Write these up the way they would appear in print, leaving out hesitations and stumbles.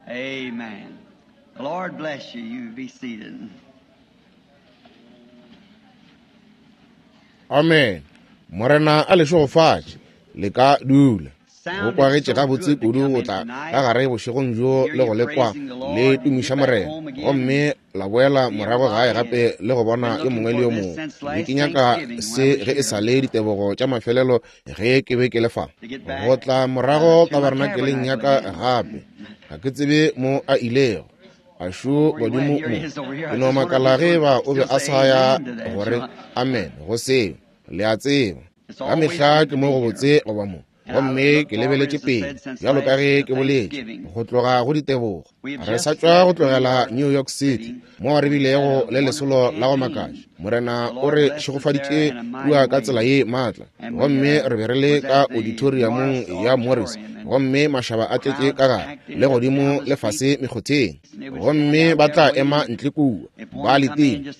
Amen. The Lord bless you. You be seated. Amen. Morena a le šegofatše. Le ka dula. Go kwagetše gabotse kudu go tla ka gare bošegong bjo le go le kwa le tumiša Morena, gomme la boela morago gae gape le go bona yo mongwe le yo mongwe. Be ke nyaka se ge e sa le ditebogo tša mafelelo ge ke be ke le fa. Go tla morago tabernakeleng ya ka gape. Ga ke tsebe mo a ilego. A šo godimo mo. Ke no makala ge eba o be a sa ya gore amen go seo. Le a tseba, ka mehla ke mo gobotse go ba mo. Gomme ke lebeletše pele, bjalo ka ge ke boletše, go tloga go ditebogo. Re sa tšwa go tlogela New York City, moo re bilego le lesolo la go makatša. Morena o re šegofaditše kua ka tsela ye maatla. Gomme re be re le ka auditoriumong ya Morris, gomme mašaba a tletše ka gare, le godimo le fase mekgotheng. Gomme ba tla ema ntle kua, ba letile.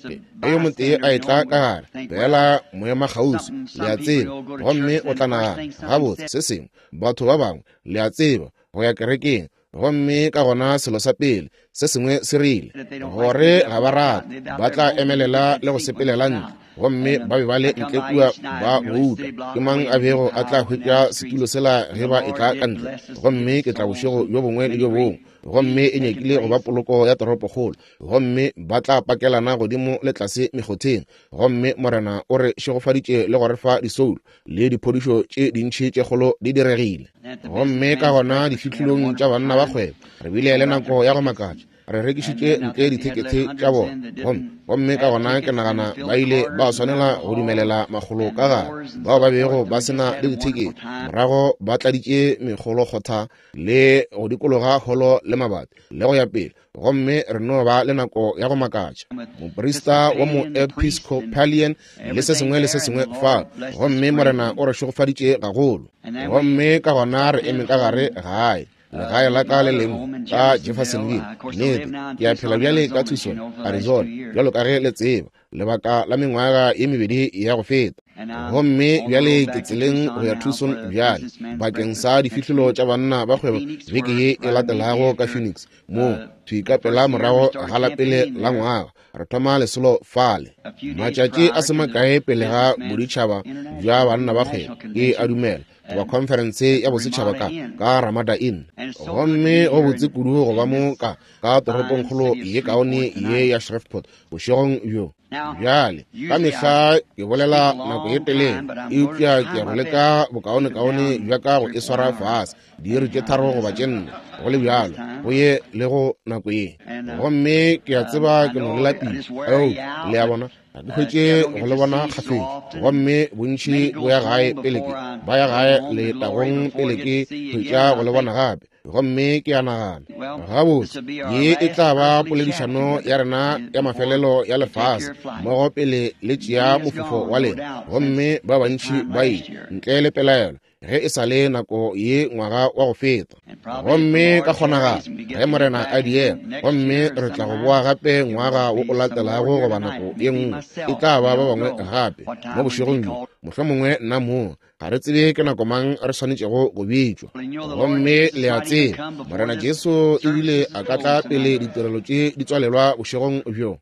Ge yo motee a etla ka gare, feela moemakgauswi, le a tseba, gomme o tla nagana, gabotse, se sengwe, batho ba bangwe, le a tseba, go ya kerekeng. Gomme ka gona selo sa pele, se sengwe se rile, gore ga ba rate, ba tla emelela le go sepelela ntle. Gomme ba be ba le ntle kua ba bouta, ke mang a bego a tla hwetša setulo sela ge ba etla ka ntle? Gomme ke tla bošego bjo bongwe le bjo bongwe, gomme e nyakile go ba poloko ya toropokgolo. Gomme ba tla pakelana godimo le tlase mekgotheng. Gomme Morena o re šegofaditše le go re fa disoulo le diphodišo tše dintši tše kgolo di diregile. Gomme ka gona difihlolong tša banna ba kgwebo re bile le nako ya go makatša. Re rekišitše ntle dithekethe tša bona. Gomme, gomme ka gona ke nagana ba ile ba swanela go dumelela makgolo ka gare, bao ba bego ba se na le dithekethe. Morago ba tladitše mekgolokgotha le go dikologa holo le mabati le go ya pele. Gomme re no ba le nako ya go makatša. Moprista wa moepiscopalian le se sengwe le se sengwe fa. Gomme Morena o re šegofaditše gagolo. Gomme ka gona re eme ka gare gae, legae la ka le lengwe ka Jeffersonville. Nnete, ke a phela bjale ka Tucson, Arizona, bjalo ka ge le tseba, lebaka la mengwaga ye mebedi ya go feta. Gomme bjale ke tseleng go ya Tucson bjale bakeng sa difihlolo tša banna ba kgwebo beke ye e latelago ka Phoenix, moo thwi ka pela morago ga la pele la ngwaga re thoma lesolo fale. Matšatši a se makae pele ga boditšhaba bja banna ba kgwebo, ke a dumela, goba khonferense ya bosetšhaba ka ka Ramada Inn. Gomme go botse kudu go ba mo ka ka toropongkgolo ye kaone ye ya Shreveport bošegong bjo. Bjale, ka mehla ke bolela nako ye telele, eupša ke ya go leka bokaonekaone bja ka go e swara fase, diiri tše tharo goba tše nne, go le bjalo, go ye le go nako ye. Gomme ke a tseba ke no le lapile, eupša, le a bona, ga ke hwetše go le bona kgafetša. Gomme bontši bo ya gae pele ke, ba ya gae letagong pele ke hwetša go le bona gape. Gomme ke a nagana, gabotse, ye e tla ba poledišano ya rena ya mafelelo ya lefase mmogo pele le tšea mofofo wa lena. Gomme ba bantši ba ile, ntle le pelaelo, ge e sa le nako ye ngwaga wa go feta. Gomme ka kgonagalo, ge Morena a diega, gomme re tla go boa gape ngwaga wo o latelago goba nako ye nngwe, e tla ba ba bangwe gape mo bošegong bjo, mohlomongwe nna mong. Ga re tsebe ke nako mang re swanetšego go bitšwa. Gomme le a tseba, Morena Jesu ebile a ka tla pele ditirelo tše di tswalelwa bošegong bjo.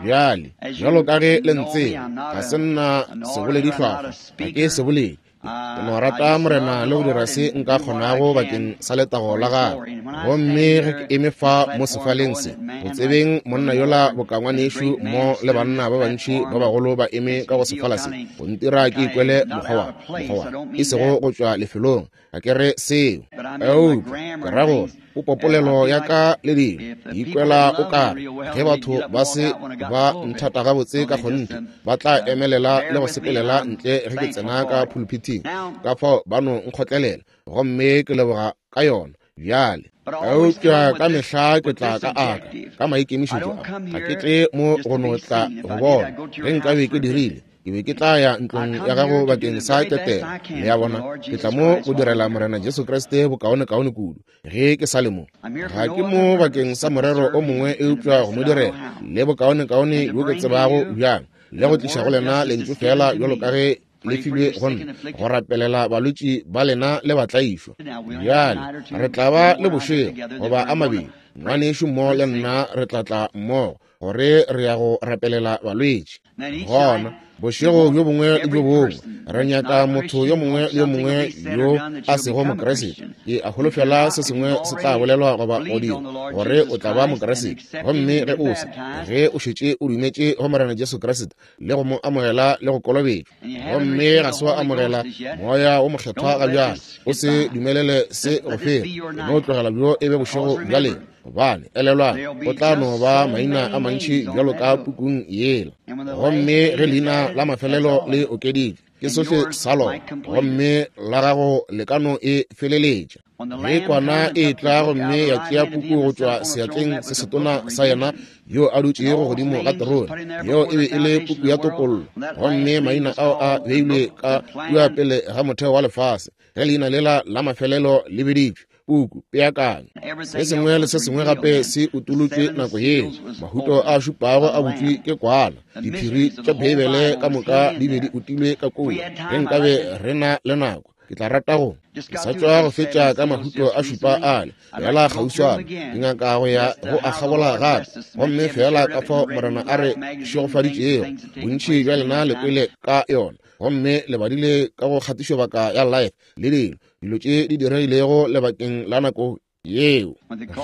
Bjale, bjalo ka ge le ntseba, ga se nna seboledihlwahlwa, ga ke seboledi. Ke no rata Morena le go dira se nka kgonago bakeng sa letago la gagwe. Gomme ge ke eme fa mo sefaleng se, go tsebeng monna yola boka ngwanešu mo le banna ba bantši ba bagolo ba eme ka go sefala se, go ntira ke ikwele mokgwa wa, mokgwa wa, e sego go tšwa lefelong, ga ke re seo, eupša ke ra gore popopolelo ya ka le dilo, ke ikwela o ka re ge batho ba se ba nthata gabotse ka kgonthe, ba tla emelela le go sepelela ntle ge ke tsena ka phuluphithing, ka fao ba no nkgotlelela, gomme ke leboga ka yona. Bjale, eupša ka mehla ke tla ka aka ka maikemišetšo a, ga ke tle mo go no tla go bona. Ge nkabe ke dirile, ke be ke tla ya ntlong ya gago bakeng sa ketelo. Le a bona, ke tla mo go direla Morena Jesu Kriste bokaonekaone kudu ge ke sa le mo. Ga ke mo bakeng sa morero o mongwe eupša go mo direla le bokaonekaone bjo ke tsebago bjang, le go tliša go lena lentšu feela bjalo ka ge le filwe go nna, go rapelela balwetši ba lena le batlaišwa. Bjale re tla ba le bošego goba a mabedi. Ngwanešu mo le nna re tla tla mmogo, gore re ya go rapelela balwetši. Gona bošego bjo bongwe le bjo bongwe re nyaka motho yo mongwe le yo mongwe yo a sego Mokriste. Ke a holofela se sengwe se tla bolelwa goba go dirwa gore o tla ba Mokriste. Gomme ge o se, ge o šetše o dumetše go Morena Jesu Kriste le go mo amogela le go kolobetšwa, gomme ga se wa amogela Moya wo Mokgethwa ga bjale, o se dumelele se go feta. No tlogela bjo e be bošego bja lena, gobane elelwang, go tla no ba maina a mantši bjalo ka pukung yela. Gomme ge leina la mafelelo le okeditšwe, ke sohle sa lona, gomme la gago le ka no e feleletša. Ge kwana e tla gomme ya tšea puku go tšwa seatleng se setona sa yena yo a dutšego godimo ga terone, yeo e be e le puku ya topollo, gomme maina ao a beilwe ka kua pele ga motheo wa lefase, ge leina lela la mafelelo le biditšwe, puku peakanyo, se sengwe le se sengwe gape se utolotšwe nako yeo. Mahuto a šupago a butšwe ke kwana, diphiri tša Beibele ka moka di be di utilwe ka kua. Ge nkabe re na le nako, ke tla rata go ke sa tšwa go fetša ka mahuto a šupa ale fela kgauswana, ke nyaka go ya go a kgabola gape. Gomme fela ka fao Morena a re šegofaditšego, bontši bja lena le kwele ka yona, gomme le badile ka go kgatišobaka ya Life le dilo, dilo tše di diregilego lebakeng la nako yeo.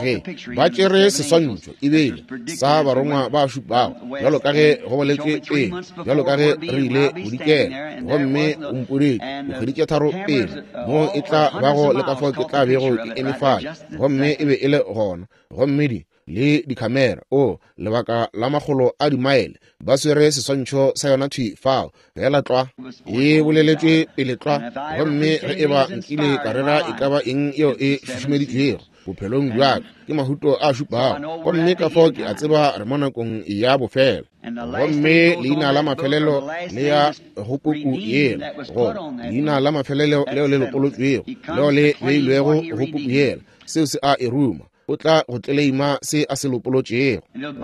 Ge ba tšere seswantšho ebile sa barongwa ba šupago, bjalo ka ge go boletšwe pele, bjalo ka ge re ile bodikela, gomme o mpoditše dikgwedi tše 3 pele mo e tla bago le ka fao ke tla bego ke eme fale, gomme e be e le gona. Gomme di le dikhamera, o lebaka la makgolo a dimaele, ba swere seswantšho sa yona thwi fao, fela tlwa e boleletšwe pele tlwa. Gomme ge e ba nkile ka rera e ka ba eng yeo e šušumeditšwego bophelong bja ka, ke mahuto a šupago, gomme ka fao ke a tseba re mo nakong ya bofelo. Gomme leina la mafelelo le ya go puku yela, goba leina la mafelelo leo le lopolotšwego, leo le beilwego go puku yela, seo se a e ruma. O tla go tleleima se a se lopolotšego.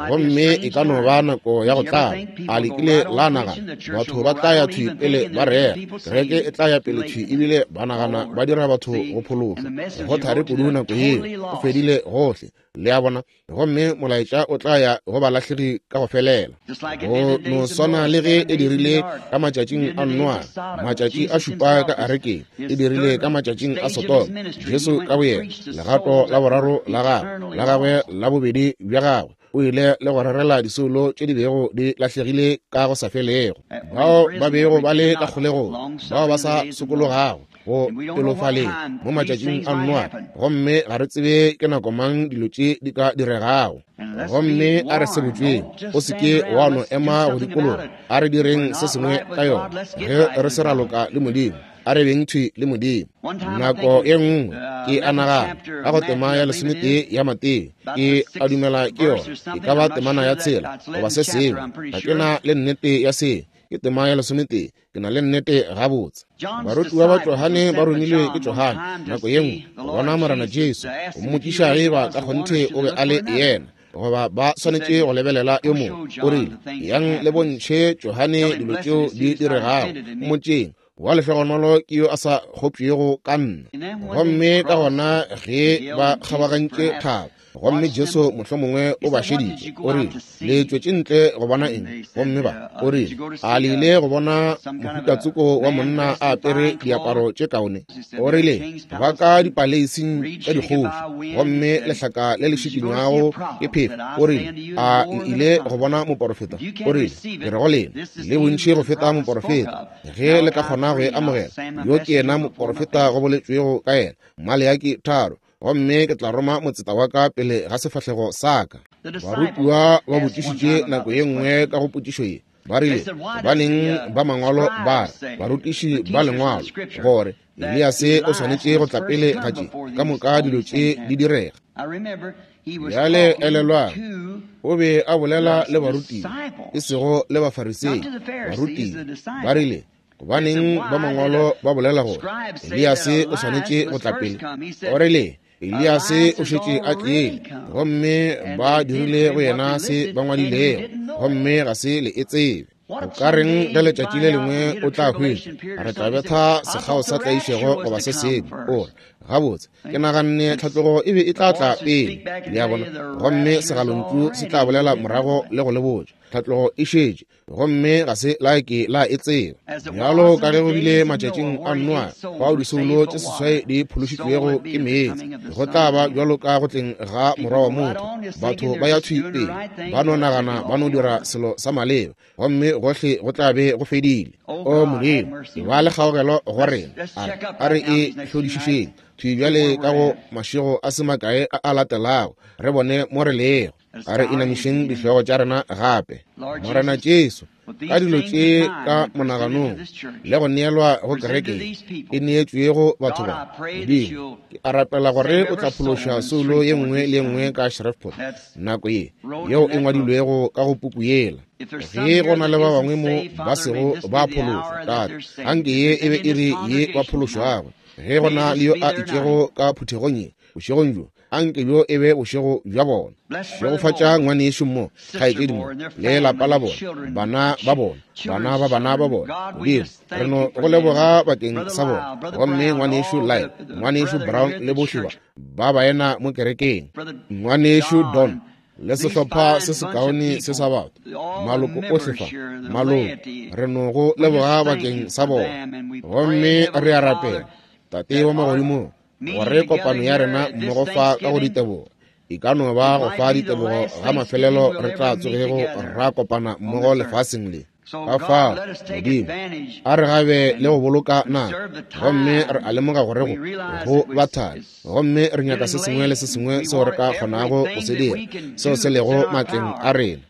Gomme e ka no ba nako ya go tlala. A le kile la nagana batho ba tla ya thwi pele ba rera, kereke e tla ya pele thwi ebile ba nagana ba dira batho go phološwa? Go thari kudu nako yeo, go fedile gohle. Le a bona? Gomme molaetša o tla ya go balahlegi ka go felela, go no swana le ge e dirile ka matšatšing a Noa, matšatši a šupa ka arekeng, e dirile ka matšatšing a Sodoma. Jesu ka boyena, legato la boraro la gagwe, la gagwe la bobedi bja gagwe, o ile le go rerela disoulo tše di bego di lahlegile ka go sa felego, bao ba bego ba le ka kgolegong, bao ba sa sokologago go pelofaleng mo matšatšing a Noa. Gomme ga re tsebe ke nako mang dilo tše di ka diregago. Gomme a re se botšweng, o se ke wa no ema go dikologa. A re direng se sengwe ka yona. Ge re se ra loka le Modimo, a re beng thwi le Modimo. Nako e nngwe ke a nagana ka go tema ya 11 ya Mateo, ke a dumela ke yona, e ka ba temana ya 6 goba se sengwe, ga ke na le nnete ya se. Ke tema ya 11, ke na le nnete gabotse. Barutiwa ba Johane ba romilwe ke Johane nako ye nngwe go bona Morena Jesu, go mmotšiša ge ba ka kgonthe o be a le yena, goba ba swanetše go lebelela yo mongwe. O rile, yang le bontšhe Johane dilo tšeo di diregago, mmotšeng, wa lehlogonolo ke yo a sa kgopšego ka nna. Gomme ka gona ge ba kgabagantše thaba, gomme Jesu mohlomongwe o ba šeditše, o rile, le tšwetše ntle go bona eng? Gomme ba, o rile, a le ile go bona mohutatsoko wa monna a apere diaparo tše kaone? O rile, ba ka dipaleising tša dikgoši, gomme lehlaka le le šikinywago ke phefo. O rile, a le ile go bona moporofeta? O rile, ke re go lena, le bontši go feta moporofeta, ge le ka kgona go e amogela. Yo ke yena moporofeta go boletšwego ka yena, Maleaki 3, gomme ke tla roma motseta wa ka pele ga sefahlego sa ka. Barutiwa ba botšišitše nako ye nngwe ka go potšišo ye, ba rile, gobaneng ba mangwalo ba re, barutiši ba lengwalo, gore Eliase o swanetše go tla pele ga tše ka moka dilo tše di direga? Bjale elelwang, o be a bolela le barutiwa, e sego le Bafarisei. Barutiwa ba rile, gobaneng ba mangwalo ba bolela gore Eliase o swanetše go tla pele? O rile, Eliase o šetše a tlile, gomme ba dirile go yena se ba ngwadilego, gomme ga se le e tsebe. O ka reng ge letšatši le lengwe o tla hwetša re tla betha sekgao sa tlaišego goba se sengwe? O re, Gabotse, ke naganne tlhatlogo e be e tla tla pele, le a bona, gomme segalontšu se tla bolela morago le go le botša. Tlhatlogo e šetše, gomme ga se la ke la e tseba. Bjalo ka ge go bile matšatšing a Noa, fao disoulo tše seswai di phološitšwego ke meetse, go tla ba bjalo ka go tleng ga Morwa wa motho. Batho ba ya thwi pele, ba no nagana ba no dira selo sa maleba, gomme gohle go tla be go fedile. O Modimo, ba le kgaogelo go rena. A re e hlodišišeng thwi bjale ka go mašego a se makae a a latelago, re bone mo re lego. A re inamišeng dihlogo tša rena gape. Morena Jesu, ka dilo tše ka monaganong le go neelwa go kereke e neetšwego batho ba, Modimo, ke a rapela gore o tla phološa soulo ye nngwe le ye nngwe ka Shreveport nako ye yeo e ngwadilwego ka go puku yela. Ge go na le ba bangwe mo ba sego ba phološwa, Tate, anke ye e be iri ye ba phološwago. Ge go na le yo a itšego ka phuthegong ye bošegong bjo, anke bjo e be bošego bja bona. Šegofatša ngwanešu mo, kgaetšedi mo, le lapa la bona, bana ba bona, bana ba bana ba bona. Modimo, re no go leboga bakeng sa bona. Gomme ngwanešu Lyle, ngwanešu Brown le bohle ba ba baena mo kerekeng, ngwanešu Don, le sehlopha se sekaone se sa batho, maloko ohle fa, maloko, re no go leboga bakeng sa bona. Gomme re a rapela, Tate wa magodimong, gore kopano ya rena mmogo fa ka go ditebogo e ka no ba go fa ditebogo ga mafelelo re tla tsogego ra kopana mmogo lefaseng le. Ka fao, Modimo, a re gabe le go boloka nako, gomme re a lemoga gore go ba thari, gomme re nyaka se sengwe le se sengwe seo re ka kgonago go se dira, seo se lego matleng a rena,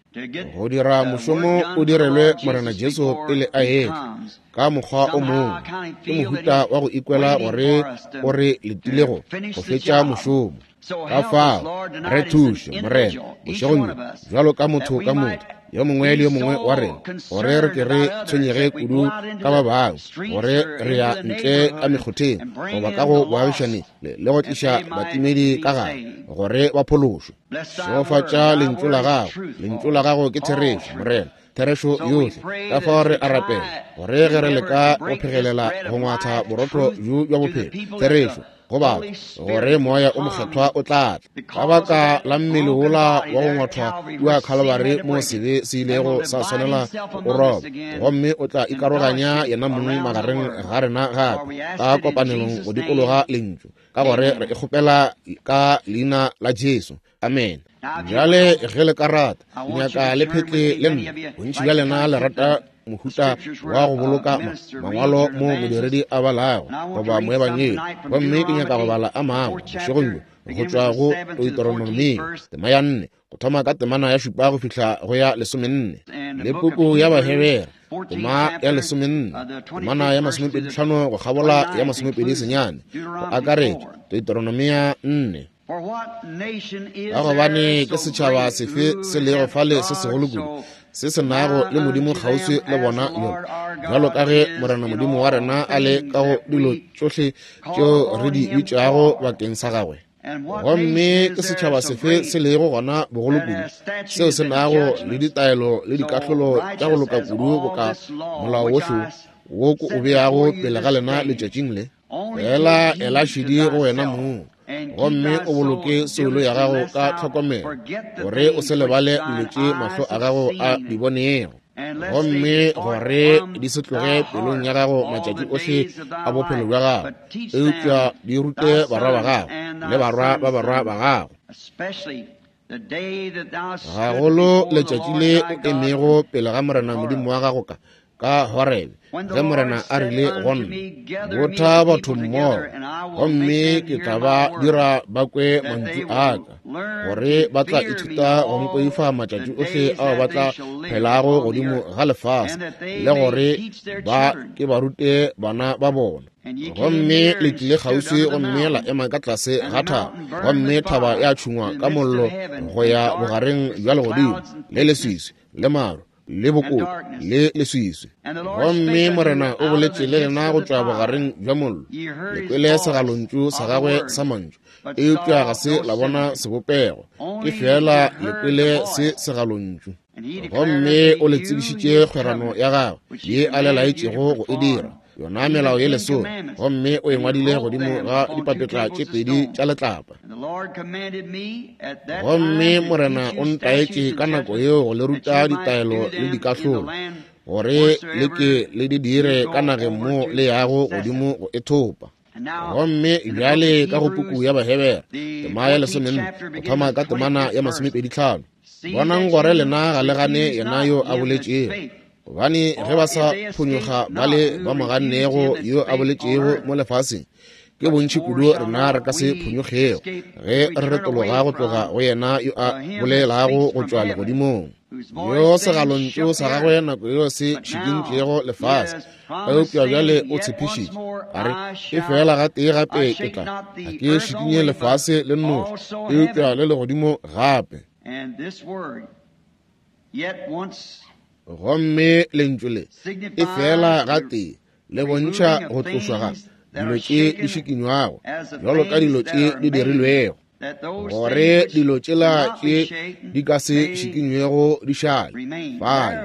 go dira mošomo o direlwe Morena Jesu pele a etla. Ka mokgwa o mongwe, ke mohuta wa go ikwela gore o re letile go fetša mošomo. Ka fao, re thuše, Morena, bošegong bjo, bjalo ka motho ka motho, yo mongwe le yo mongwe wa rena, gore re ke re tshwenyege kudu ka ba bangwe, gore re ya ntle ka mekgotheng goba ka go boagišane le go tliša batimedi ka gare, gore ba phološwe. Šegofatša lentšu la gago. Lentšu la gago ke therešo, Morena, therešo yohle. Ka fao re a rapela gore ge re leka go phegelela go ngwatha borotho bjo bja bophelo, therešo go batho, gore Moya o Mokgethwa o tla tla. Ka baka la mmele wola wa go ngwathwa kua Khalibari mo sebe se ilego sa swanela go roba, gomme o tla ikaroganya yena mong magareng ga rena gape ka kopanelong go dikologa lentšu, ka gore re e kgopela ka leina la Jesu. Amen. Bjale ge le ka rata, nyaka le phetle le nna. Bontši bja lena le rata mohuta wa go boloka mangwalo mo modiredi a balago goba moebangedi, gomme ke nyaka go bala a mangwe bošegong bjo go tšwa go Deuteronomio tema ya 4, go thoma ka temana ya 7 go fihla go ya 14, le puku ya Bahebere tema ya 14, temana ya 25 go kgabola ya 29, go akaretša Deuteronomia 4. Ka gobane ke setšhaba sefe se lego fale se segolo kudu, se se nago le Modimo kgauswi le bona bjalo ka ge Morena Modimo wa rena a le ka go dilo tšohle tšeo re di bitšago bakeng sa gagwe? Gomme ke setšhaba sefe se lego gona bogolo kudu, seo se nago le ditaelo le dikahlolo tša go loka kudu boka molao wohle wo ko o beago pele ga lena letšatšing le? Fela ela šedi go wena mong, gomme o boloke soulo ya gago ka tlhokomelo, gore o se lebale dilo tše mahlo a gago a di bonego, gomme gore di se tloge pelong ya gago matšatši ohle a bophelo bja gago, eupša di rute barwa ba gago le barwa ba barwa ba gago. Gagolo letšatši le o emego pele ga Morena Modimo wa gago ka Horebe, ge Morena a rile go nna, botha batho mmogo, gomme ke tla ba dira ba kwe mantšu a ka, gore ba tla ithuta go mpoifa matšatši ohle ao ba tla phelago godimo ga lefase, le gore ba ke ba rute bana ba bona. Gomme le tlile kgauswi gomme la ema ka tlase ga thaba, gomme thaba ya tšhungwa ka mollo go ya bogareng bja legodimo, le leswiswi le maru le bokoko le leswiswi. Gomme Morena o boletše le lena go tšwa bogareng bja mollo. Le kwele segalontšu sa gagwe sa mantšu, eupša ga se la bona sebopego, ke feela le kwele se segalontšu. Gomme o le tsebišitše kgwerano ya gagwe ye a le laetšego go e dira. yona melao ye lesome, gomme o e ngwadile godimo ga dipapetla tše pedi tša letlapa. Gomme Morena o ntaetše ka nako yeo go le ruta ditaelo le dikahlolo, gore le ke le di dire ka nageng mo le yago godimo go e thopa. Gomme bjale ka go puku ya Bahebere, tema ya 14, go thoma ka temana ya 25, bonang gore lena ga le gane yena yo a boletšego, gobane ge ba sa phonyokga ba le ba mo gannego yo a boletšego mo lefaseng, ke bontši kudu rena re ka se phonyokgego ge re retologa go tloga go yena yo a bolelago go tšwa legodimong, yo segalontšu sa gagwe nako yeo se šikintšego lefase. Eupša bjale o tshepišitše, a re, e fela gatee gape ke tla, ga ke šikinye lefase le nnoši, eupša le legodimo gape. Gomme lentšu le e fela gatee le bontšha go tlošwa ga dilo tše di šikinywago bjalo ka dilo tše di dirilwego, gore dilo tšela tše di ka se šikinywego di šale fale.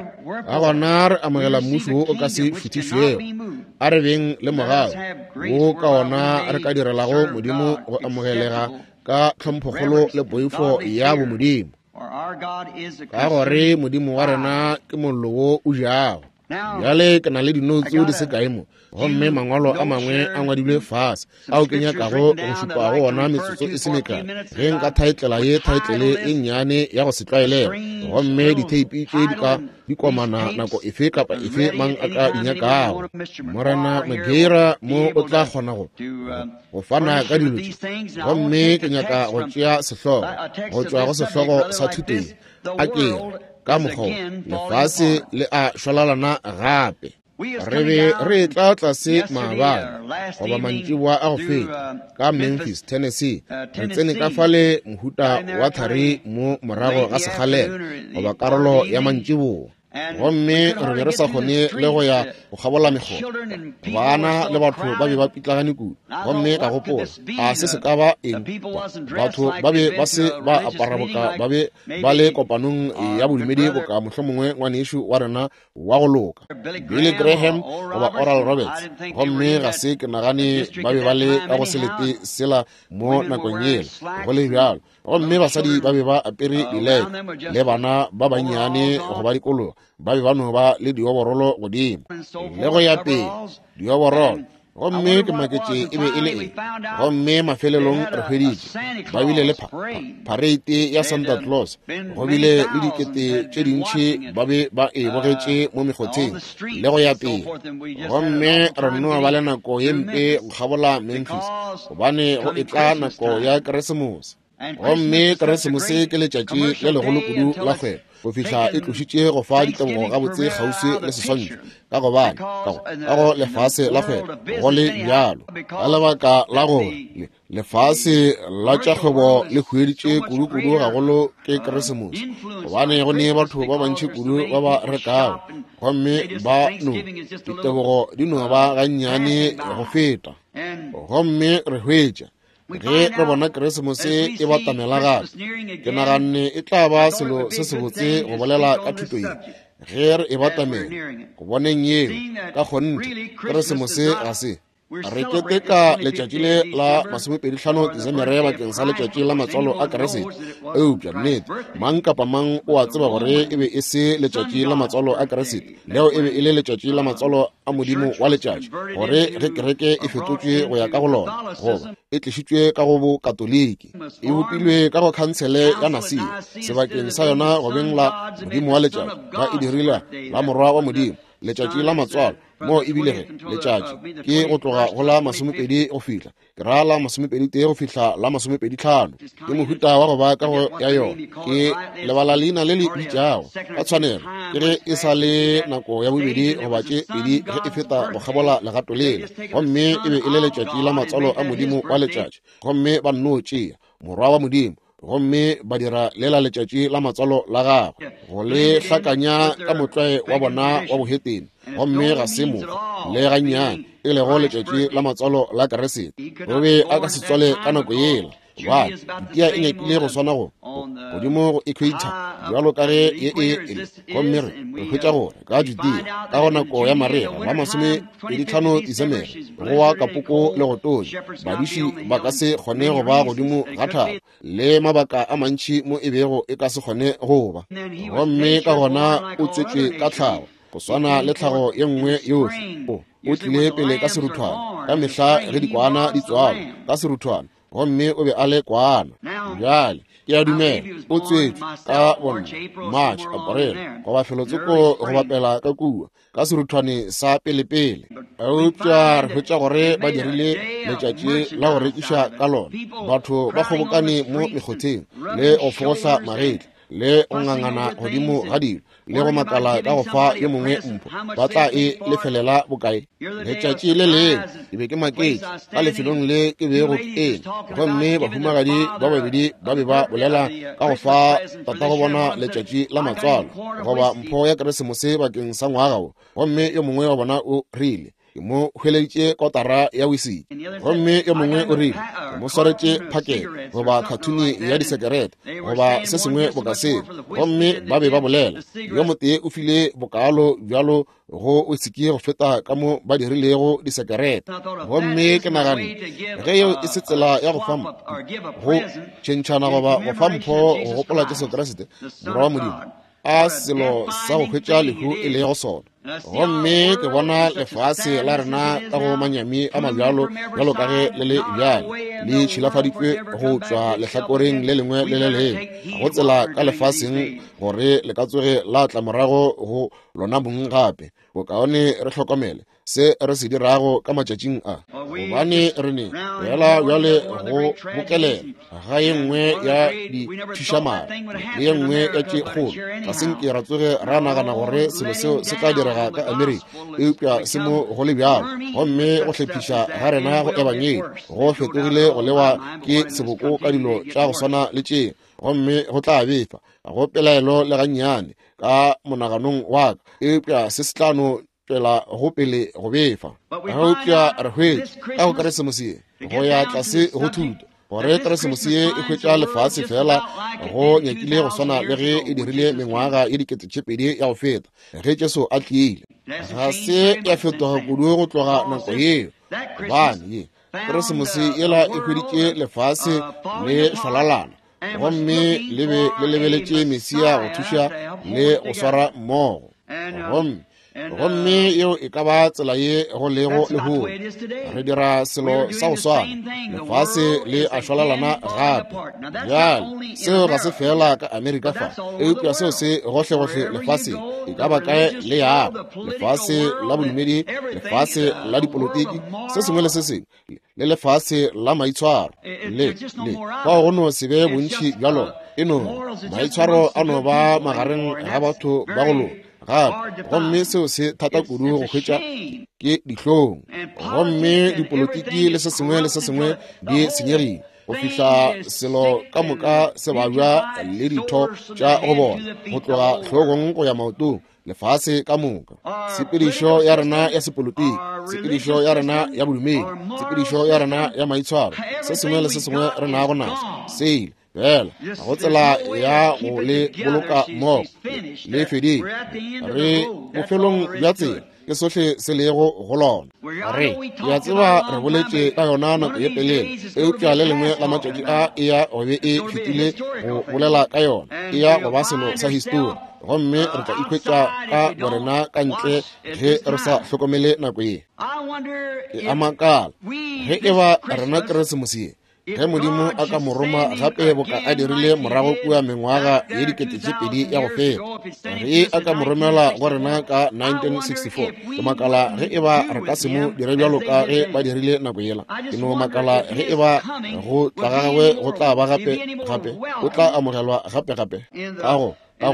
Ka gona re amogela mmušo wo o ka se šuthišwego. A re beng le mogau wo ka ona re ka direlago Modimo go amogelega ka tlhomphokgolo le poifo ya bomodimo, ka gore Modimo wa rena ke mollo wo o jago. Bjale ke na le dinoutsu di se kae mo, gomme mangwalo a mangwe a ngwadilwe fase ao ke nyakago go šupa go ona metsotso e se mekae ge nka thaetlela ye thaetlele e nnyane ya go se tlwaelege, gomme ditheipi tše di ka di komana nako efe kapa efe mang a ka di nyakago. Morena Mageira mo o tla kgona go fana ka dilo tše, gomme ke nyaka go tšea sehlogo go tšwa go sehlogo sa thuto ye, a ke ka mokgwa lefase le a šwalalana gape. Re be re tla tlase maabane goba mantšiboa a go feta ka Memphis, Tennessee. Re tsene ka fale mohuta wa thari mo morago ga sekgalela goba karolo ya mantšiboa, gomme re be re sa kgone le go ya go kgabola mekgotha. Bana le batho ba be ba pitlagane kudu, gomme ka gopola, a se se ka ba eng? Batho ba be ba se ba apara boka ba be ba le kopanong ya bodumedi, boka mohlomongwe ngwanešu wa rena wa go loka Billy Graham goba Oral Roberts, gomme ga se ke nagane ba be ba le ka go selete sela mo nakong yela go le bjalo. Gomme basadi ba be ba apere dileke, le bana ba bannyane go ba dikologa ba be ba no ba le dioborolo godimo le go ya pele, dioborolo. Gomme ke maketše e be e le eng. Gomme mafelelong re hweditše ba bile le pareite ya Santa Claus, go bile le dikete tše dintši ba be ba e bogetše mo mekgotheng le go ya pele. Gomme re no ba le nako ye mpe go kgabola Memphis, gobane go etla nako ya Keresemose. Gomme Keresemose ke letšatši le legolo kudu la kgwebo, go fihla e tlošitše go fa ditebogo gabotse kgauswi le seswantšho, ka gobane ka go lefase la kgwebo go le bjalo, ka lebaka la gore lefase la tša kgwebo le hueditše kudu-kudu gagolo ke Keresemose, gobane go ne batho ba bantši kudu ba ba rekago, gomme ba no ditebogo di no ba gannyane go feta. Gomme re hwetša ge re bona Keresemose e batamela gape, ke naganne e tla ba selo se sebotse go bolela ka thuto ye ge re e batamela go boneng yeo. Ka kgonthe Keresemose ga se re keteka letšatši le la 25 Desemere bakeng sa letšatši la matswalo a Keresete, eupša nnete mang kapa mang o a tseba gore e be e se letšatši la matswalo a Keresete, leo e be e le letšatši la matswalo a Modimo wa letšatši, gore ge kereke e fetotšwe go ya ka go lona, goba e tlišitšwe ka go bokatoliki, e bopilwe ka go khansele ya Nasia sebakeng sa yona go beng la Modimo wa letšatši, ba e dirile la Morwa wa Modimo, letšatši la matswalo, mo ebile ge letšatši ke go tloga go la 20 go fihla ke ra la 21 go fihla la 25. Ke mohuta wa go ba ka go ya yona, ke lebala leina le le bitšago ka tshwanelo, ke ge e sa le nako ya bobedi goba tše pedi ge e feta go kgabola legato lela, gomme e be e le letšatši la matswalo a Modimo wa letšatši, gomme ba nno tšea Morwa wa Modimo gomme ba dira lela letšatši la matswalo la gagwe go le hlakanya ka motlwae wa bona wa bohetene, gomme ga se mokgwa le gannyane e lego letšatši la matswalo la Keresete. O be a ka se tswale ka nako yela. Gobane Judea e nyakile go swana go godimo go equator bjalo ka ge ye e le. Gomme re hwetša gore ka Judea ka go nako ya marega la 25 Disemere go wa kapoko le go tonya, badiši ba ka se kgone go ba godimo ga thaba, le mabaka a mantši mo e bego e ka se kgone go ba. Gomme ka gona o tswetšwe ka tlhago, go swana le tlhago ye nngwe yohle. O tlile pele ka seruthwane, ka mehla ge dikwana di tswalwa ka seruthwane, gomme o be a le kwana. Bjale ke a dumela o tswetšwe ka bonna March, April, goba felotsoko go bapela ka kua ka seruthwane sa pelepele. Eupša re hwetša gore ba dirile letšatši la go rekiša ka lona. Batho ba kgobokane mo mekgotheng le go fogohla magetla le go ngangana godimo ga dilo le go makala ka go fa yo mongwe mpho, ba tla e lefelela bokae? Letšatši le lengwe ke be ke maketše ka lefelong le ke bego ke eme, gomme bahumagadi ba babedi ba be ba bolela ka go fa tatago bona letšatši la matswalo goba mpho ya Keresemose bakeng sa ngwaga wo, gomme yo mongwe wa bona o rile, ke mo hweleditše kotara ya wisiki, gomme yo mongwe o rile, ke mo swaretše phakete goba khathuni ya disekerete goba se sengwe boka seo. Gomme ba be ba bolela, yo motee o file bokaalo bjalo go wisiki go feta ka mo ba dirilego disekerete. Gomme ke naganne, ge yeo e se tsela ya go fa go tšhentšhana goba go fa mpho go gopola Jesu Kriste Morwa wa Modimo, a selo sa go hwetša lehu e lego sona. Gomme ke bona lefase la rena ka go manyami a mabjalo bjalo ka ge le le bjale, le tšhilafaditšwe go tšwa lehlakoreng le lengwe le le lengwe, go tsela ka lefaseng gore le ka tsoge la tla morago go lona mong gape. Bokaone re hlokomele se re se dirago ka matšatšing a, gobane re ne fela bjale go bokelela ga ye nngwe ya dithušamare le ye nngwe ya tše kgolo. Ga se nke ra tsoge ra nagana gore selo seo se tla direga ka Amerika, eupša se mo go le bjalo. Gomme go hlephiša ga rena go ebangedi go fetogile go lewa ke seboko ka dilo tša go swana le tše, gomme go tla befa go pelaelo le gannyane ka monaganong wa ka, eupša se se tla no tšwela go pele go befa. Eupša re hwetše ka go Keresemose ye go ya tlase go thuto gore Keresemose ye e hwetša lefase fela go nyakile go swana le ge e dirile mengwaga ye 2000 ya go feta ge Jesu a tlile. Ga se ya fetoga kudu go tloga nako yeo, gobane ye Keresemose yela e hweditše lefase le šwalalana, gomme le be le lebeletše Mesia go thuša le go swara mmogo. Gomme yeo e ka ba tsela ye go lego lehono. Re dira selo sa go swana, lefase le a šwalalana gape. Bjale seo ga se fela ka Amerika fa, eupša seo se gohlegohle lefaseng, e ka ba kae le yago, lefase la bodumedi, lefase la dipolotiki, se sengwe le se sengwe, le lefase la maitshwaro le fao go no se be bontši bja lona. E no maitshwaro a no ba magareng ga batho ba go loka gape, gomme seo se thata kudu go hwetša, ke dihlong. Gomme dipolotiki le se sengwe le se sengwe di senyegile go fihla selo ka moka se babja le ditho tša go bona go tloga hlogong go ya maotong, lefase ka moka. Tshepedišo ya rena ya sepolotiki, tshepedišo ya rena ya bodumedi, tshepedišo ya rena ya maitshwaro, se sengwe le se sengwe re nago naso se ile fela, ga go tsela ya go le boloka mmogo, le fedile. Re bofelong bja tsela, ke sohle se lego go lona. Re ya tseba re boletše ka yona nako ye telele, eupša le lengwe la matšatši a e ya go be e fetile go bolela ka yona, e ya go ba selo sa histori, gomme re tla ikhwetša ka borena ka ntle ge re sa hlokomele nako ye. Ke a makala ge e ba rena Keresemose ye, ge Modimo a ka mo roma gape boka a dirile morago kua mengwaga ye 2000 ya go feta, ge a ka mo romela go rena ka 1964, ke makala ge e ba re ka se mo dire bjalo ka ge ba dirile nako yela. Ke no makala ge e ba go tla ga gagwe go tla ba gape gape, o tla amogelwa gape gape ka go ka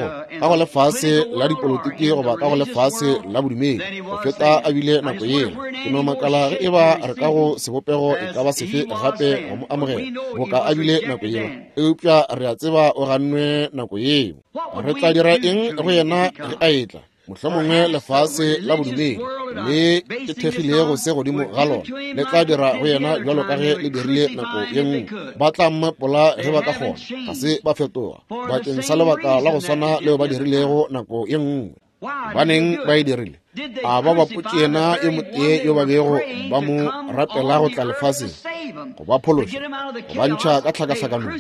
go lefase la dipolotiki goba ka go lefase la bodumedi go feta a bile nako yela. Ke no makala ge e ba re ka go sebopego e ka ba sefe gape go mo amogela boka a bile nako yela, eupša re a tseba o gannwe nako yeo. Re tla dira eng go yena ge a etla? Mohlomongwe lefase la bodumedi le ke thekgilego se godimo ga lona le tla dira go yena bjalo ka ge le dirile nako ye nngwe. Ba tla mmapola ge ba ka kgona, ga se ba fetoga bakeng sa lebaka la go swana leo ba dirilego nako ye nngwe. Baneng ba e dirile? A ba bapotše yena yo motee yo ba bego ba mo rapela go tla lefaseng go ba phološa, go ba ntšha ka tlhakahlakanong?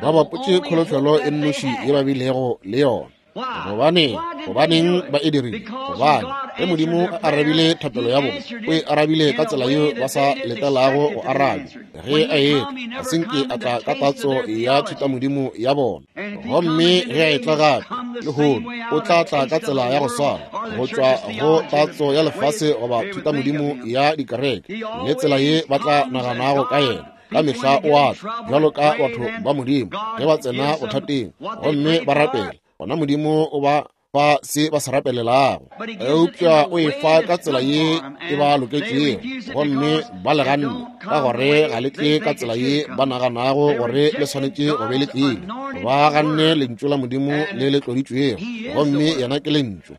Ba bapotše kholofelo e nnoši ye ba bilego le yona. Gobaneng? Gobaneng ba e dirile? Gobane ge Modimo a arabile thapelo ya bona, o e arabile ka tsela yeo ba sa letelago go arabja. Ge a etla, ga se nke a tla ka tatso ya thutamodimo ya bona. Gomme ge a etla gape lehono, o tla tla ka tsela ya go swana, go tšwa go tatso ya lefase goba thutamodimo ya dikereke, le tsela ye ba tla naganago ka yena. Ka mehla o a tla bjalo ka batho ba Modimo ge ba tsena bothateng gomme ba rapela, gona Modimo o ba fa se ba se rapelelago, eupša o e fa ka tsela ye e ba loketšego, gomme ba le ganne ka gore ga le tle ka tsela ye ba naganago gore le swanetše go be le tlile. Ba ganne lentšu la Modimo le le tloditšwego, gomme yena ke lentšu.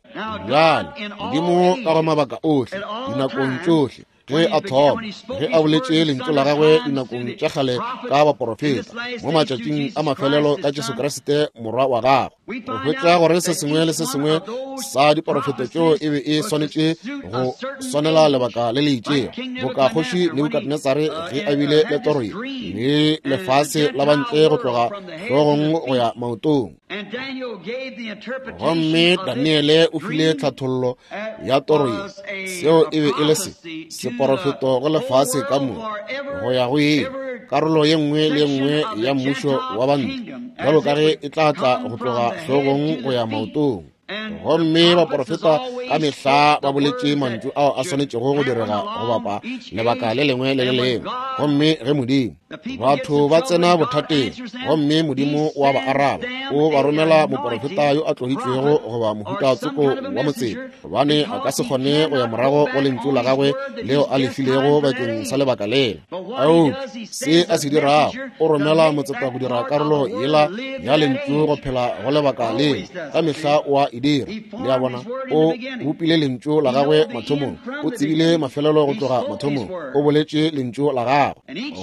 Bjale Modimo ka go mabaka ohle, dinakong tšohle, ge a thoma, ge a boletše lentšu la gagwe dinakong tša kgale ka baporofeta, mo matšatšing a mafelelo ka Jesu Kriste morwa wa gagwe, re hwetša gore se sengwe le se sengwe sa diporofeto tšeo e be e swanetše go swanela lebaka le le itšego, boka kgoši Nebukadnetsare ge a bile le toro ye le lefase la bantle go tloga hlogong go ya maotong. Gomme Daniele o file tlhathollo ya toro ye, seo e be e le se seporofeto go lefase ka moka go ya go ye karolo ye nngwe le ye nngwe ya mmušo wa bantle, bjalo ka ge e tla tla go tloga hlogong go ya maotong. Gomme baporofeta ka mehla ba boletše mantšu ao a swanetšego go direga go bapa lebaka le lengwe le le lengwe. Gomme ge Modimo, batho ba tsena bothateng, gomme Modimo o a ba araba, o ba romela moporofeta yo a tloditšwego goba mohuta tsoko wa motseng, gobane a ka se kgone go ya morago go lentšu la gagwe leo a le filego bakeng sa lebaka lela. Eupša se a se dirago, o romela motseta go dira karolo yela ya lentšu go phela go lebaka leo. Ka mehla o a e dira. Le a bona, o bopile lentšu la gagwe mathomong, o tsebile mafelelo go tloga mathomong, o boletše lentšu la gagwe.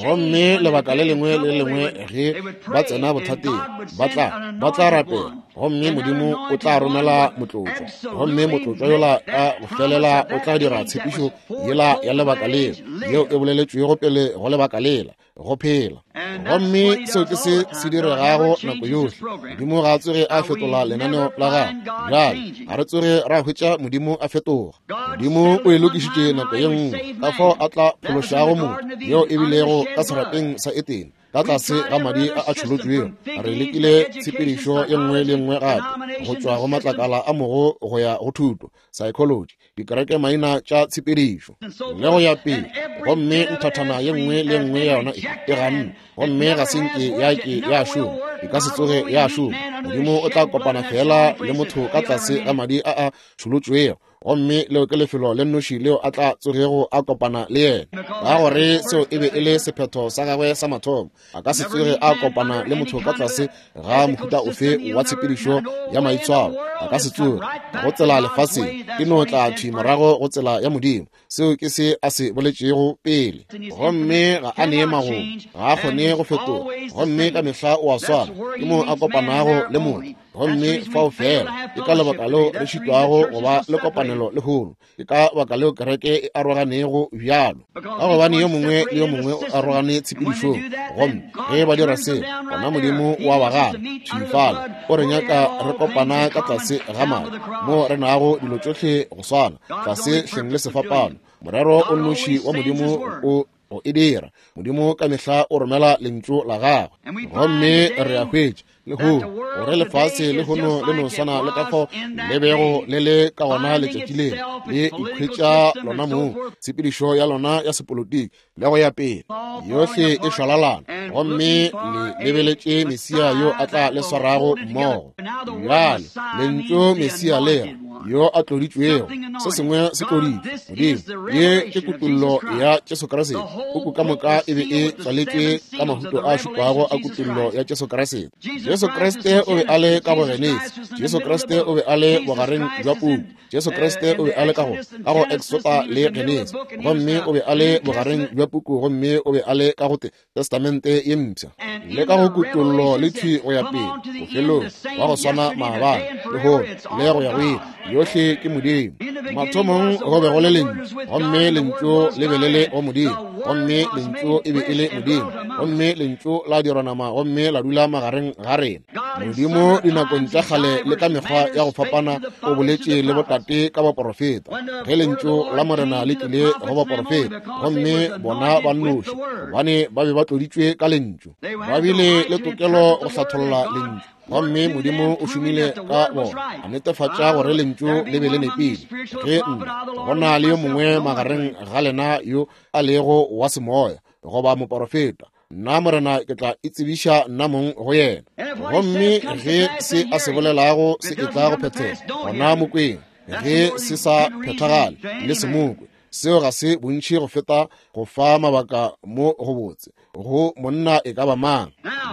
Gomme lebaka le lengwe le le lengwe ge ba tsena bothateng, ba tla rapela, gomme Modimo o tla romela motlotšwa, gomme motlotšwa yola ka go felela o tla dira tshepišo yela ya lebaka leo, yeo e boleletšwego pele go lebaka lela go phela. Gomme seo ke se se diregago nako yohle. Modimo ga a tsoge a fetola lenaneo la gagwe. Bjale ga re tsoge ra hwetša Modimo a fetoga. Modimo o e lokišitše nako ye nngwe, ka fao a tla phološago motho, yeo e bilego ka serapeng sa Etene, ka tlase ga madi a a tšholotšwego. Re lekile tshepedišo ye nngwe le nngwe gape, go tšwa go matlakala a mogo go ya go thuto, psychology, dikereke maina tša tshepedišo le go ya pele, gomme nthathana ye nngwe le nngwe ya yona e ganne, gomme ga se nke ya ke ya šoma, e ka se tsoge ya šoma. Modimo o tla kopana fela le motho ka tlase ga madi a a tšholotšwego, gomme leo ke lefelo le nnoši leo a tla tsogego a kopana le yena, ka gore seo e be e le sephetho sa gagwe sa mathomo. A ka se tsoge a kopana le motho ka tlase ga mohuta ofe wa tshepedišo ya maitshwaro. A ka se tsoge go tsela lefaseng, e no tla thwi morago go tsela ya Modimo. Seo ke se a se boletšego pele. Gomme ga a nee magomo, ga a kgone go fetoga, gomme ka mehla o a swana. Ke moo a kopanago le motho, gomme fao fela. Ke ka lebaka leo re šitwago go ba le kopanelo lehono. Ke ka baka leo kereke e aroganego bjalo, ka gobane yo mongwe le yo mongwe o arogane tshepedišong. Gomme ge ba dira seo, gona Modimo o a ba gana thwi fale. O re nyaka re kopana ka tlase ga madi, moo re nago dilo tšohle go swana, tlase hleng le sefapano. Morero o nnoši wa Modimo o go e dira. Modimo ka mehla o romela lentšu la gagwe. Gomme re a hwetša lehono gore lefase lehono le no swana le ka fao le bego le le ka gona letšatši leo, le ikhwetša lona mong, tshepedišo ya lona ya sepolotiki le go ya pele, yohle e šwalalana, gomme le lebeletše Mesia yo a tla le swarago mmogo. Bjale lentšu Mesia le ra yo a tloditšwego, se sengwe se tloditšwe. Modimo, ye ke kutollo ya Jesu Kriste. Puku ka moka e be e tswaletšwe ka mahuto a šupago a kutollo ya Jesu Kriste. Jesu Kriste o be a le ka go Genesi. Jesu Kriste o be a le bogareng bja puku. Jesu Kriste o be a le ka go ka go Exoda le Genesi, gomme o be a le bogareng bja puku, gomme o be a le ka go Testamente ye Mpsha le ka go Kutollo le thwi go ya pele bofelong, wa go swana maabane, lehono le go ya go ile. Yohle ke Modimo. Mathomong go be go le Lentšu, gomme Lentšu le be le le go Modimo, gomme Lentšu e be e le Modimo, gomme Lentšu la dirwa nama gomme la dula magareng ga rena. Modimo dinakong tša kgale le ka mekgwa ya go fapana o boletše le botate ka baporofeta. Ge Lentšu la Morena le tlile go baporofeta, gomme bona ba nnoši, gobane ba be ba tloditšwe ka Lentšu, ba bile le tokelo go hlatholla Lentšu, gomme Modimo o šomile ka bona a netefatša gore Lentšu le be le nepile. Ge nna go na le yo mongwe magareng ga lena yo a lego wa semoya goba moporofeta, nna Morena ke tla itsebiša nna mong go yena. Gomme ge se a se bolelago se etla go phethega, gona mokweng. Ge se sa phethagale, le se mokwe. Seo ga se bontši go feta go fa mabaka mo go botse go monna e ka ba mang.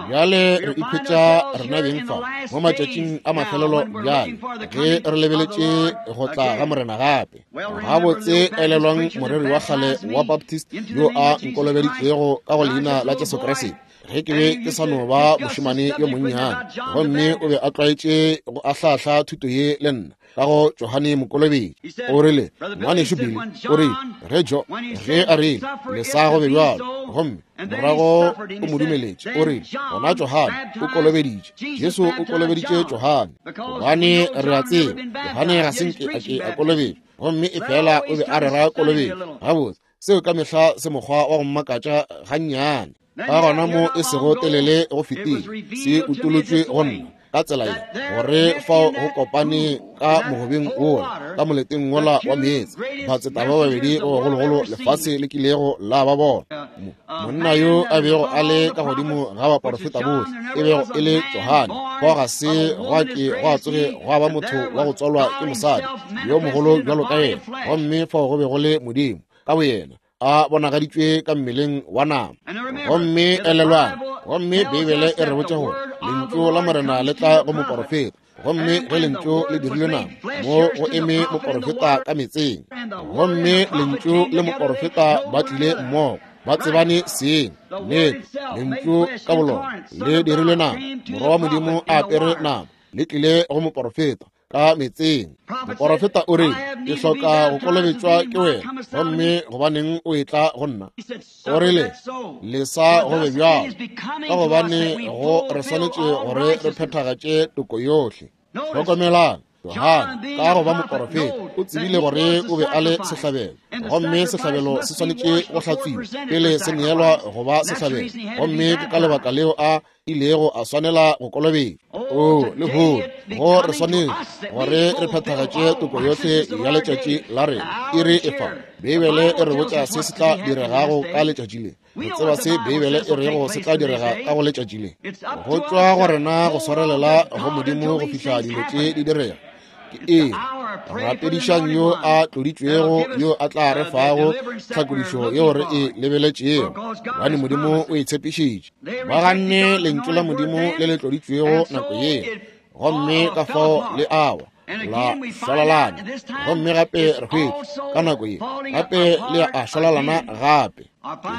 Bjale re ikhwetša rena beng fa mo matšatšing a mafelelo bjale, ge re lebeletše go tla ga Morena gape. Gabotse, elelwang moreri wa kgale wa Baptist yo a nkolobeditšego ka go leina la Jesu Kriste ge ke be ke sa no ba mošemane yo monnyane, gomme o be a tlwaetše go ahlahla thuto ye le nna ka go Johane Mokolobetši. O rile, Ngwanešu Billy, o rile, ge Jo, ge a rile, lesa go be bjalo, gomme morago o mo dumeletše, o rile, gona Johane o kolobeditše, Jesu o kolobeditše Johane, gobane re a tseba Johane ga se nke a ke a kolobetšwa, gomme e fela o be a rera kolobetšo. Gabotse, seo ka mehla se mokgwa wa go mmakatša gannyane. Ka gona mo e sego telele go fetile, se utolotšwe go nna ka tsela ye, gore fao go kopane ka mogobeng wola, ka moleteng wola wa meetse, batseta ba babedi ba bagologolo lefase le kilego la ba bona. Monna yo a bego a le ka godimo ga baporofeta bohle, e bego e le Johane, fao ga se gwa ke gwa tsoge gwa ba motho wa go tswalwa ke mosadi yo mogolo bjalo ka yena, gomme fao go be go le Modimo ka boyena a bonagaditšwe ka mmeleng wa nama. Gomme elelwang, gomme Beibele e re botša gore Lentšu la Morena le tla go moporofeta, gomme ge Lentšu le dirilwe nama, mo go eme moporofeta ka metseng, gomme Lentšu le moporofeta ba tlile mmogo, ba tsebane seng. Nnete, Lentšu ka bolona le dirilwe nama, Morwa wa Modimo a apere nama, le tlile go moporofeta ka metseng. Moporofeta o re, ke hloka go kolobetšwa ke wena, gomme gobaneng o etla go nna? O rile, lesa go be bjalo, ka gobane go re swanetše gore re phethagatše toko yohle. Hlokomelang, Johane ka go ba moporofeta o tsebile gore o be a le sehlabelo, gomme sehlabelo se swanetše go hlatswiwa pele se neelwa go ba sehlabelo, gomme ke ka lebaka leo a ilego a swanela go kolobetšwa. O lehono go re swanetše gore re phethagatše toko yohle ya letšatši la rena. Iri e fa. Beibele e re botša se se tla diregago ka letšatši le. Re tseba se Beibele e rego se tla direga ka go letšatši le. Go tšwa go rena go swarelela go Modimo go fihla dilo tše di direga. Ke eng? Rapedišang yo a tloditšwego yo a tla re fago tlhakodišo yeo re e lebeletšego, gobane Modimo o e tshepišitše. Ba ganne lentšu la Modimo le le tloditšwego nako yeo, gomme ka fao le awa la šwalalana. Gomme gape re hwetša ka nako ye gape le a šwalalana gape.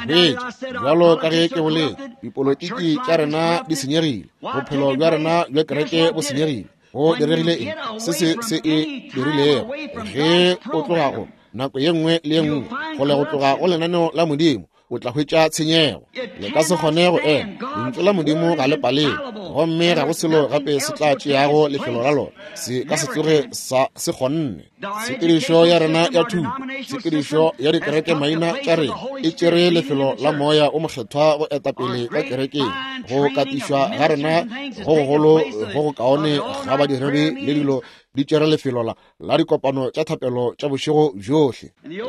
Ke hwetša bjalo ka ge ke boletše, dipolotiki tša rena di senyegile, bophelo bja rena bja kereke bo senyegile. Go diregile eng? Se se se e dirilego ge o tloga go nako ye nngwe le ye nngwe kgole go tloga go lenaneo la Modimo, o tla hwetša tshenyego. Le ka se kgone go ema. Lentšu la Modimo ga le palelwe, gomme ga go selo gape se tla tšeago lefelo la lona. Se ka se tsoge sa se kgonne. Tshepedišo ya rena ya thuto, tshepedišo ya dikereke maina tša rena e tšere lefelo la Moya o Mokgethwa go eta pele ka kerekeng. Go katišwa ga rena go gogolo go go kaone ga badiredi le dilo di tšere lefelo la dikopano tša thapelo tša bošego bjohle.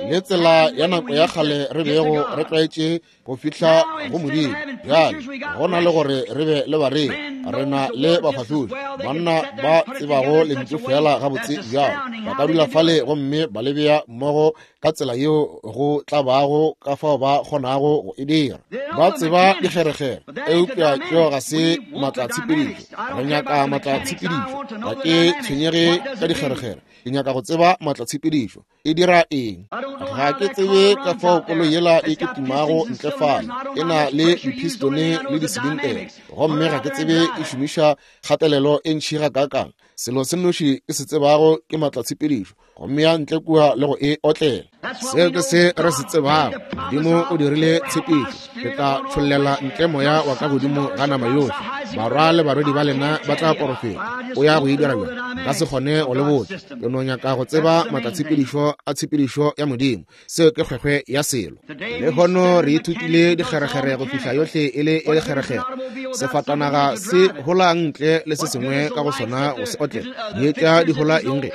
Le tsela ya nako ya kgale re bego re tlwaetše go fihla go Modimo, bjale go na le gore re be le bareri, re na le bafahlodi, banna ba tsebago lentšu fela gabotse bjalo, ba ka dula fale gomme ba le bea mmogo ka tsela yeo go tla bago ka fao ba kgonago go e dira. Ba tseba dikgerekgere, eupša tšeo ga se maatlatshepedišo. Re nyaka maatlatshepedišo. Ga ke tshwenyege ka dikgerekgere, ke nyaka go tseba maatlatshepedišo. E dira eng? Ga ke tsebe ka fao koloi yela e kitimago ntle fale, e na le dipistone le disilintere, gomme ga ke tsebe e šomiša kgatelelo e ntši gakaakang. Selo se nnoši ke se tsebago ke maatlatshepedišo, gomme ya ntle kua le go e otlela. Seo ke se re se tsebago. Modimo o dirile tshepišo, ke tla tšhollela ntle moya wa ka godimo ga nama yohle, barwa le barwedi ba lena ba tla porofeta. O ya go e dira bjang? Nka se kgone go le botša. Ke no nyaka go tseba maatlatshepedišo a tshepedišo ya Modimo. Seo ke kgwekgwe ya selo. Lehono re ithutile dikgerekgere go fihla yohle e le e lekgerekgere. Sefatanaga se hola ntle le se sengwe ka go sona go se otlela. Dietša di hola eng ge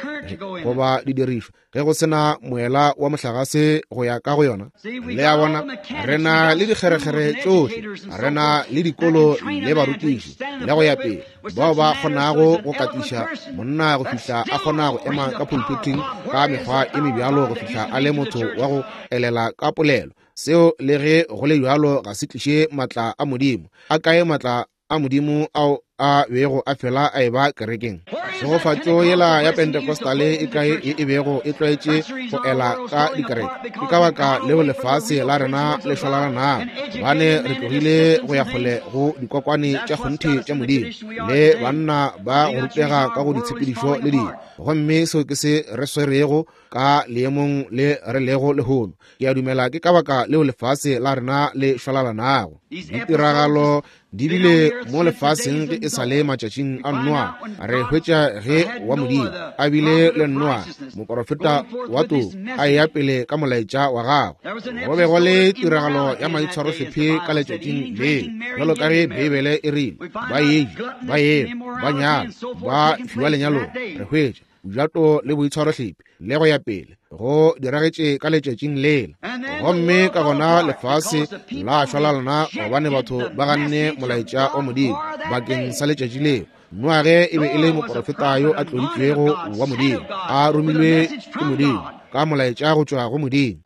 goba didirišwa ge go se na moela wa mohlagase go ya ka go yona? Le a bona, re na le dikgerekgere tšohle, re na le dikolo le barutiši le go ya pele, bao ba kgonago go katiša monna go fihla a kgona go ema ka pulpiting ka mekgwa e mebjalo go fihla a le motho wa go elela ka polelo. Seo le ge go le bjalo ga se tliše maatla a Modimo. A kae maatla a Modimo ao a bego a fela a eba kerekeng? Tšhegofatšo yela ya Pentecostale e kae ye e bego e tlwaetše go ela ka dikereke? Ke ka baka leo lefase la rena le šwalalanago, gobane re tlogile go ya kgole go dikokwane tša kgonthe tša Modimo le banna ba go rutega ka go ditshepedišo le dilo. Gomme seo ke se re swerego ka leemong le re lego lehono. Ke a dumela ke ka baka leo lefase la rena le šwalalanago. Ditiragalo di bile mo lefaseng ge e sa le matšatšing a Noa. Re hwetša ge wa Modimo a bile le Noa, moporofeta wa toko, a eya pele ka molaetša wa gagwe. Go be go le tiragalo ya maitshwarohlephe ka letšatšing leo, bjalo ka ge Beibele e rile, ba eja, ba enwa, ba nyala, ba fiwa lenyalong. Re hwetša bojato le boitshwarohlephe le go ya pele go diragetše ka letšatšing lela. Gomme ka gona lefase la šwalalana gobane batho ba ganne molaetša wa Modimo bakeng sa letšatši leo. Noage e be e le moporofeta yo a tloditšwego wa Modimo, a romilwe ke Modimo ka molaetša go tšwa go Modimo,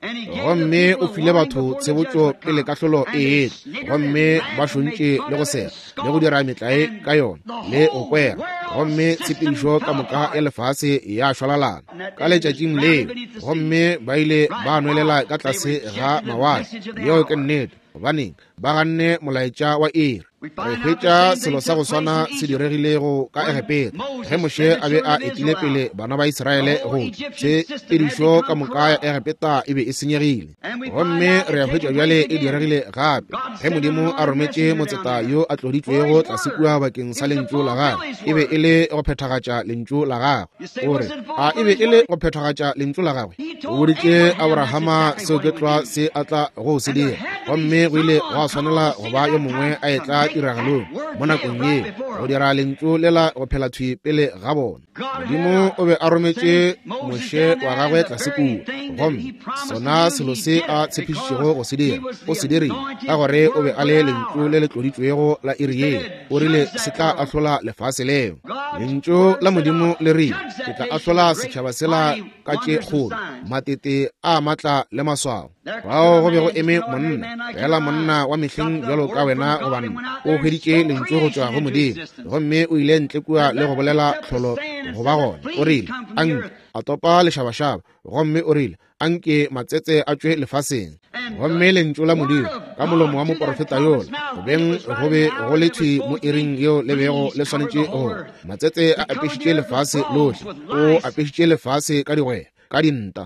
gomme o file batho tshebotšo pele kahlolo e etla, gomme ba šontše le go sega le go dira metlae ka yona le go kwera, gomme tshepedišo ka moka ya lefase ya šwalalana ka letšatšing leo, gomme ba ile ba nwelela ka tlase ga mawatle. Yeo ke nnete. Gobaneng ba ganne molaetša wa iri? Re hwetša selo sa go swana se diregilego ka Egepeta ge Moshe a be a etile pele bana ba Israele go tshepedišo ka moka ya Egepeta e be e senyegile. Gomme re a hwetša bjale e diregile gape ge Modimo a rometše motseta yo a tloditšwego tlase kua bakeng sa lentšu la gagwe. E be e le go phethagatša lentšu la gagwe. O re, a e be e le go phethagatša lentšu la gagwe? O boditše Abrahama seo ke tlwa se a tla go se dira, gomme go ile gwa swanela go ba yo mongwe a etla tiragalong mo nakong yeo go dira lentšu lela go phela thwi pele ga bona. Modimo o be a rometše Moshe wa gagwe tlase kua, gomme sona selo se a tshepišitšego go se dira o se dirile, ka gore o be a le lentšu le le tloditšwego la iri yeo. O rile se tla ahlola lefase leo. Lentšu la Modimo le rile, ke tla ahlola setšhaba sela ka tše kgolo, matete a matla le maswao. Fao go be go eme monna, fela monna wa mehleng bjalo ka wena goba nna, o hweditše lentšu go tšwa go Modimo, gomme o ile ntle kua le go bolela tlholo go ba gona. O rile, anke a topa lešabašaba, gomme o rile, anke matsetse a tšwe lefaseng. Gomme lentšu la Modimo ka molomo wa moporofeta yola, go beng go be go le thwi mo iring yeo le bego le swanetše go, matsetse a apešitše lefase lohle, o apešitše lefase ka digwegwe, ka dinta,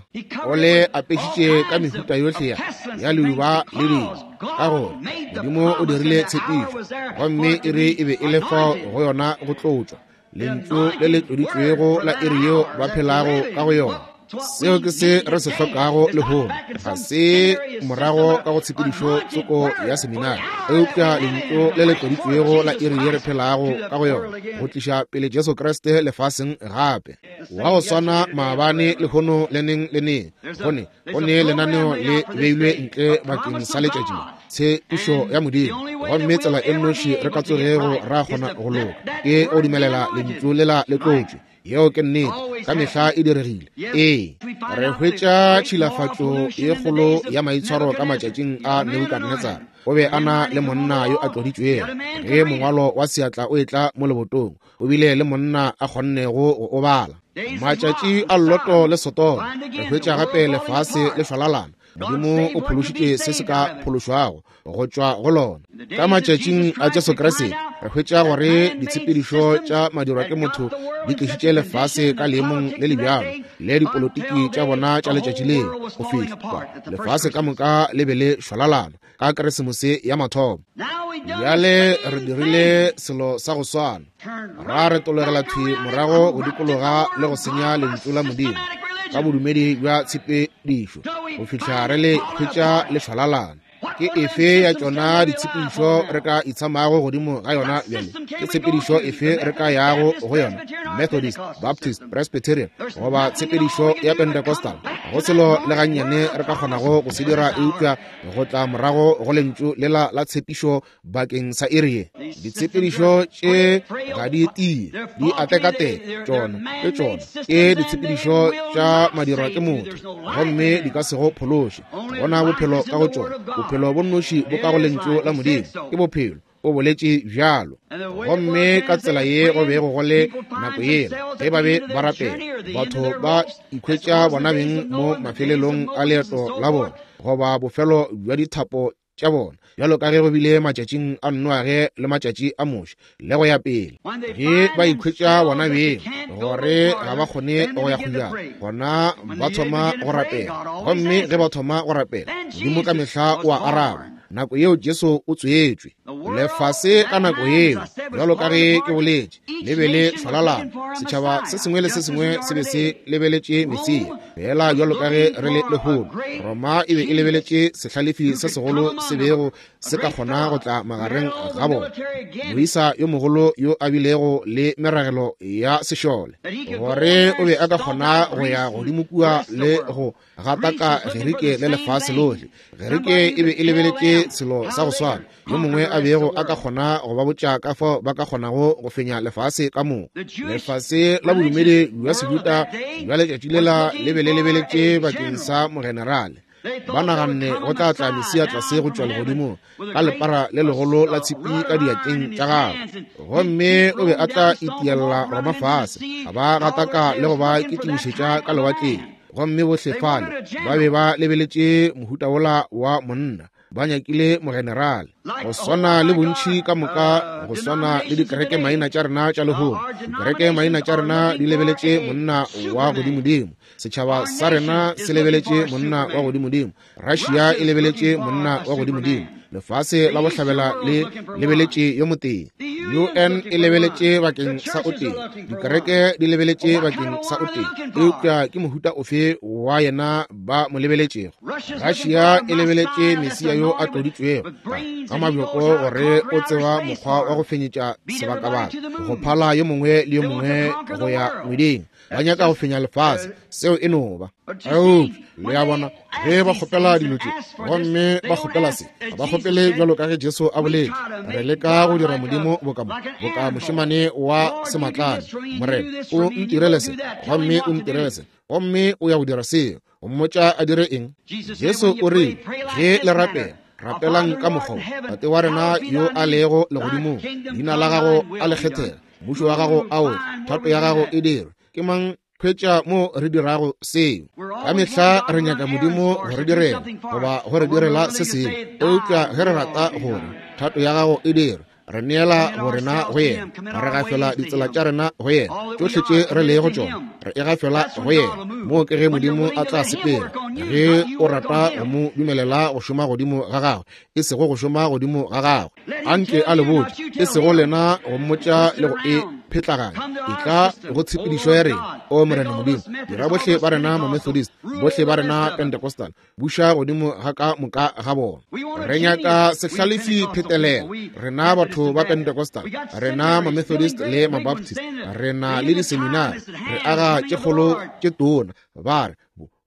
o le apešitše ka mehuta yohle ya leuba le dilo, ka gore Modimo o dirile tshepišo, gomme iri e be e le fao go yona go tlotšwa, lentšu le le tloditšwego la iri yeo ba phelago ka go yona. Seo ke se re se hlokago lehono. Ga se morago ka go tshepedišo tsoko ya seminari, eupša lentšu le le tloditšwego la iri ye re phelago ka go yona, go tliša pele Jesu Kriste lefaseng gape. Wa go swana maabane, lehono, le neng le neng. Go ne lenaneo le beilwe ntle bakeng sa letšatši, tshepišo ya Modimo. Gomme tsela e nnoši re ka tsogego ra kgona go loka ke go dumelela lentšu lela le tlotšwe. Yeo ke nnete, ka mehla e diregile. Ee, re hwetša tšhilafatšo ye kgolo ya maitshwaro ka matšatšing a Nebukadnetsara. O be a na le monna yo a tloditšwego. Ge mongwalo wa seatla o etla mo lebotong, o bile le monna a kgonnego go o bala. Matšatši a Loto le Sodoma, re hwetša gape lefase le šwalalana. Modimo o phološitše se se ka phološwago go tšwa go lona. Ka matšatšing a Jesu Kriste, re hwetša gore ditshepedišo tša madirwa ke motho di tlišitše lefase ka leemong le le bjalo le dipolotiki tša bona tša letšatši leo, go fihla lefase ka moka le be le šwalalana ka Keresemose ya mathomo. Bjale re dirile selo sa go swana, ra retologela thwi morago go dikologa le go senya lentšu la Modimo ka bodumedi bja tshepedišo go fihla re le hwetša le šwalalana. Ke efe ya tšona ditshepedišo re ka itshamago godimo ga yona bjale? Ke tshepedišo efe re ka yago go yona? Methodist, Baptist, Presbyterian, goba tshepedišo ya Pentecostal? Go selo le gannyane re ka kgonago go se dira eupša go tla morago go lentšu lela la tshepišo bakeng sa iri ye. Ditshepedišo tše ga di tie, di atekateka. Tšona ke tšona ke ditshepedišo tša madirwa ke motho, gomme di ka se go phološe. Bona bophelo ka go tšona, bophelo bo nnoši bo ka go lentšu la Modimo, ke bophelo. O boletše bjalo. Gomme ka tsela ye go bego go le nako yela ge ba be ba rapela, batho ba ikhwetša bona beng mo mafelelong a leeto la bona, goba bofelo bja dithapo tša bona, bjalo ka ge go bile matšatšing a Noage le matšatši a Moshe le go ya pele. Ge ba ikhwetša bona beng gore ga ba kgone go ya kgojana, gona ba thoma go rapela. Gomme ge ba thoma go rapela, Modimo ka mehla o a araba. Nako yeo Jesu o tswetšwe lefase ka nako yeo, bjalo ka ge ke boletše, le be le šwalalana. Setšhaba se sengwe le se sengwe se be se lebeletše Mesia, fela bjalo ka ge re le lehono. Roma e be e lebeletše sehlalefi se segolo se bego se ka kgona go tla magareng ga bona, moisa yo mogolo yo a bilego le meragelo ya sešole, gore o be a ka kgona go ya godimo kua le go gataka Gerike le lefase lohle. Gerike e be e lebeletše selo sa go swana, yo mongwe a bego a ka kgona go ba botša ka fao ba ka kgonago go fenya lefase ka moka. Lefase la bodumedi bja Sejuda bja letšatši lela le be le lebeletše bakeng sa mogenerale. Ba naganne go tla tla Mesia tlase go tšwa legodimong ka lepara le legolo la tshipi ka diatleng tša gagwe, gomme o be a tla itiella Roma fase, a ba gataka le go ba kitimišetša ka lewatleng. Gomme bohle fale ba be ba lebeletše mohuta wola wa monna, ba nyakile mogenerale, go swana le bontši ka moka, go swana le dikereke maina tša rena tša lehono. Dikereke maina tša rena di lebeletše monna wa godimodimo. Setšhaba sa rena se lebeletše monna wa godimodimo. Russia e lebeletše monna wa godimodimo. Lefase la bohlabela le lebeletše yo motee. UN e lebeletše bakeng sa o tee. Dikereke di lebeletše bakeng sa o tee. Eupša ke mohuta ofe wa yena ba mo lebeletšego? Russia e lebeletše Mesia yo a tloditšwego ka mabjoko gore o tseba mokgwa wa go fenyetša sebakabaka, go phala yo mongwe le yo mongwe go ya ngweding. Ba nyaka go fenya lefase, seo e no ba. Eupša le a bona, ge ba kgopela dilo tše, gomme ba kgopela se, ga ba kgopele bjalo ka ge Jesu a boletše. Re leka go dira Modimo boka mošemane wa sematlane. Morena, o ntirele se, gomme o ntirele se, gomme o ya go dira seo. O mmotša a dire eng? Jesu o rile, ge le rapela, rapelang ka mokgwa Tate wa rena yo a lego legodimong, leina la gago a le kgethege, mmušo wa gago a o tle, thato ya gago e dirwe. Ke mang hwetša mo re dirago seo? Ka mehla re nyaka Modimo go re direla goba go re direla se sengwe, eupša ge re rata gore thato ya gago e dirwe, re neela borena go yena, re gafela ditsela tša rena go yena, tšohle tše re lego tšona re e gafela go yena. Moo ke ge Modimo a tla sepela, ge o rata go mo dumelela go šoma godimo ga gagwe, e sego go šoma godimo ga gagwe. Anke a le botše, e sego lena go mmotša le go e phetlaganya. Etla go tshepedišo ya rena. O Morena Modimo, dira bohle ba rena Mamethodist, bohle ba rena Pentecostal, buša godimo ga ka moka ga bona. Re nyaka sehlalefi phetelela. Rena batho ba Pentecostal, rena Mamethodist le Mabaptist, re na le diseminari, re aga tše kgolo tše tona, ba re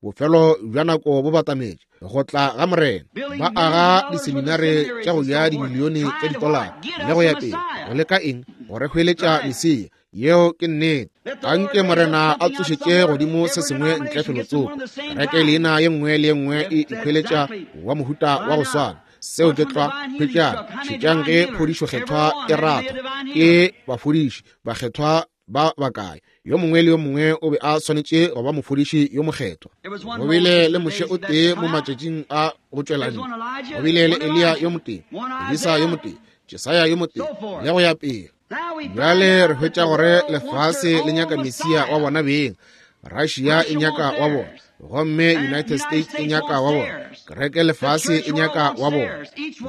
bofelo bja nako bo batametše go tla ga Morena. Ba aga diseminare tša go ja dimilione tša ditolara le go ya pele, go leka eng? Go re hweletša Mesia. Yeo ke nnete. Anke Morena a tsošetše godimo se sengwe ntle felotsoko. Kereke leina ye nngwe le ye nngwe e ikhweletša wa mohuta wa go swana. Seo ke tlwa. Hwetšang, šetšang ge phodišo kgethwa e ratha. Ke bafodiši bakgethwa ba bakae? Yo mongwe le yo mongwe o be a swanetše go ba mofodiši yo mokgethwa. Go bile le Moshe o tee mo matšatšing a go tšwela ntle. Go bile le Eliya yo motee, Elisa yo motee, Jesaya yo motee, le go ya pele. Bjale re hwetša gore lefase le nyaka Mesia wa bona beng. Russia e nyaka wa bona, gomme United States e nyaka wa bona, kereke lefase e nyaka wa bona.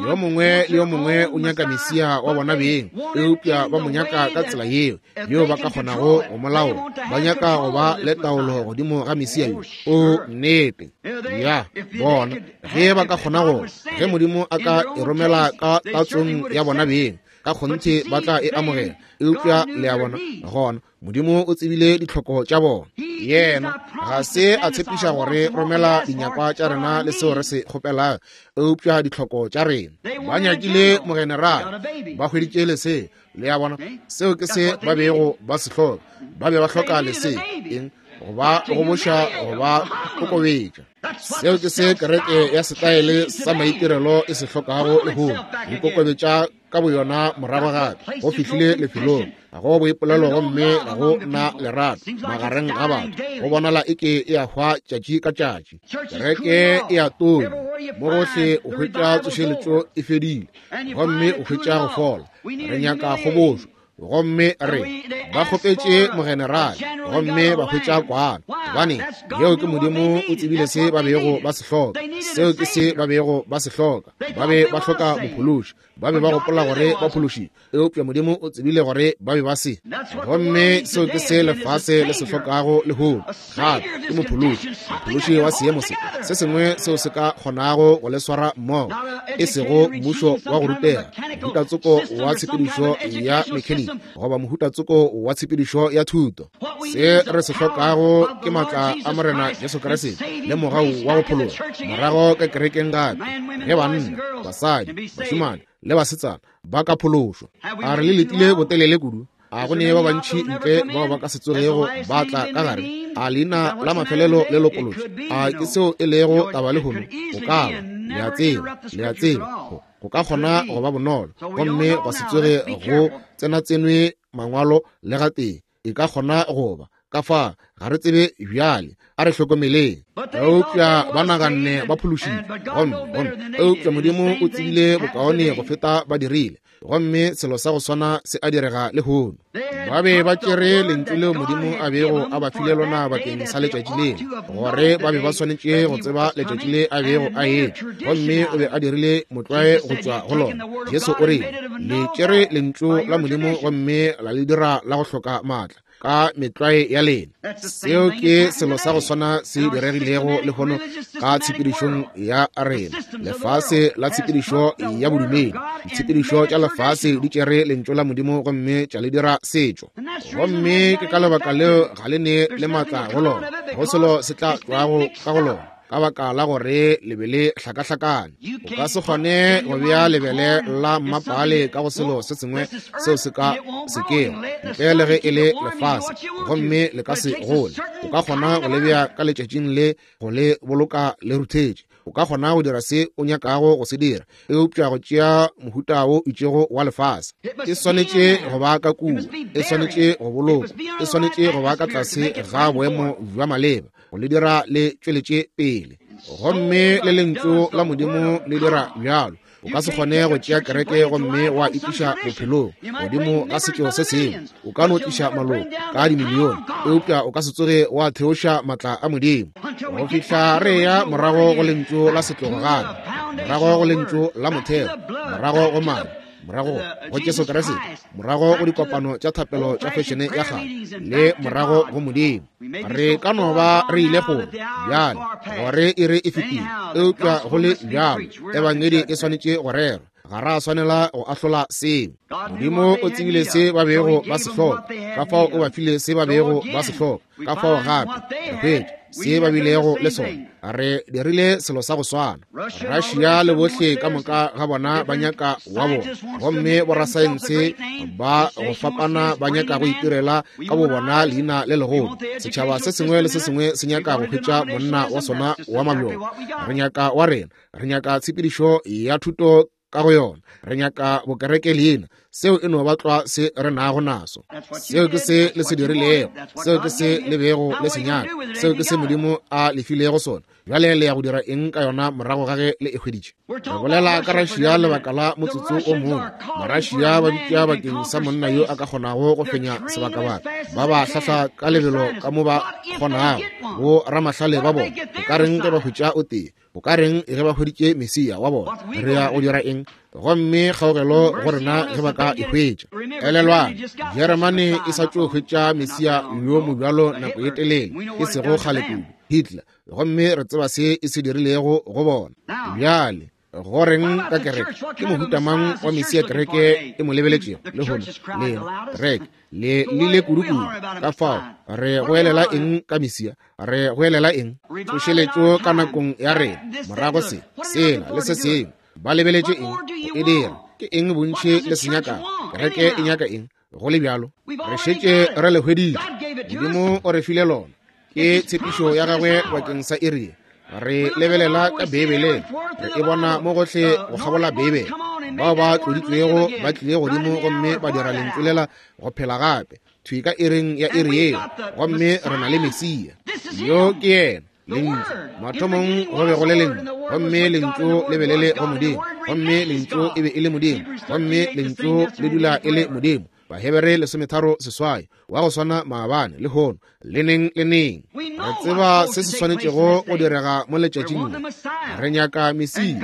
Yo mongwe le yo mongwe o nyaka Mesia wa bona beng, eupša ba mo nyaka ka tsela yeo yeo ba ka kgonago go mo laola. Ba nyaka go ba le taolo godimo ga Mesia yo. O nnete ya bona ge ba ka kgona go, ge Modimo a ka e romela ka tatsong ya bona beng, ka kgonthe ba tla e amogela. Eupša le a bona, gona Modimo o tsebile ditlhoko tša bona. Yena ga se a tshepiša gore romela dinyakwa tša rena le seo re se kgopelago, eupša ditlhoko tša rena. Ba nyakile mogenerale, ba hweditše lesea. Le a bona, seo ke se ba bego ba se hloka. Ba be ba hloka lesea. Eng? Go ba goboša, go ba kokobetša. Seo ke se kereke ya setaele sa maitirelo e se hlokago lehono, go ikokobetša ka boyona morago gape. Go fihlile lefelong ga go boipolelo gomme ga go na lerato magareng ga batho. Go bonala eke e a hwa tšatši ka tšatši. Kereke e a tonya mo gohle, o hwetša tsošeletšo e fedile gomme o hwetša go fola. Re nyaka kgobošo, gomme re ba kgopetše mogenerale gomme ba hwetša kwana. Gobane yeo ke Modimo o tsebile se ba bego ba se hloka. Seo ke se ba bego ba se hloka. Ba be ba hloka mophološi. Ba be ba gopola gore ba phološitšwe, eupša Modimo o tsebile gore ba be ba se. Gomme seo ke se lefase le se hlokago lehono gape, ke mophološi, mophološi wa seemo se se sengwe seo se ka kgonago go le swara mmogo, e sego mmušo wa go rutega, mohutatsoko wa tshepedišo ya mechanic goba mohutatsoko wa tshepedišo ya thuto. Se re se hlokago ke maatla a Morena Jesu Kriste le mogau wa go phologa morago ka kerekeng gape, ge banna, basadi, bašemane le basetsana ba ka phološwa. A re le letile botelele kudu? A go ne ba bantši ntle bao ba ka se tsogego ba tla ka gare? A leina la mafelelo le lopolotšwe? A ke seo e lego taba lehono? Go ka ba. Le a tseba, le a tseba, go ka kgona go ba bonolo gomme gwa se tsoge go tsenatsenwe mangwalo le gatee. E ka kgona go ba ka fa, ga re tsebe bjale. A re hlokomeleng. Eupša ba naganne ba phološitšwe, gomme eupša Modimo o tsebile bokaone go feta ba dirile. Gomme selo sa go swana se a direga lehono. Ba be ba tšere lentšu leo Modimo a bego a ba file lona bakeng sa letšatši leo, gore ba be ba swanetše go tseba letšatši le a bego a etla, gomme o be a dirile motlwae go tšwa go lona. Jesu o rile, Le tšere lentšu la Modimo gomme la le dira la go hloka maatla ka metlwae ya lena. Seo ke selo sa go swana se diregilego lehono ka tshepedišong ya rena, lefase la tshepedišo ya bodumedi. Ditshepedišo tša lefase di tšere lentšu la Modimo gomme tša le dira setšo, gomme ke ka lebaka leo ga le ne le maatla go lona, go selo se tla tšwago ka go lona, ka baka la gore le be le hlakahlakane. O ka se kgone go bea lebele la mmapale ka go selo se sengwe seo se ka sekego ntle le ge e le lefase, gomme le ka se gole. O ka kgona go le bea ka letšatšing le go le boloka le ruthetše. O ka kgona go dira se o nyakago go se dira, eupša go tšea mohuta wo itšego wa lefase. E swanetše go ba ka kua, e swanetše go bolokwa, e swanetše go ba ka tlase ga boemo bja maleba go le dira le tšweletše pele. Gomme le lentšu la Modimo le dira bjalo. O ka se kgone go tšea kereke gomme wa e tliša bophelong godimo ga setšo se sengwe. O ka no tliša maloko ka dimilione, eupša o ka se tsoge wa theoša maatla a Modimo go fihla re ya morago go lentšu la setlogo gape, morago go lentšu la motheo, morago go madi, morago go Jesu Kriste, morago go dikopano tša thapelo tša fešene ya kgale, le morago go Modimo. Re ka no ba re ile kgole bjale, gore iri e fetile, eupša go le bjalo ebangedi e swanetše go rerwa. Ga ra swanela go ahlola seo. Modimo o tsebile se ba bego ba se hloka, ka fao o ba file se ba bego ba se hloka. Ka fao gape re hwetša se ba bilego le sona. Re dirile selo sa go swana. Russia le bohle ka moka ga bona ba nyaka wa bona, gomme borasaense ba go fapana ba nyaka go itirela ka bo bona leina le legolo. Setšhaba se sengwe le se sengwe se nyaka go hwetša monna wa sona wa mabjoko. Re nyaka wa rena. Re nyaka tshepedišo ya thuto ka go yona. Re nyaka bokereke leina. Seo e no ba tlwa se re nago naso. Seo ke se le se dirilego. Seo ke se le bego le se nyaka. Seo ke se Modimo a le filego sona. Bjale le ya go dira eng ka yona morago ga ge le e hweditše? Re bolela ka Russia lebaka la motsotso o mongwe. Marussia ba bitša bakeng sa monna yo a ka kgonago go fenya sebakabaka. Ba ba hlahla ka lebelo ka mo ba kgonago. Bo ramahlale ba bona, o ka reng ge ba hwetša o tee? O ka reng ge ba hweditše Mesia wa bona? Re ya go dira eng? Gomme kgaogelo go rena ge ba ka e hwetša. Elelwang, Jeremane e sa tšo hwetša Mesia yo mobjalo nako ye telele, e sego kgale kudu, Hitler. Gomme re tseba se e se dirilego go bona. Bjale, go reng ka kereke? Ke mohuta mang wa Mesia kereke e mo lebeletšego lehono? Lena, kereke le lile kudu-kudu. Ka fao re goelela eng ka Mesia? Re goelela eng? Tsošeletšo ka nakong ya rena, morago se, sela le se sengwe. Ba lebeletše eng go e dira? Ke eng bontši le se nyakago? Kereke e nyaka eng? Go le bjalo, re šetše re le hweditše. Modimo o re file lona. Ke tshepišo ya gagwe bakeng sa iri. Re lebelela ka Beibeleng, re e bona mo gohle go kgabola Beibele. Bao ba tloditšwego ba tlile godimo gomme ba dira lentšu lela go phela gape, thwi ka iring ya iri yeo. Gomme re na le Mesia. Yo ke yena, Lentšu. Mathomong go be go le Lentšu, gomme Lentšu le be le le go Modimo, gomme Lentšu e be e le Modimo, gomme Lentšu le dula e le Modimo. Bahebere 38, wa go swana maabane, lehono, le neng le neng. Re tseba se se swanetšego go direga mo letšatšing le. Re nyaka Mesia,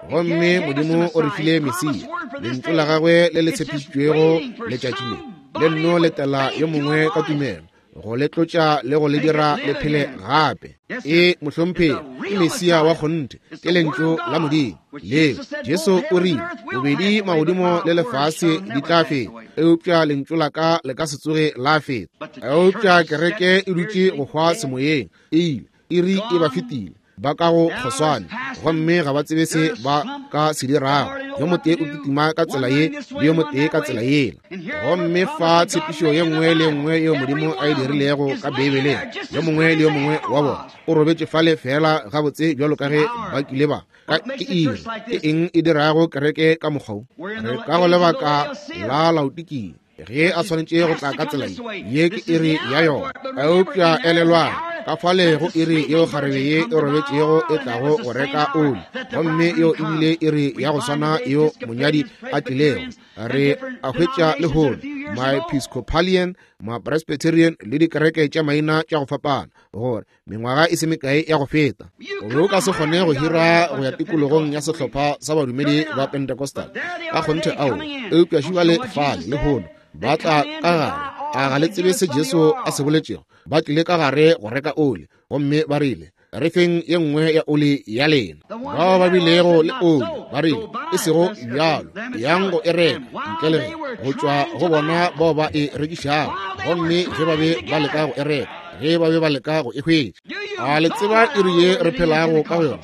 gomme Modimo o re file Mesia, Lentšu la gagwe le le tshepišitšwego letšatši le. Le nno letela yo mongwe ka tumelo go le tlotša le go le dira le phele gape. E mohlomphegi, ke Mesia wa kgonthe, ke Lentšu la Modimo leo. Jesu o rile, bobedi magodimo le lefase di tla feta, eupša Lentšu la ka le ka se tsoge la feta. Eupša kereke e dutše go hwa semoyeng, e ile, iri e ba fetile, ba ka go kgoswane, gomme ga ba tsebe se ba ka se dirago. Yo motee o kitima ka tsela ye, le yo motee ka tsela yela. Gomme fa tshepišo ye nngwe le nngwe yeo Modimo a e dirilego ka Beibeleng, yo mongwe le yo mongwe wa bona o robetše fale feela gabotse bjalo ka ge ba kile ba ka. Ke iri, ke eng e dirago kereke ka mokgwa wo? Re ka go lebaka la Laodikia, ge a swanetše go tla ka tsela ye. Ye ke iri ya yona. Eupša elelwang, ka fale go iri yeo kgarebe ye e robetšego e tlago go reka oli, gomme yeo e bile iri ya go swana yeo monyadi a tlilego. Re a hwetša lehono ma-Episcopalian, ma-Presbyterian le dikereke tša maina tša go fapana, gore mengwaga e se mekae ya go feta o be o ka se kgone go hira go ya tikologong ya sehlopha sa badumedi ba Pentecostal ka kgonthe ao. Eupša šibale fale lehono ba tla ka gare. A ga le tsebe se Jesu a se boletšego? Ba tlile ka gare go reka oli, gomme ba rile, re feng ye nngwe ya oli ya lena. Bao ba bilego le oli ba rile, e sego bjalo, yang go e reka ntle le ge go tšwa go bona bao ba e rekišago. Gomme ge ba be ba leka go e reka, ge ba be ba leka go e hwetša. A le tseba iri ye re phelago ka go yona?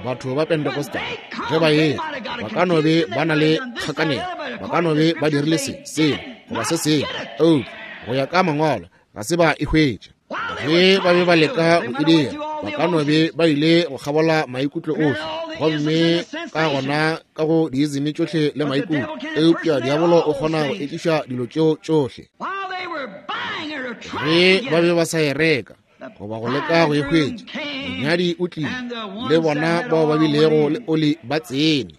Batho ba Pentecostal ge ba etla, ba ka no be ba na le kgakanego, ba ka no be ba dirile se, sela, goba se sengwe, eupša go ya ka Mangwalo ga se ba e hwetša. Ge ba be ba leka go e dira, ba ka no be ba ile go kgabola maikutlo ohle, gomme ka gona ka go diizimi tšohle le maikutlo, eupša diabolo o kgona go ekiša dilo tšeo tšohle. Ge ba be ba sa e reka goba go leka go e hwetša, monyadi o tlile, le bona bao ba bilego le oli ba tsene.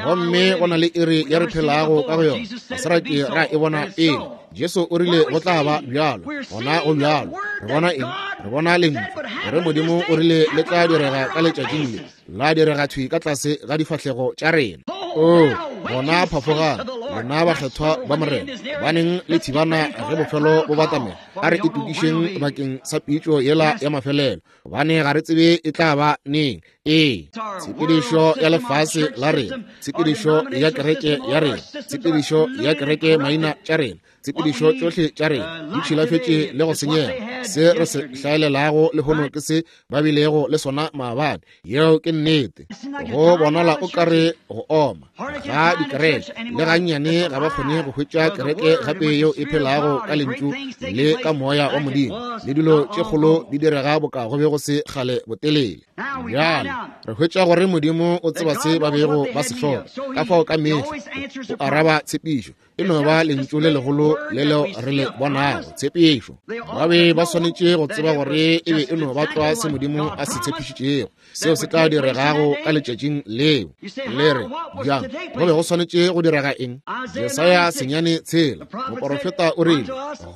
Gomme go na le iri ya re phelago ka go yona, ga se ra ke ra e bona pele. Jesu o rile go tla ba bjalo, gona go bjalo. Re bona eng? Re bona Lentšu, gore Modimo o rile le tla direga ka letšatšing le, la direga thwi ka tlase ga difahlego tša rena. Oo, gona phafogang, lena bakgethwa ba Morena, baneng le thibana ge bofelo bo batamela. A re itokišeng bakeng sa pitšo yela ya mafelelo, gobane ga re tsebe e tla ba neng. Ee, tshepedišo ya lefase la rena, tshepedišo ya kereke ya rena, tshepedišo ya kereke maina tša rena, tshepedišo tšohle tša rena di tšhilafetše le go senyega. Se re se hlaelelago lehono ke se ba bilego le sona maabane. Yeo ke nnete. Go bonala o ka re go oma ga dikereke le gannyane ga ba kgone go hwetša kereke gape yeo e phelago ka lentšu le ka moya wa Modimo, le dilo tše kgolo di direga boka go be go se kgale botelele. Bjale re hwetša gore Modimo o tseba se ba bego ba se hloka, ka fao ka mehla o araba tshepišo. E no ba lentšu le legolo le leo re le bonago, tshepišo. Ba be ba swanetše go tseba gore e be e no ba tlwa se Modimo a se tshepišitšego, seo se tla diregago ka letšatšing leo. Le re, Bjang, go be go swanetše go direga eng? Jesaya 9:6, moporofeta o rile,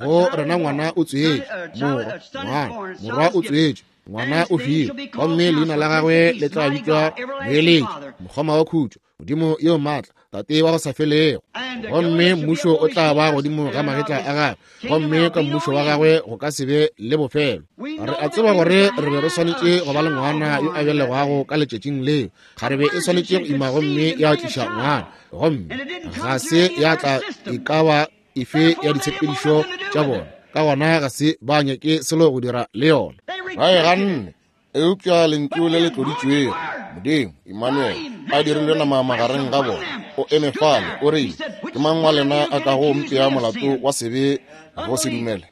Go rena ngwana o tswetšwe, morwa, ngwana, morwa o tswetšwe, ngwana o filwe, gomme leina la gagwe le tla bitšwa Moeletši, Mokgoma wa Khutšo, Modimo yo maatla, Tate wa go sa felego. Gomme mmušo o tla ba godimo ga magetla a gagwe, gomme ka mmušo wa gagwe go ka se be le bofelo. Re a tseba gore re be re swanetše go ba le ngwana yo a belegwago ka letšatšing leo. Kgarebe e swanetše go ima gomme ya tliša ngwana, gomme ga se ya tla e ka ba efe ya ditshepedišo tša bona, ka gona ga se ba nyake selo go dira le yona. Ba e ganne. Eupša lentšu le le tloditšwego, Modimo, Emmanuel, a dirilwe nama magareng ga bona, o eme fale, o rile, Ke mang wa lena a kago mpea molato wa sebe go se dumele?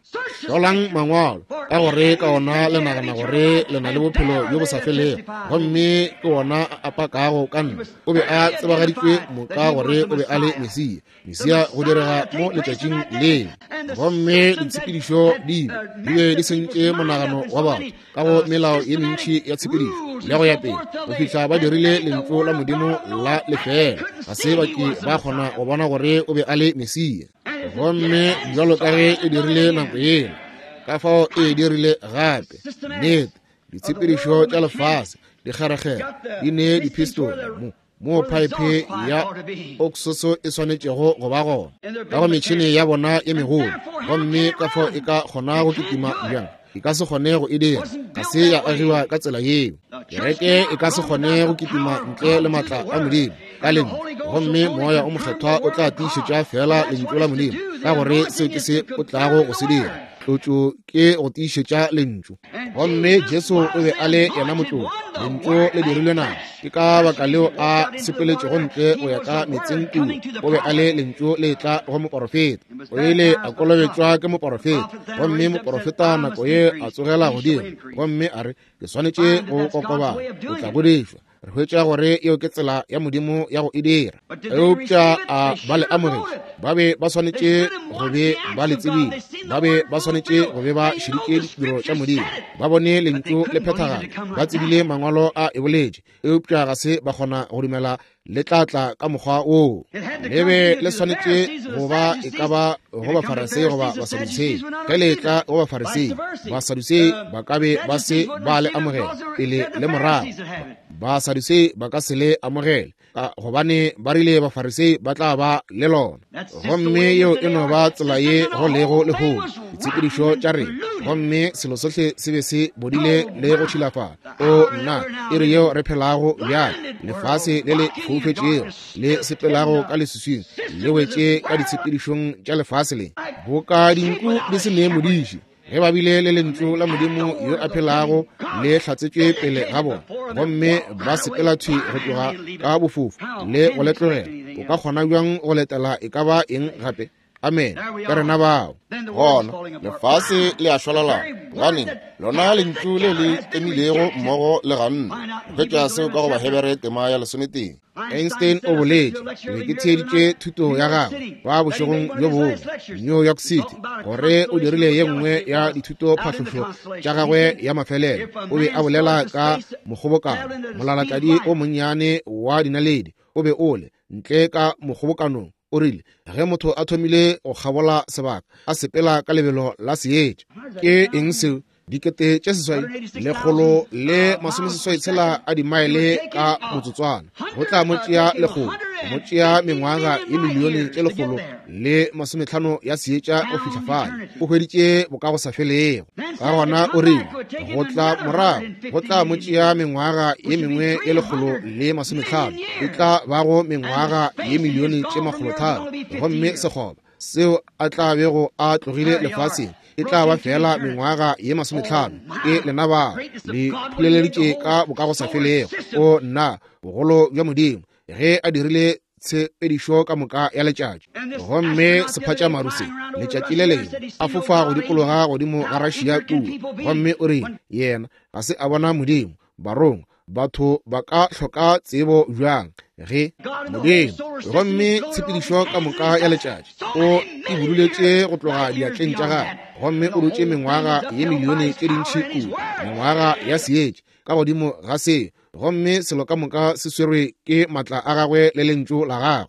Hlolang mangwalo, ka gore ka ona le nagana gore le na le bophelo bjo bo sa felego, gomme ke ona a pakago ka nna. O be a tsebagaditšwe moka gore o be a le Mesia. Mesia go direga mo letšatšing leo, gomme ditshepedišo di be di sentše monagano wa batho ka go melao ye mentši ya tshepedišo le go ya pele, go fihla ba dirile lentšu la Modimo la lefeela. Ga se ba ke ba kgona go bona gore o be a le Mesia. Gomme bjalo ka ge e dirile nako yela, ka fao e dirile gape. Nnete, ditshepedišo tša lefase dikgerekgere di ne dipistole mo moo phaephe ya oksoso e swanetšego go ba gona ka go metšhene ya bona ye megolo, gomme ka fao e ka kgona go kitima bjang? E ka se kgone go e dira. Ga se ya agiwa ka tsela yeo. Kereke e ka se kgone go kitima ntle le maatla a Modimo ka lentšu, gomme Moya o Mokgethwa o tla tiišetša feela lentšu la Modimo, ka gore seo ke se o tlago go se dira. Tlotšo ke go tiišetša lentšu. Gomme Jesu o be a le yena motlotši, lentšu le dirilwe nama. Ke ka baka leo a sepeletšego ntle go ya ka metseng kua. O be a le lentšu le tla go moporofeta. O ile a kolobetšwa ke moporofeta, gomme moporofeta nako ye a tsogela godimo gomme a re, Ke swanetše go kokobala, o tla godišwa. Re hwetša gore yeo ke tsela ya Modimo ya go e dira. Eupša a ba le amogetše? Ba be ba swanetše go be ba le tsebile. Ba be ba swanetše go be ba šeditše ditiro tša Modimo. Ba bone lentšu le phethagala. Ba tsebile mangwalo a e boletše, eupša ga se ba kgona go dumela le tla tla ka mokgwa woo. Le be le swanetše go ba e ka ba go Bafarisei goba Basadusei. Ge le tla go Bafarisei, Basadusei ba ka be ba se ba le amogela pele le morago. Basadusei ba ka se le amogele, ka gobane ba rile Bafarisei ba tla ba le lona. Gomme yeo e no ba tsela ye go lego lehono, ditshepedišo tša rena, gomme selo sohle se be se bodile le go tšhilafala. O nna, iri yeo re phelago bjale, lefase le le foufetšego le sepelago ka leswiswing, le wetše ka ditshepedišong tša lefase le, boka dinku di se ne modiši. Ge ba bile le lentšu la Modimo yo a phelago le hlatsetšwe pele ga bona, gomme ba sepela thwi go tloga ka bofofu le go le tlogela, o ka kgona bjang go letela e ka ba eng gape? Amen. Ke rena bao. Gona lefase le a šwalalana, gobaneng lona lentšu le le tlemilego mmogo le ganne. Re hwetša seo ka go Bahebere tema ya 13. Einstein o boletše, ke be ke theeditše thuto ya gagwe ba bošegong bjo bongwe New York City, gore o dirile ye nngwe ya dithutophahlošo tša gagwe ya mafelelo. O be a bolela ka mokgobokano, molalatladi o monnyane wa dinaledi o be o le ntle ka mokgobokanong. O rile, ge motho a thomile go kgabola sebaka, a sepela ka lebelo la seetša. Ke eng seo? 86,186 a dimaele ka motsotswana. Go tla mo tšea lekgolo, go mo tšea mengwaga ye milione tše 150 ya seetša go fihla fale. O hweditše bokagosafelego. Ka gona o rile, go tla morago, go tla mo tšea mengwaga ye mengwe ye 150, e tla bago mengwaga ye milione tše 300, gomme sekgoba seo a tla bego a tlogile lefaseng e tla ba fela mengwaga ye 50. Ke lena ba le phuleleditše ka bokagosafelego. O nna, bogolo bja Modimo ge a dirile tshepedišo ka moka ya letšatši. Gomme sephatšamaru se letšatši le lengwe a fofa go dikologa godimo ga Russia kua, gomme o rile yena ga se a bona Modimo. Barongwa, batho ba ka hloka tsebo bjang ge Modimo, gomme tshepedišo ka moka ya letšatši o e buduletše go tloga diatleng tša gagwe, gomme o dutše mengwaga ye milione tše dintši kua, mengwaga ya seetša ka godimo ga se, gomme selo ka moka se swerwe ke matla a gagwe le lentšu la gagwe.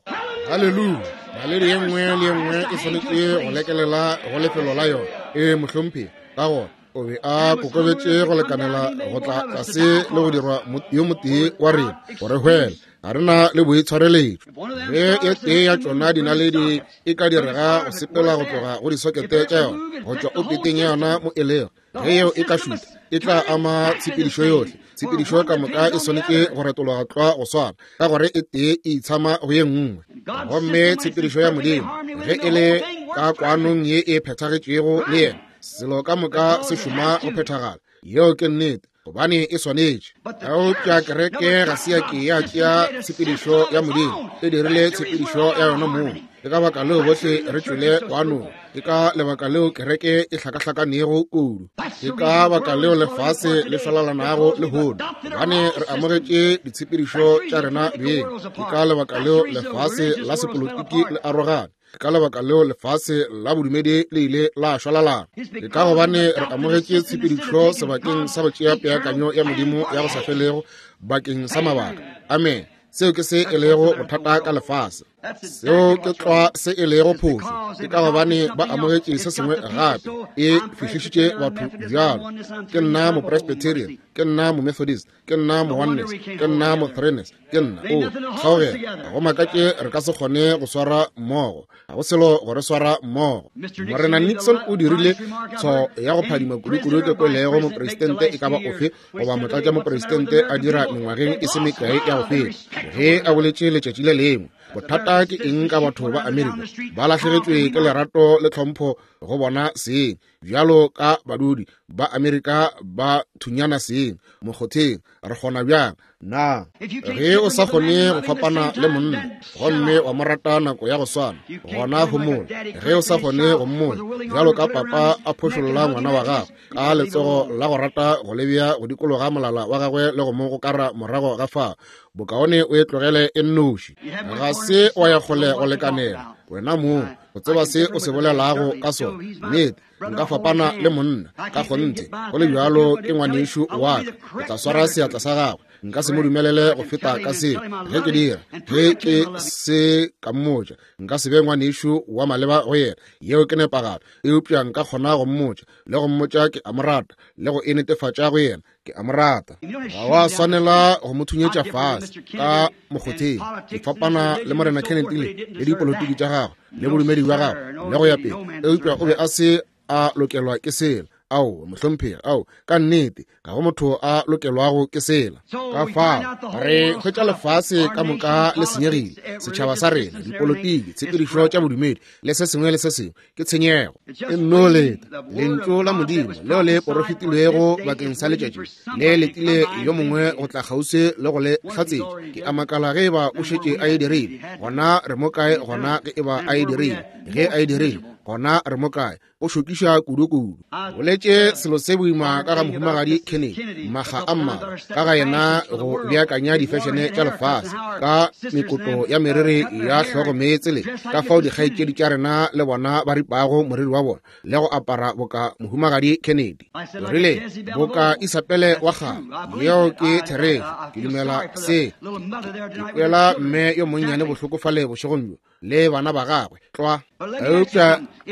Haleluya! Naledi ye nngwe le ye nngwe e swanetše go lekelela go lefelo la yona. Ee, mohlomphegi. Ka gona o be a kokobetše go lekanela go tla tlase le go dirwa yo motee wa rena gore hwela. Ga re na le boitshwareletšo. Ge e tee ya tšona dinaledi e ka direga go sepela go tloga go disokete tša yona, go tšwa opeteng ya yona mo e lego, ge yeo e ka šuta, e tla ama tshepedišo yohle. Tshepedišo ka moka e swanetše go retologa tlwa go swana, ka gore e tee e itshama go ye nngwe. Gomme tshepedišo ya Modimo, ge e le ka kwanong ye e phethagetšego le yena, selo ka moka se šoma go phethagala. Yeo ke nnete, gobane e swanetše. Eupša kereke ga se ya ke ya tšea tshepedišo ya Modimo, e dirile tshepedišo ya yona mong. Ke ka baka leo bohle re tšwele kwanong. Ke ka lebaka leo kereke e hlakahlakanego kudu. Ke ka baka leo lefase le šwalalanago lehono, gobane re amogetše ditshepedišo tša rena beng. Ke ka lebaka leo lefase la sepolotiki le arogane. Ke ka lebaka leo lefase la bodumedi le ile la šwalalana. Ke ka gobane re amogetše tshepedišo sebakeng sa go tšea peakanyo ya Modimo ya go sa felego bakeng sa mabaka. Amen. Seo ke se e lego bothata ka lefase. Seo ke tlwa se e lego phošo. Ke ka gobane ba amogetše se sengwe gape. E fihlišitše batho bjalo. Ke nna Mopresbyterian, ke nna Momethodist, ke nna Mooneness, ke nna Mothreeness, ke nna o kgaogela. Ga go makatše re ka se kgone go swara mmogo. Ga go selo go re swara mmogo. Morena Nixon o dirile tshwao ya go phadima kudu-kudu ke kwelego mopresidente e ka ba ofe goba motlatšamopresidente a dira mengwageng e se mekae ya go feta, ge a boletše letšatši le lengwe. Bothata ke eng ka batho ba Amerika? Ba lahlegetšwe ke lerato le tlhompho go bona seng, bjalo ka badudi ba Amerika ba thunyana seng mokgotheng. Re kgona bjang na ge o sa kgone go fapana le monna gomme wa mo rata nako ya go swana, gona homola. Ge o sa kgone go mmona bjalo ka papa a phošolla ngwana wa gagwe ka letsogo la go rata go lebea go dikologa molala wa gagwe le go mo gokara morago ga fao, bokaone o e tlogele e nnoši. Ga se wa ya kgole go lekanela wena mong go tseba se o se bolelago ka sona. Nnete, nka fapana le monna ka kgonthe, go le bjalo ke ngwanešu wa ka. Ke tla swara seatla sa gagwe, nka se mo dumelele go feta ka seo. Ge ke dira, ge ke se ka mmotša, nka se be ngwanešu wa maleba go yena. Yeo ke nepagalo. Eupša nka kgona go mmotša le go mmotša ke a mo rata, le go e netefatša go yena ke a mo rata. Ga wa swanela go mo thunyetša fase ka mokgotheng. Ke fapana le Morena Kennedy le dipolotiki tša gagwe le bodumedi bja gagwe le go ya pele, eupša o be a se a lokelwa ke sela. Ao, mohlomphegi, ao, ka nnete, ga go motho a lokelwago ke sela. Ka fao re hwetša lefase ka moka le senyegile, setšhaba sa rena, dipolotiki, tshepedišo tša bodumedi le se sengwe le se sengwe ke tshenyego. E nno leta lentšu la Modimo leo le porofetilwego bakeng sa letšatši le letile yo mongwe go tla kgauswi le go le hlatsetša. Ke a makala ge eba o šetše a e dirile. Gona re mo kae gona ge eba a e dirile? Ge a e dirile, gona re mo kae? O šokiša kudu-kudu. Boletše selo se boima ka ga mohumagadi Kennedy makga a mmalwa, ka ga yena go beakanya difešene tša lefase ka mekoto ya meriri ya hlogo meetse le ka fao dikgaetšedi tša rena le bona ba ripago moriri wa bona le go apara boka mohumagadi Kennedy. O rile boka Isabele wa kgale. Yeo ke therešo. Ke dumela se. Ke kwela mme yo monnyane bohloko fale bošegong bjo. le bana ba gagwe tlwa. Eupša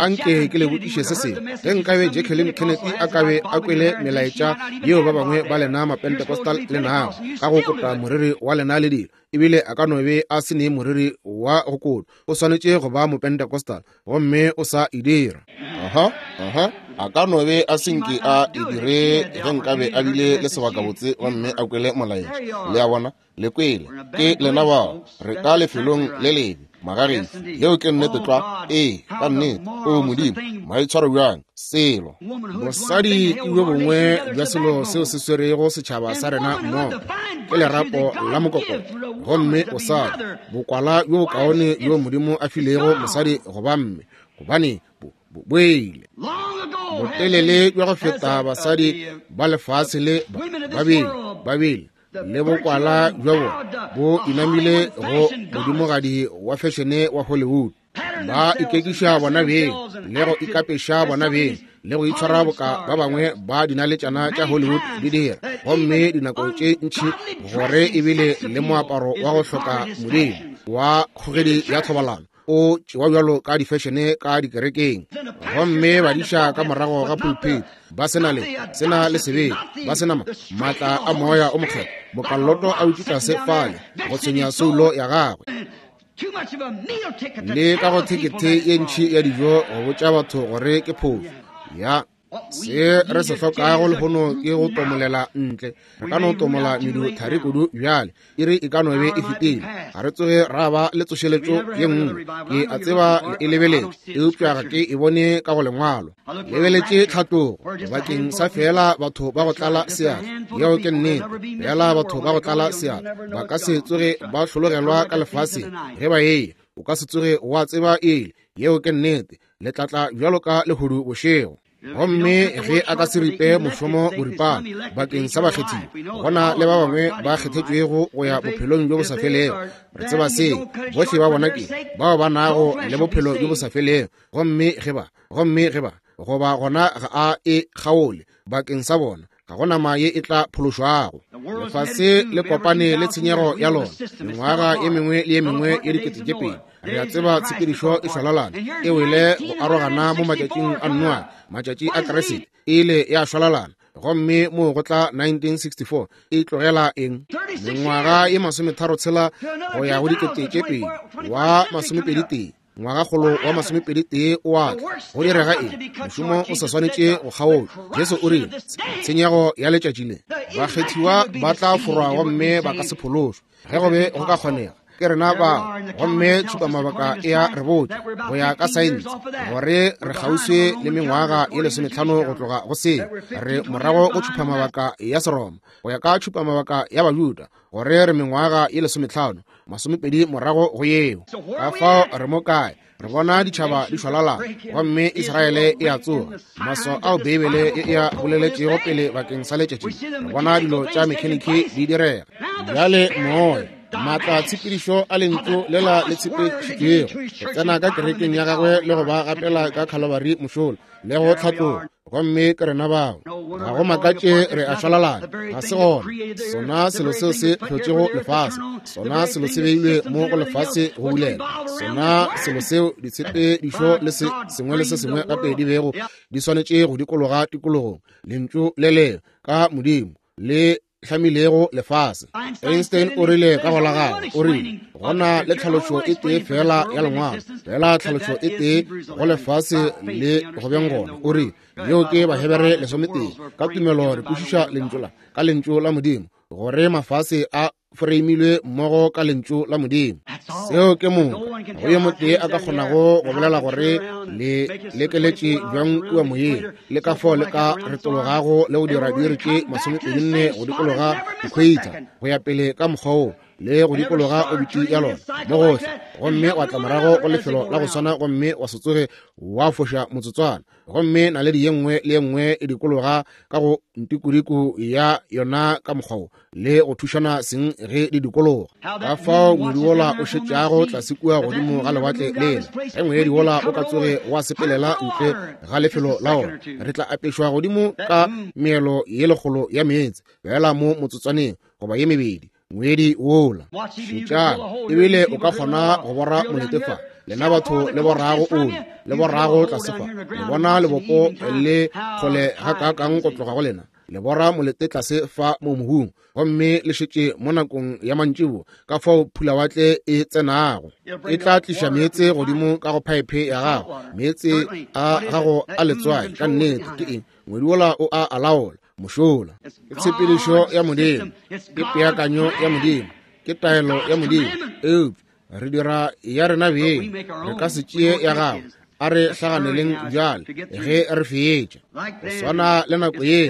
anke ke le botšiše se sengwe. Ge nkabe Jacqueline Kennedy a kabe a kwele melaetša yeo ba bangwe ba lena Mapentecostal le nago ka go kota moriri wa lena le dilo, ebile a ka no be a se ne moriri wa go kotwa, o swanetše go ba Mopentecostal, gomme o sa e dira. Aha, aha, a ka no be a senke a e dire ge nkabe a bile le sebakabotse gomme a kwele molaetša. Le a bona? Le kwele. Ke lena bao. Re ka lefelong le lebe, magagešo. Yeo ke nnete tlwa. Ee, ka nnete. O Modimo, maitshwaro bjang, selo. Mosadi ke bjo bongwe bja selo seo se swerego setšhaba sa rena mmogo, ke lerapo la mokokotlo. Gomme bosadi, bokwala bjo bokaone bjo Modimo a filego mosadi go ba mme, gobane bo boile botelele bja go feta basadi ba lefase le babele le bokwala bja bona bo inamile go modimogadi wa fešene wa Hollywood. Ba ikekiša bona beng le go ikapeša bona beng le go itshwara boka ba bangwe ba dinaletšana tša Hollywood di dira, gomme dinako tše ntši gore ebile le moaparo wa go hloka modimo wa kgogedi ya thobalano o tšewa bjalo ka difešene ka dikerekeng. Gomme badiša ka morago ga pulpit ba sena le sena le sebele, ba sena maatla a moya o mokgethwa, bokalloto a utše tlase fale go tshwenya soulo ya gagwe, le ka go thekethe ye ntši ya dijo go botša batho gore ke phofu ya. Se re se hlokago lehono ke go tomolela ntle. Re ka no tomola medu thari kudu bjale, iri e ka no be e fetile. Ga re tsoge ra ba le tsošeletšo ye nngwe. Ke a tseba le e lebeletše, eupša ga ke e bone ka go lengwalo. Lebeletše tlhatlogo bakeng sa feela batho ba go tlala seatla. Yeo ke nnete, feela batho ba go tlala seatla ba ka se tsoge ba hlologelwa ka lefaseng ge ba eya. O ka se tsoge wa tseba ele. Yeo ke nnete. Le tlatla bjalo ka lehodu bošego. Gomme ge a ka se ripe mošomo boripana bakeng sa bakgethiwa, gona le ba bangwe ba kgethetšwego go ya bophelong bjo bo sa felego. Re tseba se, bohle ba bona ke bao ba nago le bophelo bjo bo sa felego. Gomme ge ba, gomme ge ba, goba gona ga a e kgaole bakeng sa bona, ga go nama ye e tla phološwago. Lefase le kopane le tshenyego ya lona mengwaga ye mengwe le ye mengwe ye 2000. Re a tseba tshepedišo e šwalalana e wele go arogana mo matšatšing a Noa, matšatši a Kriste e ile ya šwalalana, gomme mo go tla 1964 e tlogela eng? Mengwaga ye 36 go ya go 2000 wa 21. Ngwagakgolo wa 21 o a tla. Go direga eng? Mošomo o sa swanetše go kgaotšwa. Jesu o rile, tshenyego ya letšatši le, bakgethiwa ba tla forwa gomme ba ka se phološwe. Ge go be go ka kgonega, ke rena bao. Gomme tšhupamabaka e a re botša go ya ka saense gore re kgauswi le mengwaga ye 15 go tloga go seo. Re morago go tšhupamabaka ya Seroma go ya ka tšhupamabaka ya Bajuda gore re mengwaga ye 15 20 morago go yeo. Ka fao re mo kae? Re bona ditšhaba di šwalalana, gomme Israele e a tsoga. Maswao ao Beibele e a boleletšego pele bakeng sa letšatši, re bona dilo tša mekheniki di direga. Bjale moya, maatla tshepedišo a lentšu lela le tshepedišitšwego go tsena ka kerekeng ya gagwe le go ba gapela ka Calvary mošola le go tlhatloga, gomme ke rena bao. Ga go makatše re a šwalalana. Ga se gona sona selo seo se hlotšego lefase, sona selo se beilwe mo go lefase go bulela, sona selo seo ditshepedišo le se sengwe le se sengwe gape di bego di swanetše go dikologa tikologong, lentšu le le ka Modimo le hlamilego lefase. Einstein o rile ka go la gagwe, o rile gona le tlhalošo e tee fela ya lengwalo, fela tlhalošo e tee go lefase le go beng gona. O rile yeo ke Bahebere 11. Ka tumelo re kwešiša lentšu la ka lentšu la Modimo gore mafase a foreimilwe mmogo ka lentšu la Modimo. Seo ke moka. Go yo motee a ka kgonago go bolela gore le lekeletše bjang kua moyeng, le ka fao le ka retologago le go dira diiri tše 24 go dikologa equator go ya pele ka mokgwa wo, le go dikologa obiti ya lona mo gohle, gomme wa tla morago go lefelo la go swana gomme wa se tsoge wa foša motsotswana. Gomme naledi ye nngwe le ye nngwe e dikologa ka go ntikuriku ya yona ka mokgwa wo, le go thušana seng ge di dikologa. Ka fao ngwedi wola o šetšago tlase kua godimo ga lewatle lela, ge ngwedi wola o ka tsoge wa sepelela ntle ga lefelo la ona, re tla apešwa godimo ka meelo ye lekgolo ya meetse fela mo motsotswaneng goba ye mebedi. Ngwedi wola, šetšang, ebile o ka kgona go bora molete fa. Lena batho le borago oli, le borago tlase fa. Le bona lebopo le kgole gakaakang go tloga go lena. Le bora molete tlase fa mo mohung, gomme le šetše mo nakong ya mantšiboa, ka fao phulawatle e tsenago. E tla tliša meetse godimo ka go phaephe ya gago, meetse a gago a letswai. Ka nnete, ke eng? Ngwedi wola o a alaola, mošola. Ke tshepedišo ya Modimo, ke peakanyo ya Modimo, ke taelo ya Modimo. Eupša re dira ya rena beng, re ka se tšee ya gago. A re hlaganeleng bjale ge re fetša. Go swana le nako yeo,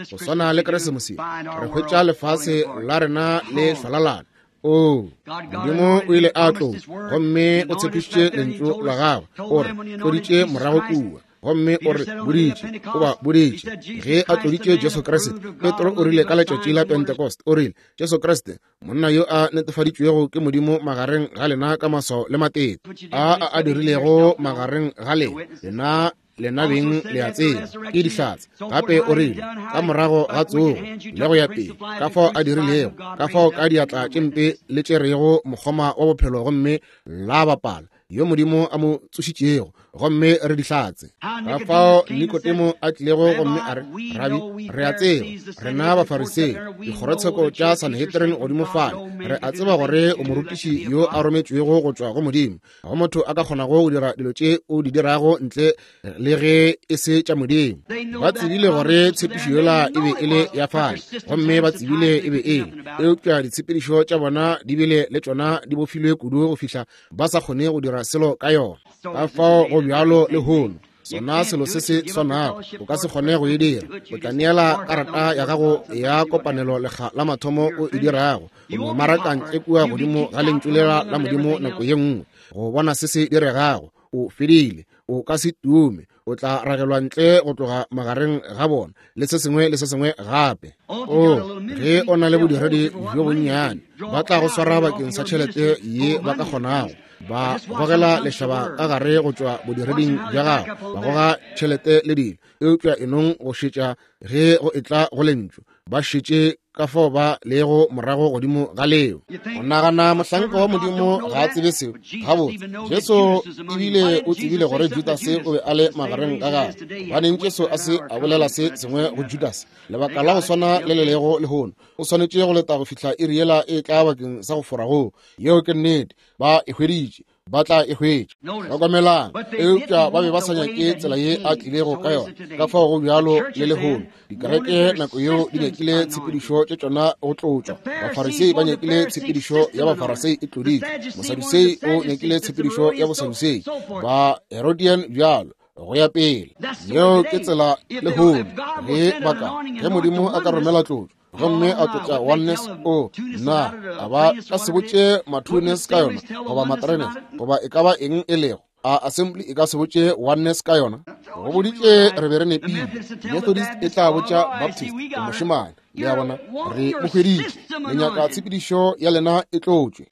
go swana le Keresemose, re hwetša lefase la rena le šwalalana. Oo, Modimo o ile a tlo, gomme o tshepišitše lentšu la gagwe, o re tloditše morago kua. Gomme o re boditše, o ba boditše, ge a tloditše Jesu Kriste. Petro o rile ka letšatši la Pentecost, o rile, Jesu Kriste, monna yo a netefaditšwego ke Modimo magareng ga lena ka maswao le matete a a dirilego magareng ga lena, lena beng le a tseba, ke dihlatse. Gape o rile, ka morago ga tsogo le go ya pele, ka fao a dirilego, ka fao ka diatla tše mpe le tšerego mokgoma wa bophelo gomme la bapala, yo Modimo a mo tsošitšego, gomme re dihlatse. Ka fao Nikodemo a tlilego gomme a re, Rabi, re a tseba, rena Bafarisei, dikgorotsheko tša Sanhedrin godimo fale, re a tseba gore o morutiši yo a rometšwego go tšwa go Modimo. Ga go motho a ka kgonago go dira dilo tše o di dirago ntle le ge e se tša Modimo. Ba tsebile gore tshepišo yola e be e le ya fale, gomme ba tsebile e be e le, eupša ditshepedišo tša bona di bile le tšona di bofilwe kudu go fihla ba sa kgone go dira selo ka yona. Ka fao go bjalo le hono, sona selo se se swanago, o ka se kgone go e dira. O tla neela karata ya gago ya kopanelo lekga la mathomo o e dirago, o no maraka ntle kua godimo ga lentšu lela la Modimo nako ye nngwe go bona se se diregago. O fedile, o ka se tume, o tla ragelwa ntle go tloga magareng ga bona le se sengwe le se sengwe gape. O, ge o na le bodiredi bjo bonnyane, ba tla go swara bakeng sa tšhelete ye ba ka kgonago, ba gogela lešaba ka gare go tšwa bodireding bja gago, ba goga tšhelete le dilo. Eupša enong go šetša ge go etla go lentšu, ba šetše ka fao ba lego morago godimo ga leo. O nagana mohlanka wa Modimo ga a tsebe seo? Gabotse, Jesu ebile o tsebile gore Judase o be a le magareng ga gagwe. Gobaneng Jesu a se a bolela se sengwe go Judase? Lebaka la go swana le le lego lehono, o swanetše go leta go fihla iri yela e tla bakeng sa go fora goo. Yeo ke nnete, ba e hweditše, ba tla e hwetša. Hlokomelang, eupša ba be ba sa nyake tsela ye a tlilego ka yona. Ka fao go bjalo le lehono, dikereke nako yeo di nyakile tshepedišo tše tšona go tlotšwa. Bafarisei ba nyakile tshepedišo ya Bafarisei e tloditšwe, Mosadusei o nyakile tshepedišo ya Bosadusei, ba Herodian bjalo go ya pele. Yeo ke tsela lehono ge ba ka, ge Modimo a ka romela tlotšo gomme a tlotša oneness, o na a ba ka se botše matwoness ka yona, goba matreness, goba e ka ba eng e lego. A assembly e ka se botše oneness ka yona? Go boditše re be re nepile. Methodist e tla botša Baptist, o mošemane. Le a bona, re mo hweditše. Le nyaka tshepedišo ya lena e tlotšwe.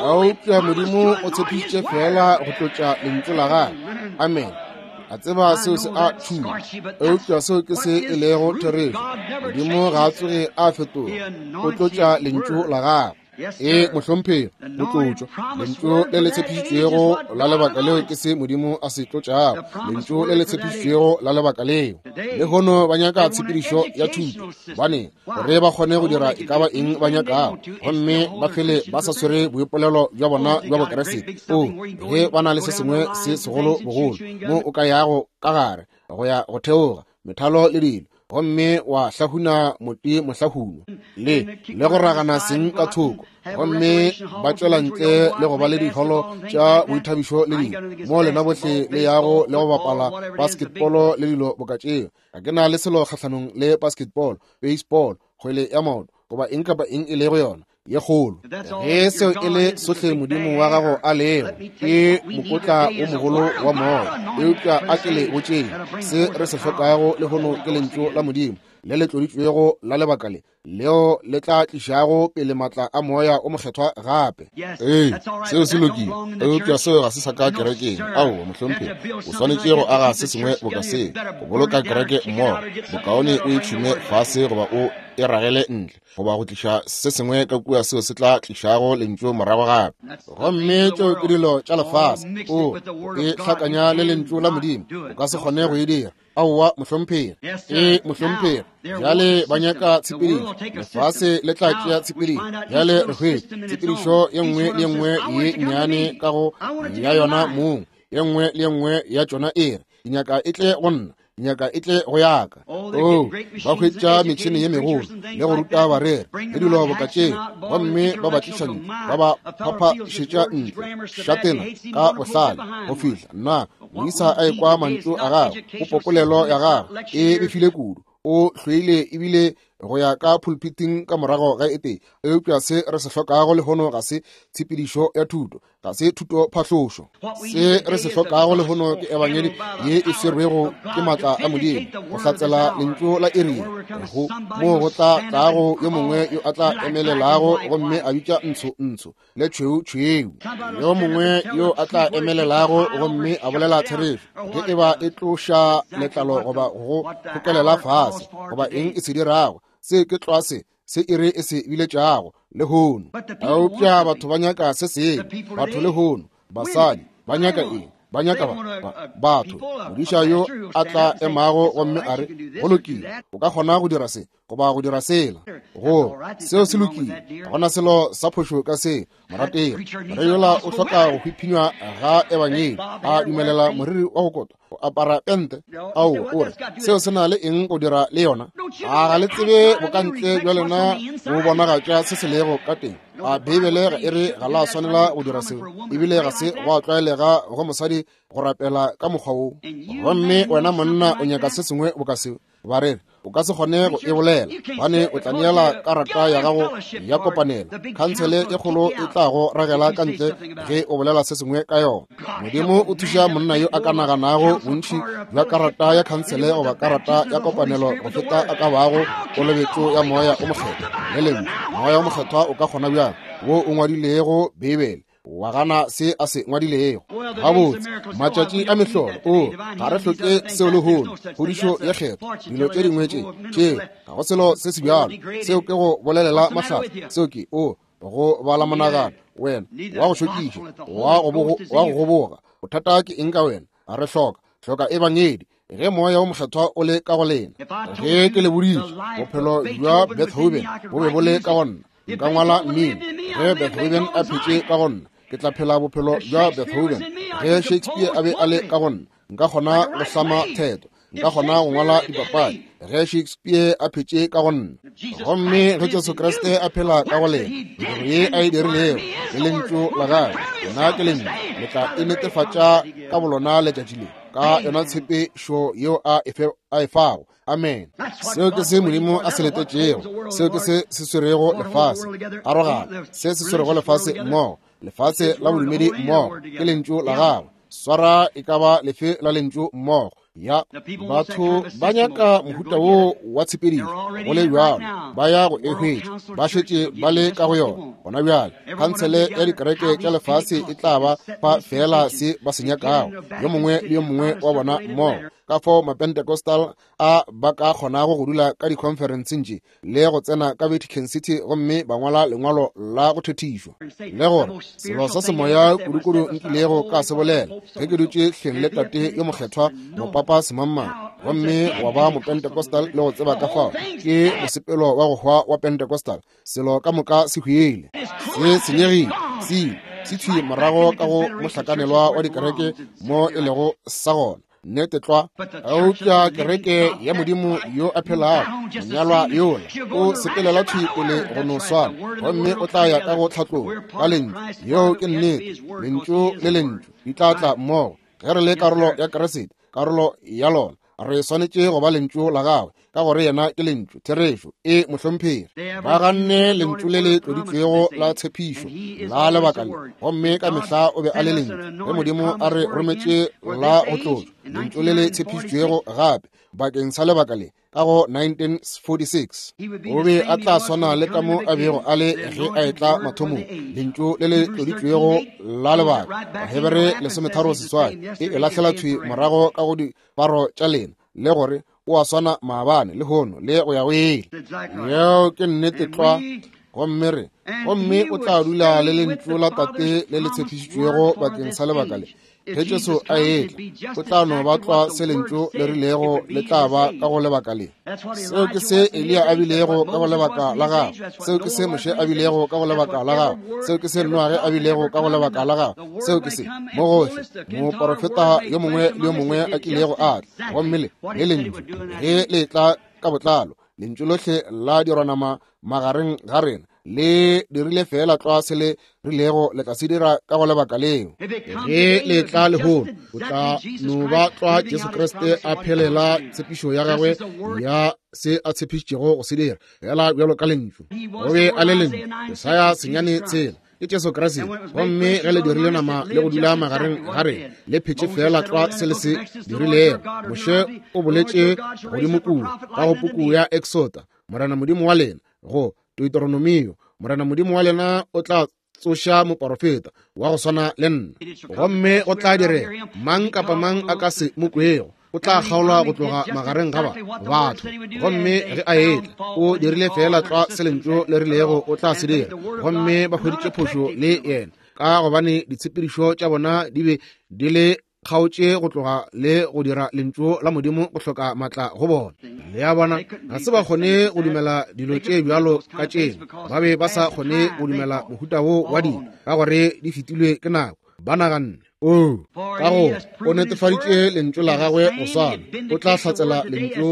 Eupša Modimo o tshepišitše feela go tlotša lentšu la gagwe. Amen. A tseba seo se a tšhuma, eupša seo ke se e lego therešo. Modimo ga a tsoge a fetoga, o tlotša lentšu la gagwe. Ee, mohlomphegi, go tlotšwa. Lentšu le le tshepišitšwego la lebaka leo ke se Modimo a se tlotšago. Lentšu le le tshepišitšwego la lebaka leo. Lehono ba nyaka tshepedišo ya thuto, gobane gore ba kgone go dira e ka ba eng ba nyakago, gomme ba fele ba sa swere boipolelo bja bona bja Bokriste. O, ge ba na le se sengwe se segolo bogolo mo o ka yago ka gare go ya go theoga methalo le dilo, gomme wa hlahuna moti mohlahunwa le go ragana seng ka thoko, gomme ba tšwela ntle le go ba le diholo tša boithabišo le dilo mo lena bohle le yago le go bapala basketball le dilo boka tšeo. Ga ke na le selo kgahlanong le basketball, baseball, kgwele ya maoto, goba eng kapa eng e lego yona ye kgolo. Ge seo e le sohle Modimo wa gago a lego, ke mokotla wo mogolo wa moya. Eupša a ke le botšeng, se re se hlokago lehono ke lentšu la Modimo le le tloditšwego la lebaka le. leo le tla tlišago pele matla a Moya o Mokgethwa gape. Ee, seo se lokile, eupša seo ga se sa ka kerekeng. Aowa, mohlomphegi, o swanetše go aga se sengwe boka seo, go boloka kereke mmogo. Bokaone o e tšhume fase goba o e ragele ntle, goba go tliša se sengwe ka kua seo se tla tlišago lentšu morago gape. Gomme tšeo ke dilo tša lefase, o e hlakanya le lentšu la Modimo, o ka se kgone go e dira. Aowa, mohlomphegi. Ee, mohlomphegi. Bjale ba nyaka tshepedišo. Lefase le tla tšea tshepedišo. Bjale re hwetše tshepedišo ye nngwe le ye nngwe ye nnyane ka go ya yona mong. Ye nngwe le ye nngwe ya tšona e re, Ke nyaka e tle go nna, ke nyaka e tle go yaka. Oo, ba hwetša metšhene ye megolo le go ruta bareri le dilo boka tšeo, gomme ba ba tliša ntle, ba ba phaphašetša ntle šatena ka bohlale go fihla nna moisa a ekwa mantšu a gagwe, popopolelo ya gagwe e befile kudu, o hloile ebile go ya ka pulpiting ka morago ga e tee. Eupša se re se hlokago lehono ga se tshepedišo ya thuto, ga se thuto phahlošo. Se re se hlokago lehono ke ebangedi ye e swerwego ke matla a Modimo go hlatsela lentšu la iri go moo go tla tlago yo mongwe yo a tla emelelago gomme a bitša ntsho ntsho le tšhweu tšhweu, yo mongwe yo a tla emelelago gomme a bolela therešo, ge e ba e tloša letlalo goba go kgokelela fase goba eng e se dirago. Se ke tlwa se se iri e se biletšago lehono. Eupša batho ba nyaka se sengwe. Batho lehono, basadi ba nyaka eng? Ba nyaka batho, modiša yo a tla emago gomme a re, go lokile, o ka kgona go dira se goba go dira sela. Go seo se lokile, ga gona selo sa phošo ka se, morategi. Re yola o hloka go hwiphinywa ga ebangedi, a dumelela moriri wa go kotwa go apara pente. Ao, o re, seo se na le eng go dira le yona? A ga le tsebe bokantle bja lena bo bonagatša se se lego ka teng? A Beibele ga e re ga la swanela go dira seo? Ebile ga se gwa tlwaelega go mosadi go rapela ka mokgwa wo. Gomme wena monna o nyaka se sengwe boka seo? Ba re, o ka se kgone go e bolela, gobane o tla neela karata ya gago ya kopanelo. Khansele e kgolo e tla go ragela ka ntle ge o bolela se sengwe ka yona. Modimo o thuša monna yo a ka naganago bontši bja karata ya khansele goba karata ya kopanelo go feta a ka bago kolobetšo ya Moya o Mokgethwa. Le lentšu, Moya o Mokgethwa o ka kgona bjang, wo o ngwadilego Beibele, wa gana se a se ngwadilego? Gabotse, matšatši a mehlolo, o ga re hloke seo lehono, kgodišo ye kgethwa, dilo tše dingwe tše tše, ga go selo se se bjalo. Seo ke go bolelela mahlatse, seo ke o go bala monagano, wena wa go šokiša, wa go goboga. Bothata ke eng ka wena? Ga re hloka hloka ebangedi ge Moya wo Mokgethwa o le ka go lena. Ge ke le boditše bophelo bja Beethoven bo be bo le ka go nna, nka ngwala mmino. Ge Beethoven a phetše ka go nna, ke tla phela bophelo bja Beethoven. Ge Shakespeare a be a le ka go nna, nka kgona go hlama theto, nka kgona go ngwala dipapadi. Ge Shakespeare a phetše ka go nna, gomme ge Jesu Kriste a phela ka go lena, mediro ye a e dirilego le lentšu la gagwe, nna ke lentšu, le tla e netefatša ka bolona letšatši le, ka yona tshepešo yeo a e fago. Amen. Seo ke se Modimo a se letetšego. Seo ke se se swerego lefase. Arogana. Se se swerego lefase mmogo, lefase la bodumedi mmogo, ke lentšu la gagwe. Swara e ka ba lefe la lentšu mmogo. Ya batho ba nyaka mohuta wo wa tshepedišo, go le bjalo ba ya go e hwetša, ba šetše ba le ka go yona gona bjale. Khansele ya dikereke tša lefase e tla ba fa feela se ba se nyakago, yo mongwe le yo mongwe wa bona mmogo. Ka fao Mapentecostal a ba ka kgonago go dula ka dikhonferenseng tše le go tsena ka Vatican City gomme ba ngwala lengwalo la go thethišwa, le gore selo sa semoya kudukudu nkilego ka se bolela ge ke dutše hleng le tate yo mokgethwa mopapa semangmang, gomme wa ba Mopentecostal le go tseba ka fao ke mosepelo wa go hwa wa Pentecostal. Selo ka moka se hwile, se senyegile, se ile se thwi morago ka go mohlakanelwa wa dikereke mo e lego sa gona. Nnete tlwa. Eupša kereke ya Modimo yo a phelago, monyalwa yola, o sepelela thwi pele go no swana, gomme o tla ya ka go tlhatlogo ka lentšu. Yeo ke nnete. Lentšu le lentšu di tla tla mmogo. Ge re le karolo ya Kriste, karolo ya lona, re swanetše go ba lentšu la gagwe, ka gore yena ke lentšu. Therešo. E, mohlomphegi. Ba ganne lentšu le le tloditšwego la tshepišo la lebaka le, gomme ka mehla o be a le lentšu. Ge Modimo a re rometše la go tlotšwa, lentšu le le tshepišitšwego gape bakeng sa lebaka le. ka go 1946. O be a tla swana le ka mo a bego a le ge a etla mathomong, lentšu le le tloditšwego la lebaka. Bahebere 13:8 e lahlela thwi morago ka go diparo tša lena, le gore o a swana maabane le hono le go ya go ile. Yeo ke nnete tlwa. Gomme re, gomme o tla dula le lentšu la Tate le le tshepišitšwego bakeng sa lebaka le. Ge Jesu a etla, o tla no ba tlwa se lentšu le rilego le tla ba ka go lebaka le. Seo ke se Eliya a bilego ka go lebaka la gagwe. Seo ke se Moshe a bilego ka go lebaka la gagwe. Seo ke se Noage a bilego ka go lebaka la gagwe. Seo ke se mo gohle moporofeta yo mongwe le yo mongwe a kilego a tla. Gomme le lentšu ge le tla ka botlalo, lentšu lohle la dirwanama magareng ga rena le dirile fela tlwa se le rilego le tla se dira ka go lebaka leo. Ge le tla lehono, o tla no ba tlwa Jesu Kriste a phelela tshepišo ya gagwe ya se a tshepišitšego go se dira, fela bjalo ka lentšu. O be a le lentšu, Jesaya 9:6 ke Jesu Kriste. Gomme ge le dirile nama le go dula magareng ga rena, le phetše fela tlwa se le se dirilego. Moshe o boletše godimo kua ka go puku ya Exoda, Morena Modimo wa lena, go Deuteronomio, Morena Modimo wa lena o tla tsoša moporofeta wa go swana le nna, gomme go tla direga mang kapa mang a ka se mo kwego o tla kgaolwa go tloga magareng ga batho. Gomme ge a etla, o dirile fela tlwa se lentšu le rilego o tla se dira, gomme ba hweditše phošo le yena, ka gobane ditshepedišo tša bona di be di le kgaotše go tloga le go dira lentšu la Modimo go hloka matla go bona. Le a bona, ga se ba kgone go dumela dilo tše bjalo ka tšeo. Ba be ba sa kgone go dumela mohuta wo wa dilo, ka gore di fetilwe ke nako. Ba naganne, o ka go o netefaditše lentšu la gagwe go swana, o tla hlatsela lentšu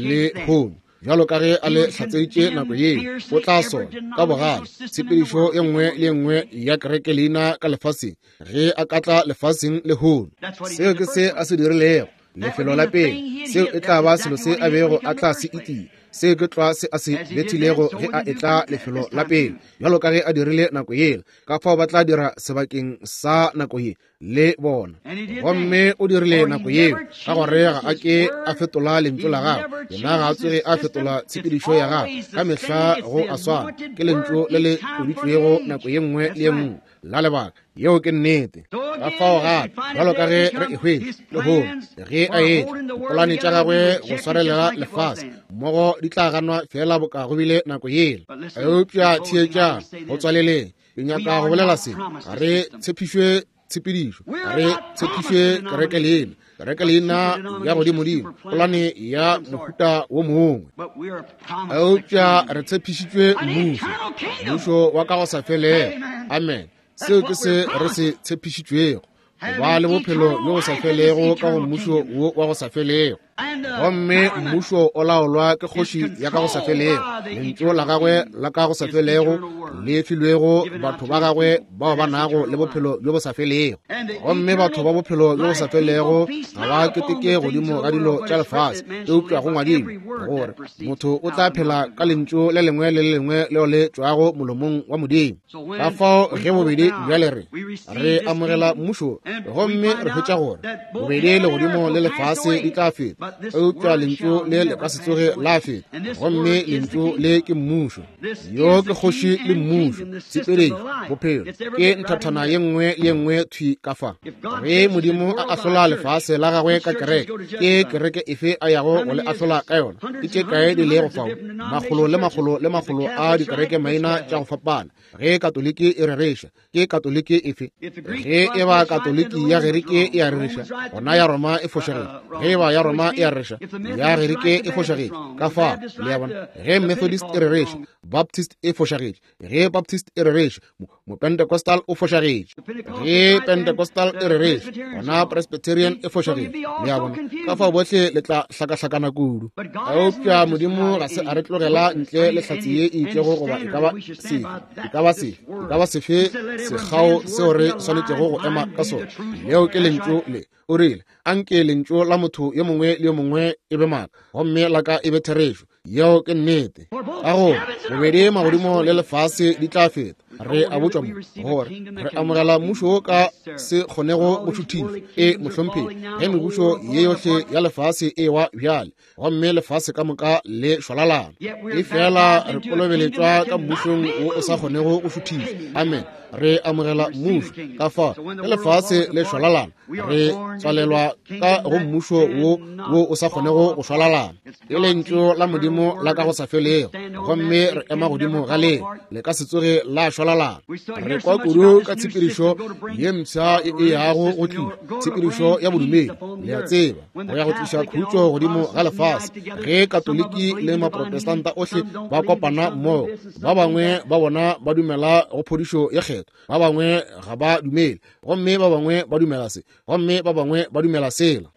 le hono bjalo ka ge a le hlatseditše nako yeo. O tla sola ka bogale tshepedišo ye nngwe le ye nngwe ya kereke leina ka lefaseng ge a ka tla lefaseng le hono. Seo ke se a se dirilego lefelo la pele. Seo e tla ba selo se a bego a tla se itia. Seo ke tlwa se a se bethilego ge a etla lefelo la pele, bjalo ka ge a dirile nako yela. Ka fao ba tla dira sebakeng sa nako ye le bona. Gomme o dirile nako yeo, ka gore ga a ke a fetola lentšu la gagwe. Yena ga a tsoge a fetola tshepedišo ya gagwe, ka mehla go a swana. Ke lentšu le le tloditšwego nako ye nngwe le ye nngwe la lebaka. Yeo ke nnete. Ka fao gape, bjalo ka ge re e hwetša lehono, ge a etla, dipolane tša gagwe go swarelela lefase mmogo di tla ganwa fela boka go bile nako yela. Eupša theetšang, go tswaleleng, ke nyaka go bolela se. Ga re tshepišwe tshepedišo, ga re tshepišwe kereke leina, kereke leina ya godimodimo, polane ya mohuta wo mongwe. Eupša re tshepišitšwe mmušo, mmušo wa ka go sa felego. Amen. Seo ke se re se tshepišitšwego, go ba le bophelo bjo bo sa felego ka go mmušo wo wa go sa felego. Gomme mmušo o laolwa ke kgoši ya ka go sa felego, lentšu la gagwe la ka go sa felego le filwego batho ba gagwe bao ba nago le bophelo bjo bo sa felego. Gomme batho ba bophelo bjo bo sa felego ga ba keteke godimo ga dilo tša lefase, eupša go ngwadilwe gore motho o tla phela ka lentšu le lengwe le le lengwe leo le tšwago molomong wa Modimo. Ka fao ge bobedi bjale re amogela mmušo, gomme re hwetša gore bobedi legodimo le lefase di tla feta, eupša lentšu le le ka se tsoge la feta. Gomme lentšu le ke mmušo. Yo ke kgoši le mmušo, tshepedišo, bophelo ke nthathana ye nngwe le ye nngwe thwi ka fa. Ge Modimo a ahlola lefase la gagwe ka kereke, ke kereke efe a yago go le ahlola ka yona? Ke tše kae di lego fao? Makgolo le makgolo le makgolo a dikereke maina tša go fapana. Ge Katoliki e rereša, ke Katoliki efe? Ge e ba Katoliki ya Gerike e a rereša, gona ya Roma e fošagetše. Ge e ba ya Roma e a rereša, ya Gerike e fošagetše. Ka fao, le a bona, ge Methodist e rereša, Baptist e fošagetše. Ge Baptist e rereša, Mopentecostal o fošagetše. Ge Pentecostal e rereša, gona Presbyterian e fošagetše. Le a bona, ka fao bohle le tla hlakahlakana kudu. Eupša Modimo ga se a re tlogela ntle le hlatse ye e itšego goba e ka ba sefe, e ka ba sefe, e ka ba sefe sekgao seo re swanetšego go ema ka sona. Leo ke lentšu le. O rile, anke lentšu la motho yo mongwe le yo mongwe e be maaka, gomme la ka e be therešo. Yeo ke nnete. Ka gore bobedi magodimo le lefase di tla feta, Re a botšwa mo gore re amogela mmušo wo ka se kgonego go šuthišwa. E, mohlomphegi, ge mebušo ye yohle ya lefase e wa bjale, gomme lefase ka moka le šwalalana, efela re kolobeletšwa ka mmušong wo o sa kgonego go šuthišwa. Amen. Re amogela mmušo. Ka fao ge lefase le šwalalana, re tswalelwa ka go mmušo wo wo o sa kgonego go šwalalana. Ke lentšu la Modimo la ka go sa felego, gomme re ema godimo ga leo, le ka se tsoge la šwalalana. Re kwa kudu ka tshepedišo ye mpsha e yago go tlišwa, tshepedišo ya bodumedi, le a tseba, go ya go tliša khutšo godimo ga lefase. Ge Katoliki le Maprotestanta ohle ba kopana mmogo, ba bangwe ba bona ba dumela go phodišo ye kgethwa, ba bangwe ga ba dumele, gomme ba bangwe ba dumela se, gomme ba bangwe ba dumela sela.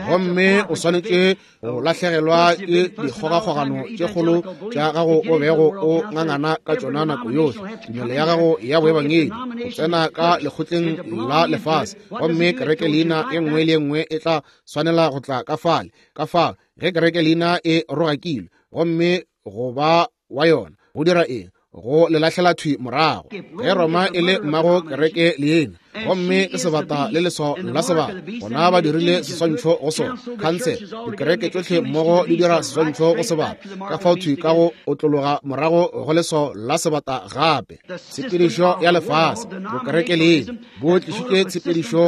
Gomme o swanetše go lahlegelwa ke dikgogakgogano tše kgolo tša gago o bego o ngangana ka tšona nako yohle, tumelo ya gago ya boebangedi, go tsena ka lekgotleng la lefase, gomme kereke leina e nngwe le e nngwe e tla swanela go tla ka fale. Ka fao ge kereke leina e rogakilwe, gomme go ba wa yona go dira eng? Go le lahlela thwi morago. Ge Roma e le mmago kereke leina, gomme ke sebata le leswao la sebata, gona ba dirile seswantšho go sona. Khansele, dikereke tšohle mmogo di dira seswantšho go sebata, ka fao thwi ka go otlologa morago go leswao la sebata gape. Tshepedišo ya lefase, bokereke leina, bo tlišitše tshepedišo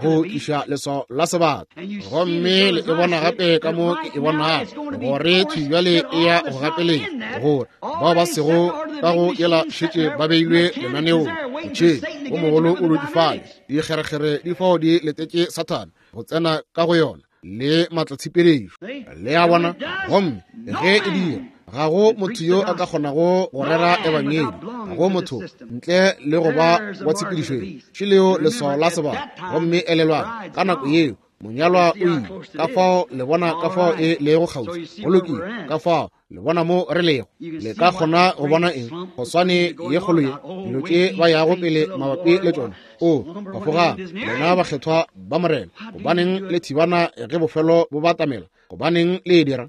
go tliša leswao la sebata. Gomme le e bona gape ka mo ke e bonago, gore thwi bjale e ya go gapeletša gore bao ba sego ka go yela šetše ba beilwe lenaneong. Motšhene o mogolo o dutše fale, dikgerekgere di fao di letetše Sathane go tsena ka go yona le maatlatshepedišo. Le a bona? Gomme ge e dira, ga go motho yo a ka kgonago go rera ebangedi, ga go motho ntle le go ba wa tshepedišo ye. Šeleo leswao la sebata. Gomme elelwang, ka nako yeo monyalwa o ile. Ka fao le bona ka fao e lego kgauswi. Go lokile. Ka fao le bona mo re lego. Le ka kgona go bona eng? Go swane ye kgolo ye, dilo tše ba yago pele mabapi le tšona. O, phafogang, lena bakgethwa ba Morena. Gobaneng le thibana ge bofelo bo batamela? Gobaneng le e dira?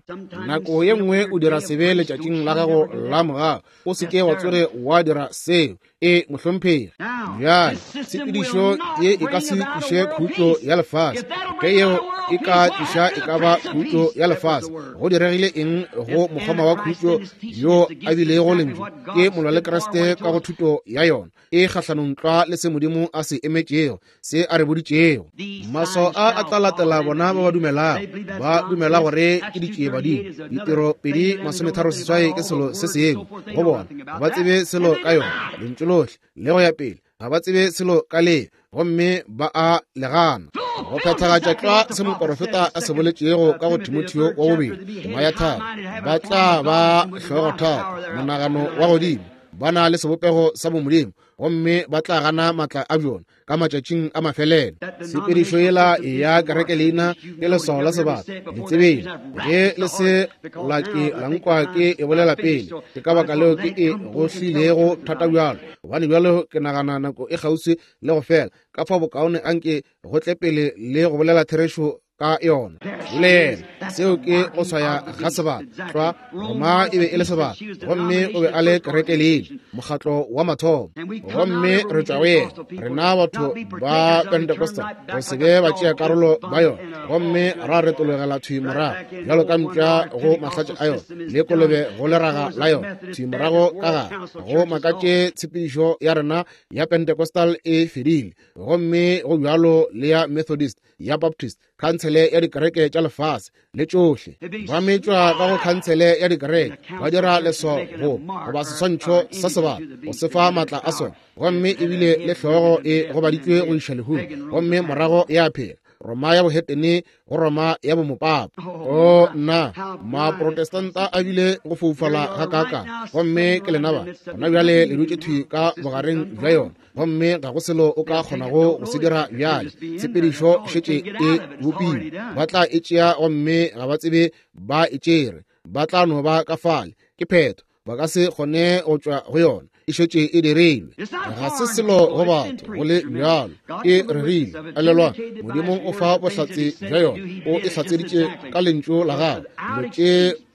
Nako ye nngwe o dira sebe letšatšing la gago la morago. O se ke wa tsoge wa dira seo. E, mohlomphegi. Bjale, tshepedišo ye e ka se tliše khutšo ya lefase. Ge yeo e ka tliša e ka ba khutšo ya lefase, go diregile eng go mokgoma wa khutšo yo a bilego lentšu? Ke molwa le Kriste ka go thuto ya yona e kgahlanong tlwa le se Modimo a se emetšego, se a re boditšego. Maswao a a tla latela bona ba ba dumelago. Ba dumela gore ke ditšiebadimo. Ditiro 2:38 ke selo se sengwe go bona. Ga ba tsebe selo ka yona, lentšu lohle le go ya pele. Ga ba tsebe selo ka le, gomme ba a le gana. Go phethagatša tlwa se moporofeta a se boletšego ka go Timotheo wa bobedi, tema ya tharo, ba tla ba hlogothata, monagano wa godimo, ba na le sebopego sa bomodimo, gomme ba tla gana maatla a bjona ka matšatšing a mafelelo. Tshepedišo yela ya kereke leina ke leswao la sebata. Le tsebeng ge le se la ke la nkwa ke e bolela pele, ke ka baka leo ke e gohlilego thata bjalo, gobane bjalo ke nagana nako e kgauswi le go fela. Ka fao bokaone anke go tle pele le go bolela therešo ka yona. Le yena, seo ke go swaya ga sebata. Tlwa, Roma e be e le sebata, gomme o be a le kereke leina, mokgatlo wa mathomo. Gomme re tšwa go yena, rena batho ba Pentecostal, go se be ba tšea karolo ba yona, gomme ra retologela thwi morago bjalo ka mpša go mahlatša a yona, le kolobe go leraga la yona, thwi morago ka gare. Go makatše tshepedišo ya rena ya Pentecostal e fedile, gomme go bjalo le ya Methodist, ya Baptist, khansele ya dikereke tša lefase le tšohle. Ba metšwa ka go khansele ya dikereke, ba dira leswao go goba seswantšho sa sebata go se fa maatla a sona, gomme ebile le hlogo e gobaditšwe go iša lehung, gomme morago ya phela. Roma ya bohetene go Roma ya bomopapa. O nna, Maprotestanta a bile go foufala gakaakang, gomme ke lena ba gona bjale le dutše thwi ka bogareng bja yona, gomme ga go selo o ka kgonago go se dira bjale. Tshepedišo šetše e bopilwe, ba tla e tšea gomme ga ba tsebe ba e tšere, ba tla no ba ka fale, ke phetho, ba ka se kgone go tšwa go yona, e šetše e dirilwe. Ga se selo go batho go le bjalo, e rerile. Elelwa, Modimo o fa bohlatse bja yona, o e hlatseditše ka lentšu la gagwe, dilo tše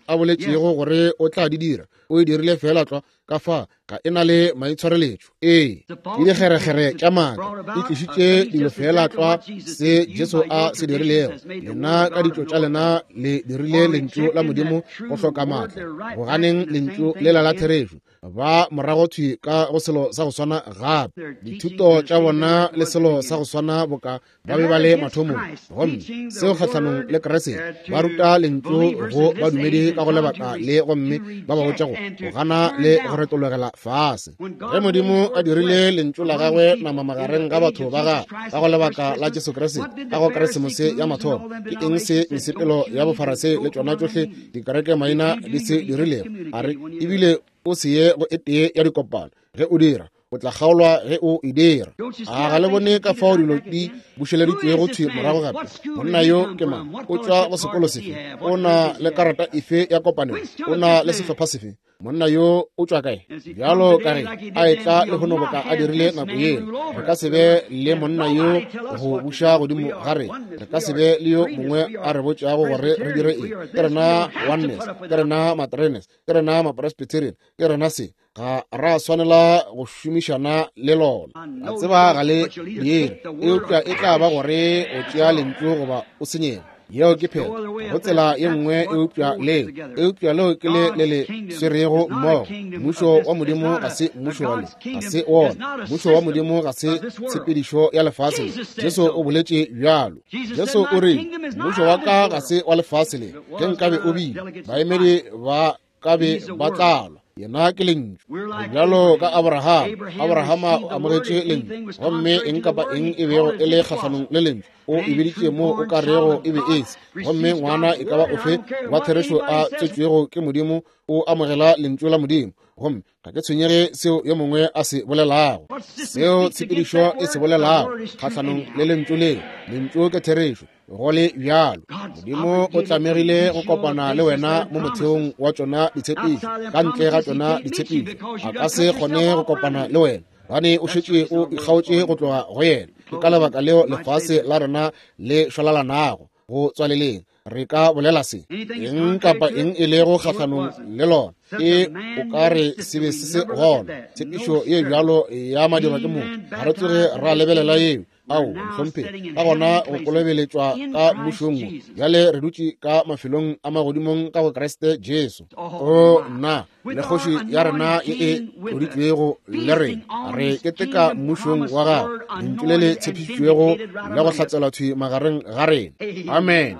a boletšego gore o tla di dira, o e dirile feela tlwa. Ka fa ga e na le maitshwareletšo. Ee, ke dikgerekgere tša maaka, di tlišitše dilo feela tlwa se Jesu a se dirilego. Lena ka ditšo tša lena le dirile lentšu la Modimo go hloka maatla, go ganeng lentšu lela la therešo. Ba morago thwi ka go selo sa go swana gape, dithuto tša bona le selo sa go swana boka ba be ba le mathomong. Gomme seo kgahlanong le Kriste, ba ruta lentšu go badumedi ka go lebaka le, gomme ba ba botša go gana le go retologela fase. Ge Modimo a dirile lentšu la gagwe nama magareng ga batho ba gagwe ka go lebaka la Jesu Kriste, ka go Keresemose ya mathomo, ke eng se mesepelo ya bofarasei le tšona tšohle dikereke maina di se dirilego? A re, ebile o se ye go e tee ya dikopano. Ge o dira, o tla kgaolwa ge o e dira. A ga le bone ka fao dilo di bušeleditšwego thwi morago gape? Monna yo ke mang? O tšwa go sekolo sefe? O na le karata efe ya kopanelo? O na le sehlopha sefe? Monna yo o tšwa kae? Bjalo ka ge a etla lehono boka a dirile nako yela, re ka se be le monna yo go buša godimo ga rena. Re ka se be le yo mongwe a re botšago gore re dire eng. Ke rena Oneness, ke rena Matrenes, ke rena Mapresbyterian, ke rena se. Ga ra swanela go šomišana le lona. A tseba ga le dire, eupša e tla ba gore o tšea lentšu goba o senyega. Yeo ke phetho. Go tsela ye nngwe eupša leo, eupša leo ke le le le swerego mmogo. Mmušo wa Modimo ga se mmušo wa le, ga se wona. Mmušo wa Modimo ga se tshepedišo ya lefase le. Jesu o boletše bjalo. Jesu o rile, Mmušo wa ka ga se wa lefase le. Ge nkabe o bile, baemedi ba ka be ba tla lwa. Yena ke lentšu. Bjalo ka Abraham, Abrahama o amogetše lentšu, gomme eng kapa eng e bego e le kgahlanong le lentšu, o e biditše mo o ka rego e be e se. Gomme ngwana e ka ba ofe wa therešo a tswetšwego ke Modimo o amogela lentšu la Modimo, gomme ga ke tshwenyege seo yo mongwe a se bolelago, seo tshepedišo e se bolelago kgahlanong le lentšu leo. Lentšu ke therešo. Go le bjalo, Modimo o tlamegile go kopana le wena mo motheong wa tšona ditshepišo. Ka ntle ga tšona ditshepišo, a ka se kgone go kopana le wena, gobane o šetše o ikgaotše go tloga go yena. Ke ka lebaka leo lefase la rena le šwalalanago go tswaleleng. Re ka bolela se, eng kapa eng e lego kgahlanong le lona, e o ka re se be se se gona. Tshepišo ye bjalo ya madirwa ke motho, ga re tsoge ra lebelela yeo. Ao, mohlomphegi, ka gona go kolobeletšwa ka mmušong wo. Bjale re dutše ka mafelong a magodimong ka go Kriste Jesu. O nna, le kgoši ya rena ye e tloditšwego le rena, re keteka mmušong wa gagwe, lentšu le le tshepišitšwego le go hlatselwa thwi magareng ga rena. Amen.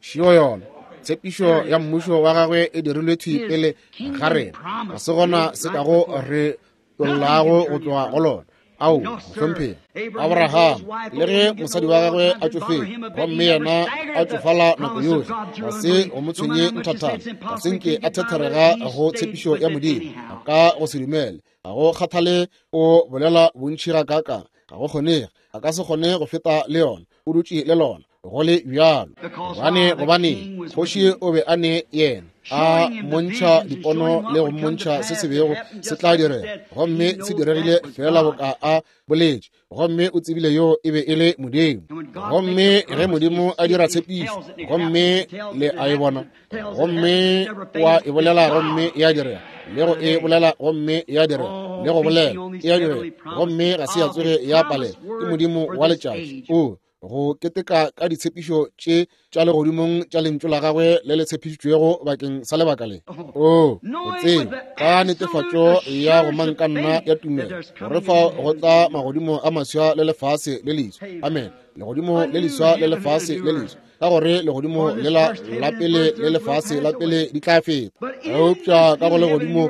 Šio yona. Tshepišo ya mmušo wa gagwe e dirilwe thwi pele ga rena. Ga se gona se kago re tollago go tloga go lona. Ao, mohlomphegi. Abraham, le ge mosadi wa gagwe a tšofetše, gomme yena a tšofala nako yohle, ga se go mo tshwenye nthathana, ga se nke a thetherega go tshepišo ya Modimo, ka go se dumele. Ga go kgathale o bolela bontši gakaakang, ga go kgonege, a ka se kgone go feta le yona, o dutše le lona go le bjalo. Gobane, gobane kgoši o be a ne yena, a mmontšha dipono le go mmontšha se se bego se tla direga, gomme se diregile feela boka a boletše, gomme o tsebile yo e be e le Modimo. Gomme ge Modimo a dira tshepišo, gomme le a e bona, gomme wa e bolela gomme ya direga, le go e bolela gomme ya direga, le go bolela e a direga, gomme ga se ya tsoge ya palela. Ke Modimo wa letšatši. O go keteka ka ditshepišo tše tša legodimong tša lentšu la gagwe le le tshepišitšwego bakeng sa lebaka le. O o tseba ka netefatšo ya go manka nna ya tumelo gore fa go tla magodimo a maswa le lefase le leswa. Amen. Legodimo le leswa le lefase le leswa, ka gore legodimo le la la pele le lefase la pele di tla feta, eupša ka go legodimo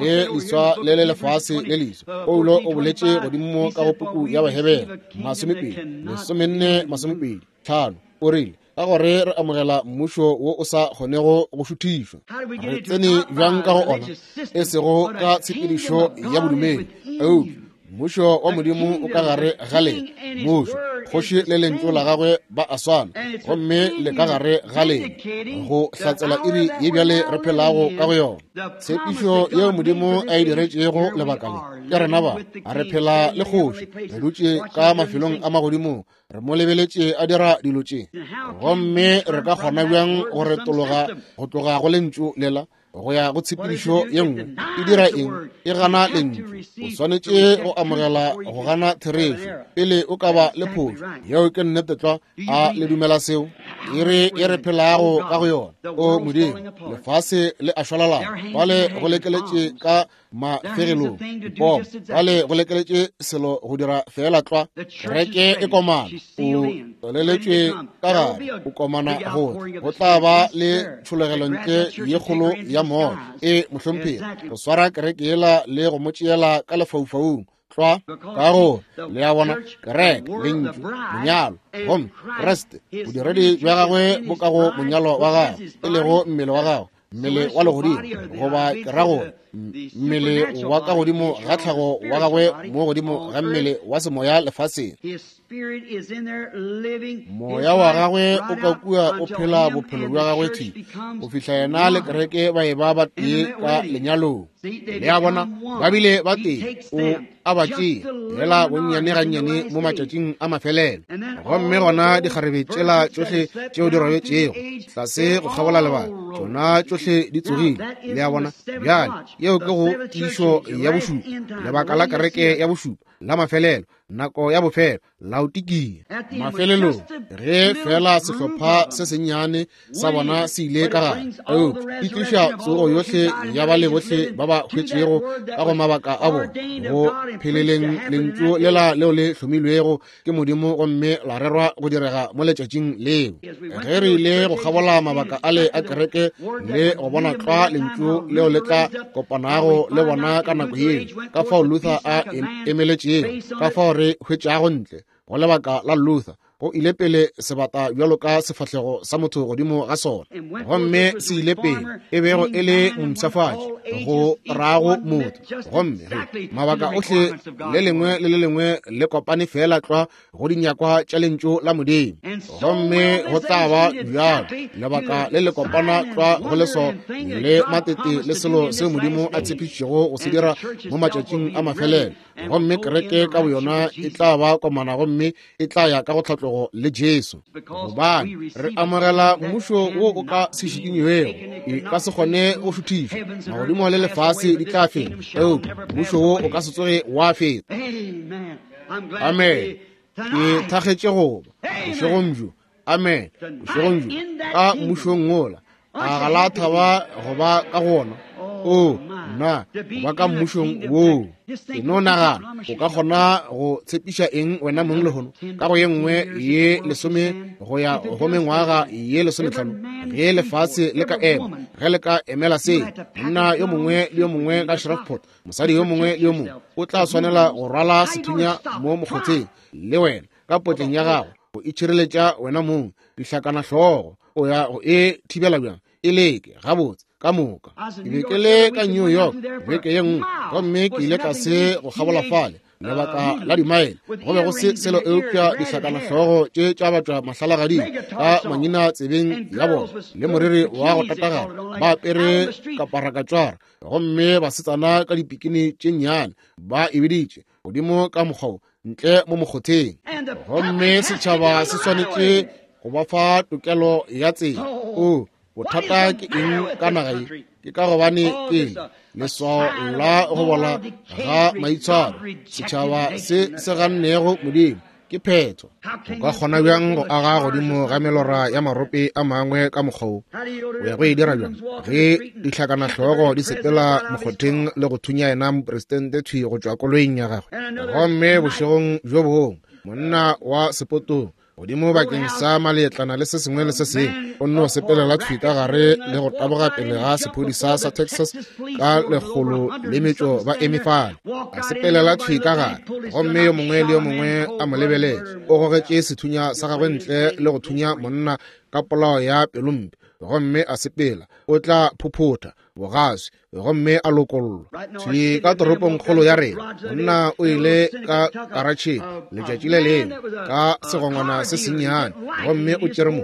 le leswa le le lefase le leswa. Paulo o boletše godimo ka go puku ya Bahebere 20 14 25, o rile, ka gore re amogela mmušo wo o sa kgonego go šuthišwa. Re tsene bjang ka go ona? E sego ka tshepedišo ya bodumedi, eupša mmušo wa Modimo o ka gare ga lena. Mmušo, kgoši le lentšu la gagwe ba a swana, gomme le ka gare ga lena go hlatsela iri ye bjale re phelago ka go yona. Tshepišo yeo Modimo a e diretšego lebaka le, ke rena ba re phela le kgoši, re dutše ka mafelong a magodimong, re mo lebeletše a dira dilo tše, gomme re ka kgona bjang go retologa go tloga go lentšu lela? go ya go tshepedišo ye nngwe. E dira eng? E gana lentšu. O swanetše go amogela go gana therešo pele o ka ba le phošo. Yeo ke nnete tlwa. A le dumela seo? E re e re phelago ka go yona. O Modimo, lefase le a šwalalana. Bale go lekeletše ka mafegelong dipomo, bale go lekeletše selo go dira feela tlwa. Kereke e komana, o tloleletšwe ka gare, o komana go tla. Go tla ba le tšhologelo ntle ye kgolo ya moya. E mohlomphegi, go swara kereke yela le go mo tšeela ka lefaufaung tlwa, ka gore le a bona kereke, lentšu, monyalo, gomme Kriste, bodiredi bja gagwe bo ka go monyalo wa gagwe, e lego mmele wa gagwe, mmele wa legodimo, goba ke ra gore mmele wa ka godimo ga tlhago wa gagwe mo godimo ga mmele wa semoya lefaseng. Moya wa gagwe o ka kua o phela bophelo bja gagwe thwi go fihla yena le kereke ba e ba ba tee ka lenyalong. Le a bona, ba bile ba tee, o a ba tšea fela bonnyane gannyane mo matšatšing a mafelelo. Gomme gona dikgarebe tšela tšohle tšeo di robetšego tlase go kgabola lebaka, tšona tšohle di tsogile. Le a bona? Bjale yeo ke go tiišo ya bošupa, lebaka la kereke ya bošupa la mafelelo, nako ya bofelo, Laodikia. Mafelelong, ge fela sehlopha se sennyane sa bona se ile ka gare, eupša e tliša tsogo yohle ya bale bohle ba ba hwetšego ka go mabaka a bona, go pheleleng lentšu lela leo le hlomilwego ke Modimo gomme la rerwa go direga mo letšatšing leo. Ge re ile go kgabola mabaka ale a kereke le go bona tlwa lentšu leo le tla kopanago le bona ka nako yeo, ka fao Luther a emeletšego, ka fao re hwetšago ntle go lebaka la Luther, go ile pele sebata bjalo ka sefahlego sa motho godimo ga sona, gomme se ile pele e bego e le mompshafatši go rago motho. Gomme ge mabaka ohle le lengwe le le lengwe le kopane feela tlwa go dinyakwa tša lentšu la Modimo, gomme go tla ba bjalo lebaka le le kopana tlwa go leso le matete le selo seo Modimo a tshepišitšego go se dira mo matšatšing a mafelelo. Gomme kereke ka boyona e tla ba komana gomme e tla ya ka go tlhatlogo le Jesu, gobane re amogela mmušo wo o ka se šikinywego, e ka se kgone go šuthišwa. Magodimo le lefase di tla feta, eupša mmušo wo o ka se tsoge wa feta. Amen. Ke thakgetše go ba bošegong bjo. Amen. Bošegong bjo ka mmušong wola, a ga la thaba go ba ka go wona? O nna, go ba ka mmušong woo. E no nagana, o ka kgona go tshepiša eng wena mong lehono ka go ye nngwe ye 10 go ya go mengwaga ye 15, ge lefase le ka ema, ge le ka emela se, monna yo mongwe le yo mongwe ka Shreveport, mosadi yo mongwe le yo mongwe o tla swanela go rwala sethunya mo mokgotheng le wena ka potleng ya gago go itšhireletša wena mong. Dihlakana hlogo o ya go e thibela bjang? E leke gabotse ka moka. Ke be ke le ka New York beke ye nngwe, gomme ke ile tlase go kgabola fale lebaka la dimaele, go be go se selo eupša dihlakana-hlogo tše tša batšwa mahlalagading ka mangina tsebeng ya bona le moriri wa go tatagana, ba apere kaparakatšwara, gomme basetsana ka dipikini tše nnyane ba e biditše godimo ka mokgwa ntle mo mokgotheng. Gomme setšhaba se swanetše go ba fa tokelo ya tsela. O bothata ke eng ka naga ye? Ke ka gobane ke leswao la go bola ga maitshwaro, setšhaba se se gannego Modimo. Ke phetho. O ka kgona bjang go aga godimo ga melora ya marope a mangwe ka mokgwa wo? O ya go e dira bjang ge dihlakanahlogo di sepela mokgotheng le go thunya yena mopresidente thwi go tšwa koloing ya gagwe? Gomme bošegong bjo bongwe monna wa sepotong godimo bakeng sa maletlana le se sengwe le se sengwe o nno sepelela thwi ka gare le go taboga pele ga sephodisa sa Texas ka 100 ba eme fale. A sepelela thwi ka gare, gomme yo mongwe le yo mongwe a mo lebeletše. O gogetše sethunya sa gagwe ntle le go thunya monna ka polao ya pelompe, gomme a sepela. O tla phophotha bogaswi gomme a lokollwa thwi ka toropongkgolo ya rena. Monna o ile ka karatšheng letšatši le lengwe ka segongwana se sennyane, gomme o tšere mo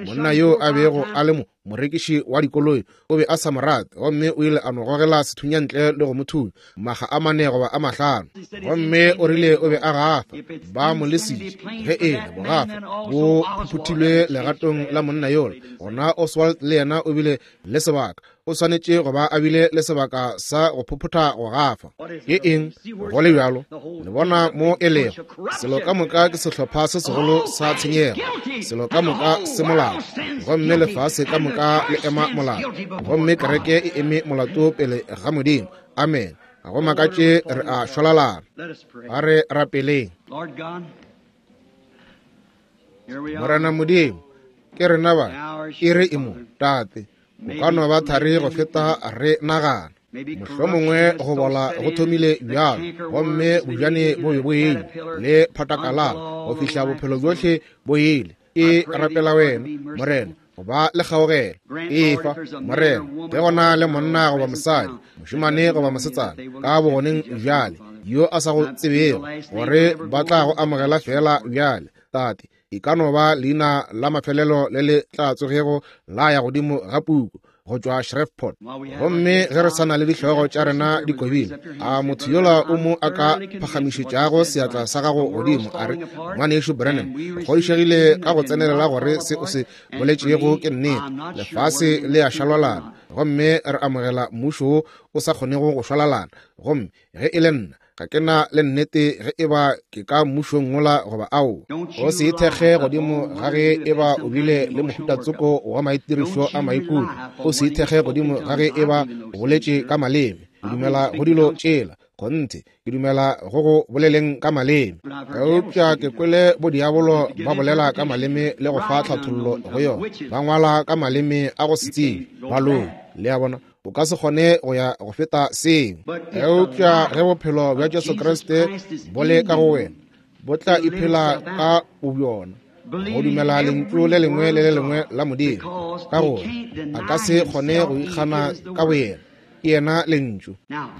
monna yo a bego a le mo morekiši wa dikoloi, o be a sa mo rate, gomme o ile a no gogela sethunya ntle le go mo thunya makga a 4 goba a 5. Gomme o rile o be a gafa, ba mo lesitše. Ge e le bogafa bo phuphuthilwe legatong la monna yola, gona Oswald le yena o bile le sebaka. O swanetše go ba a bile le sebaka sa go phophotha go gafa. Ke eng go le bjalo? Le bona mo e lego. Selo ka moka ke sehlopha se segolo sa tshenyego. Selo ka moka se molato. Gomme lefase ka moka le ema molato. Gomme kereke e eme molato pele ga Modimo. Amen. Ga go makatše re a šwalalana. A re rapeleng. Morena Modimo, ke rena ba, iri e mo, Tate. O ka no ba thari go feta re nagana. Mohlomongwe go bola go thomile bjalo, gomme bojane bo be bo ile le phatakalala go fihla bophelo bjohle bo ile. E rapela wena, Morena, go ba le kgaogelo. Efa, Morena, ge go na le monna goba mosadi, mošemane goba mosetsana, ka bogoneng bjale, yo a sa go tsebego, gore ba tla go amogela feela bjale, Tate, e ka no ba leina la mafelelo le le tla tsogego la ya godimo ga puku go tšwa Shreveport. Gomme ge re sa na le dihlogo tša rena di kobile, a motho yola o mo a ka phagamišetšago seatla sa gago godimo, a re, Ngwanešu Branham, o kgodišegile ka go tsenelela gore se o se boletšego ke nnete. Lefase le a šalwalana, gomme re amogela mmušo wo o sa kgonego go šwalalana. Gomme ge e le nna, ga ke na le nnete ge e ba ke ka mmušong wola goba ao. O se ithekge godimo ga ge e ba o bile le mohutatsoko wa maitirišo a maikutlo. O se ithekge godimo ga ge e ba o boletše ka maleme. Ke dumela go dilo tšela. Kgonthe, ke dumela go go boleleng ka maleme. Eupša ke kwele bodiabolo ba bolela ka maleme le go fa tlhathollo go yona. Ba ngwala ka maleme a go se tsebe. Baloi, le a bona. O ka se kgone go ya go feta seo. Eupša ge bophelo bja Jesu Kriste bo le ka go wena, bo tla iphela ka bobjona, go dumela lentšu le lengwe le le lengwe la Modimo, ka gore a ka se kgone go ikgana ka boyena. Ke yena lentšu.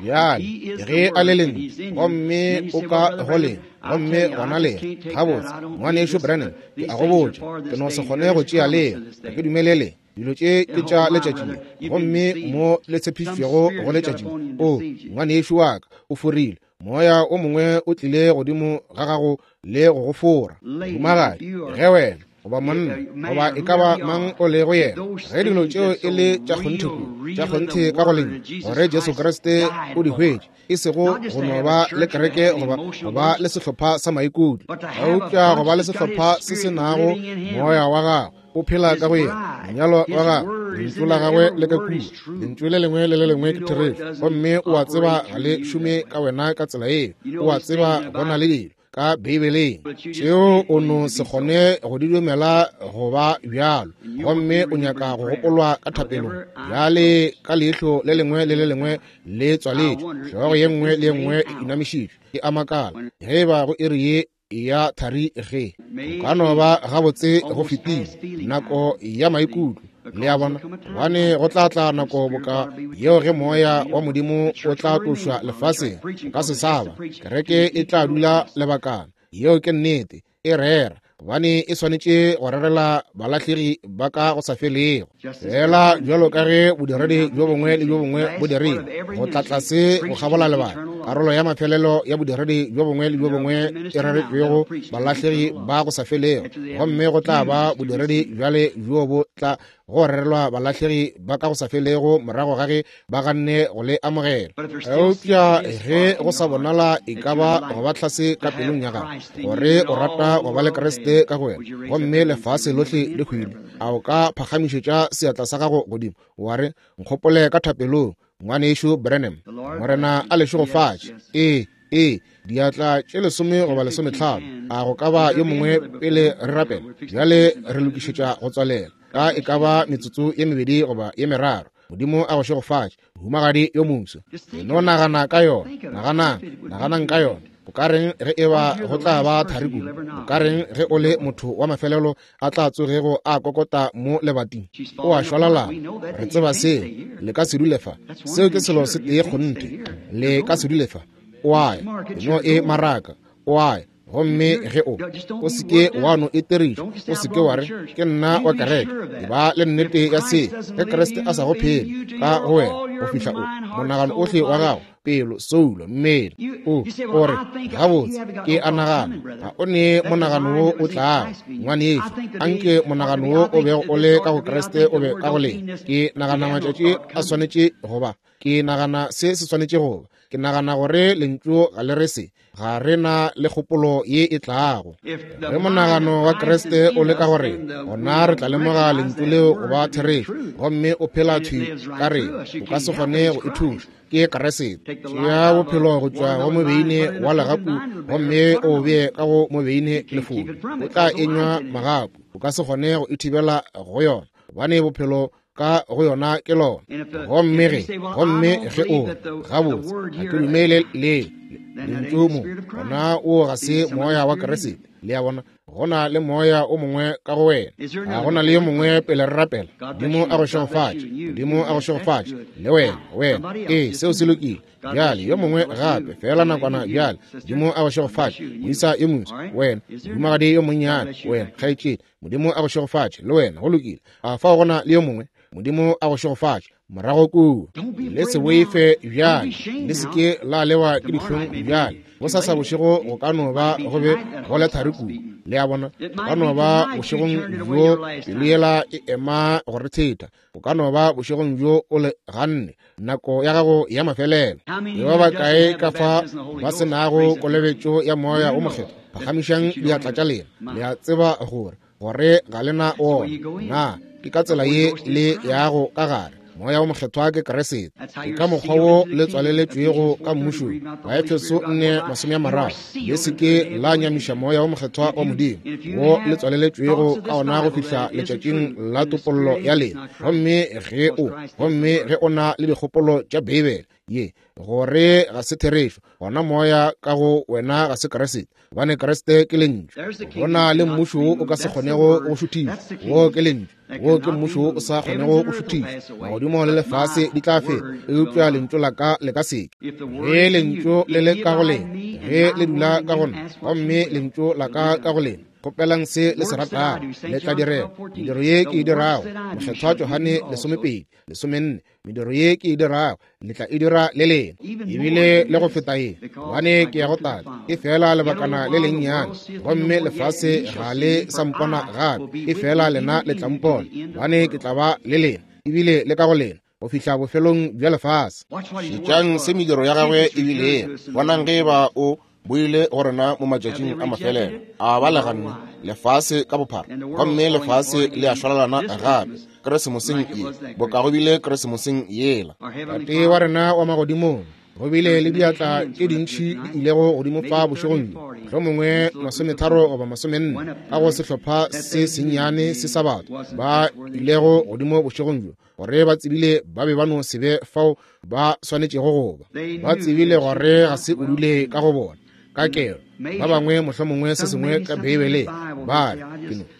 Bjale, ge a le lentšu, gomme o ka go lena, gomme gona le gabotse, Ngwanešu Branham, ke a go botša, ke no se kgone go tšea leo. Ga ke dumele le. Dilo tše ke tša letšatši le, gomme mo le tshepišitšwego go letšatši le. O, ngwanešu wa ka, o forile. Moya o mongwe o tlile godimo ga gago le go go fora. Mohumagadi, ge wena, goba monna, goba e ka ba mang o lego yena, ge dilo tšeo e le tša kgonthe kudu, tša kgonthe ka go lentšu, gore Jesu Kriste o di hwetše, e sego go no ba le kereke goba go ba le sehlopha sa maikutlo, eupša go ba le sehlopha se se nago moya wa gagwe o phela ka go yena, monyalwa wa gagwe, lentšu la gagwe le ka kua, lentšu le lengwe le le lengwe ke therešo, gomme o a tseba ga le šome ka wena ka tsela yeo, o a tseba go na le dilo ka Beibeleng tšeo o no se kgone go di dumela go ba bjalo, gomme o nyaka go gopolwa ka thapelong. Bjale ka leihlo le lengwe le le lengwe le tswaletšwe, hlogo ye nngwe le ye nngwe e inamišitšwe, ke a makala ge e ba go iri ye ya thari ge go ka no ba gabotse go fetile nako ya maikutlo. Le a bona, gobane go tla tla nako boka yeo ge moya wa Modimo o tla tlošwa lefaseng, o ka se sa ba. Kereke e tla dula lebakana. Yeo ke nnete. E rera, gobane e swanetše go rerela balahlegi ba ka go sa felego. Fela bjalo ka ge bodiredi bjo bongwe le bjo bongwe bo dirile, go tla tlase go kgabola lebaka, karolo ya mafelelo ya bodiredi bjo bongwe le bjo bongwe e reretšwego balahlegi ba go sa felego, gomme go tla ba bodiredi bjale bjo bo tla go rerelwa balahlegi ba ka go sa felego morago ga ge ba ganne go le amogela. Eupša ge go sa bonala e ka ba go ba tlhase ka pelong ya gago gore o rata go ba le Kriste ka go wena, gomme lefase lohle le hwile, a o ka phagamišetša seatla sa gago godimo wa re, Nkgopole ka thapelong, Ngwanešu Branham. Morena a le šegofatše. Ee, ee, diatla tše 10 goba 15. A go ka ba yo mongwe pele re rapela? Bjale re lokišetša go tswalela ka e ka ba metsotso ye 2 goba ye 3. Modimo a go šegofatše, mohumagadi yo moso. E no nagana ka yona. Naganang, naganang ka yona. O ka reng ge e ba go tla ba thari kudu? O ka reng ge o le motho wa mafelelo a tla tsogego a kokota mo lebating? O a šwalalana. Re tseba seo. Le ka se dule fa. Seo ke selo se tee kgonthe. Le ka se dule fa. O a ya. No e maraka. O a ya. Gomme ge o o se ke wa no eteriša, o se ke wa re ke nna wa kereke, e ba le nnete ya se. Ge Kriste a sa go phele ka go wena, go fihla o monagano ohle wa gago, pelo, soulo, mmele. O o re, gabotse, ke a nagana ga o ne monagano wo o tlago. Ngwanešu, anke monagano wo o bego o le ka go Kriste o be ka go lena. Ke nagana matšatši a swanetše go ba. Ke nagana se se swanetše go ba. Ke nagana gore lentšu ga le re se. Ga re na le kgopolo ye e tlago. Ge monagano wa Kriste o le ka go rena, gona re tla lemoga lentšu leo go ba therešo, gomme o phela thwi ka rena. O ka se kgone go e thuša. Ke Kriste. Tšea bophelo go tšwa go mobeine wa legapu gomme o bee ka go mobeine lefodi. O tla enywa magapu. O ka se kgone go e thibela go yona, gobane bophelo ka go yona ke lona. Gomme ge, gomme ge o gabotse, ga ke dumele le lentšu mo, gona o ga se moya wa Kriste. Le a bona, go na le moya o mongwe ka go wena. Ga go na le yo mongwe pele re rapela. Modimo a go šegofatše. Modimo a go šegofatše. Le wena, wena. Ee, seo se lokile. Bjale, yo mongwe gape, feela nakwana bjale. Modimo a go šegofatše. Moisa yo moswa, wena, mohumagadi yo monnyane, wena, kgaetšedi. Modimo a go šegofatše, le wena. Go lokile. A fao go na le yo mongwe? Modimo a go šegofatše. Morago kua. Le se boife bjale. Le se ke la lewa ke dihlong bjale. Bosasa bošego go ka no ba go be go le thari kudu. Le a bona? Go ka no ba bošegong bjo pelo yela e ema go re theta. Go ka no ba bošegong bjo o le ganne nako ya gago ya mafelelo. Ke ba bakae ka fa ba se nago kolobetšo ya Moya o Mokgethwa? Phagamišang diatla tša lena. Le a tseba gore gore ga le na ona. Na ke ka tsela ye le yago ka gare? Moya o Mokgethwa ke Kriste. Ke ka mokgwa wo le tswaleletšwego ka mmušong. Baefeso 4:30. Le se ke la nyamiša Moya o Mokgethwa wa Modimo, wo le tswaleletšwego ka ona go fihla letšatšing la topollo ya lena. Gomme ge o, gomme ge o na le dikgopolo tša Beibele ye gore ga se therešo, gona moya ka go wena ga se Kriste, gobane Kriste ke lentšu. Go na le mmušo wo o ka se kgonego go šuthišwa. Wo ke lentšu. Wo ke mmušo wo o sa kgonego go šuthišwa. Magodimo le lefase di tla feta, eupša lentšu la ka le ka se ke. Ge lentšu le le ka go lena, ge le dula ka go nna, gomme lentšu la ka ka go lena, kgopelang se le se ratago, le tla direga. Mediro ye ke e dirago, Mokgethwa Johane 12, 14, mediro ye ke e dirago le tla e dira le lena, ebile le go feta ye, gobane ke ya go Tate. E fela lebakana le lennyane, gomme lefase ga le sa mpona gape, e fela lena le tla mpona, gobane ke tla ba le lena, ebile le ka go lena, go fihla bofelong bja lefase. Šetšang se mediro ya gagwe e bilego. Bonang ge eba o boile go rena mo matšatšing a mafelelo. A ba le ganne lefase ka bophara, gomme lefase le a šwalalana gape Keresemoseng ye, boka go bile Keresemoseng yela. Tate wa rena wa magodimong, go bile le diatla tše dintši di ilego godimo fa bošegong bjo, mohlomongwe 30 goba 40 ka go sehlopha se sennyane se sa batho ba ilego godimo bošegong bjo, gore ba tsebile ba be ba no se be fao ba swanetšego go ba. Ba tsebile gore ga se o dule ka go bona ka kelo. Ba bangwe mohlomongwe se sengwe ka Beibeleng ba re,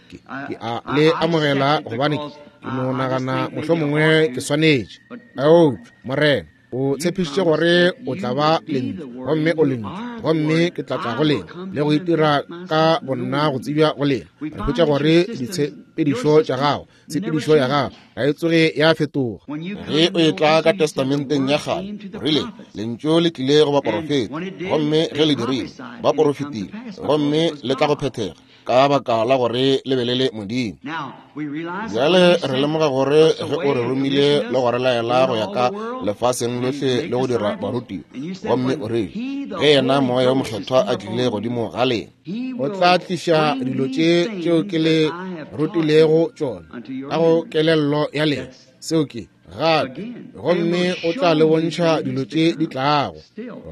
ke ke a le amogela gobane ke no nagana mohlomongwe ke swanetše. Eupša Morena, o tshepišitše gore o tla ba lentšu, gomme o lentšu, gomme ke tla tla go lena le go itira ka bonna go tsebja go lena. Re hwetša gore ditshepedišo tša gago, tshepedišo ya gago ga e tsoge ya fetoga. Ge o etla ka Testamenteng ya Kgale, rile lentšu le tlile go baporofeta, gomme ge le dirile, ba porofetile, gomme le tla go phethega ka baka la gore le be le le Modimo. Bjale re lemoga gore ge o re romile le go re laela go ya ka lefaseng lohle le go dira barutiwa, gomme o rile ge yena Moya wo Mokgethwa a tlile godimo ga lena, o tla tliša dilo tše tšeo ke le rutilego tšona ka go kelello ya lena. Seo ke gape, gomme o tla le bontšha dilo tše di tlago.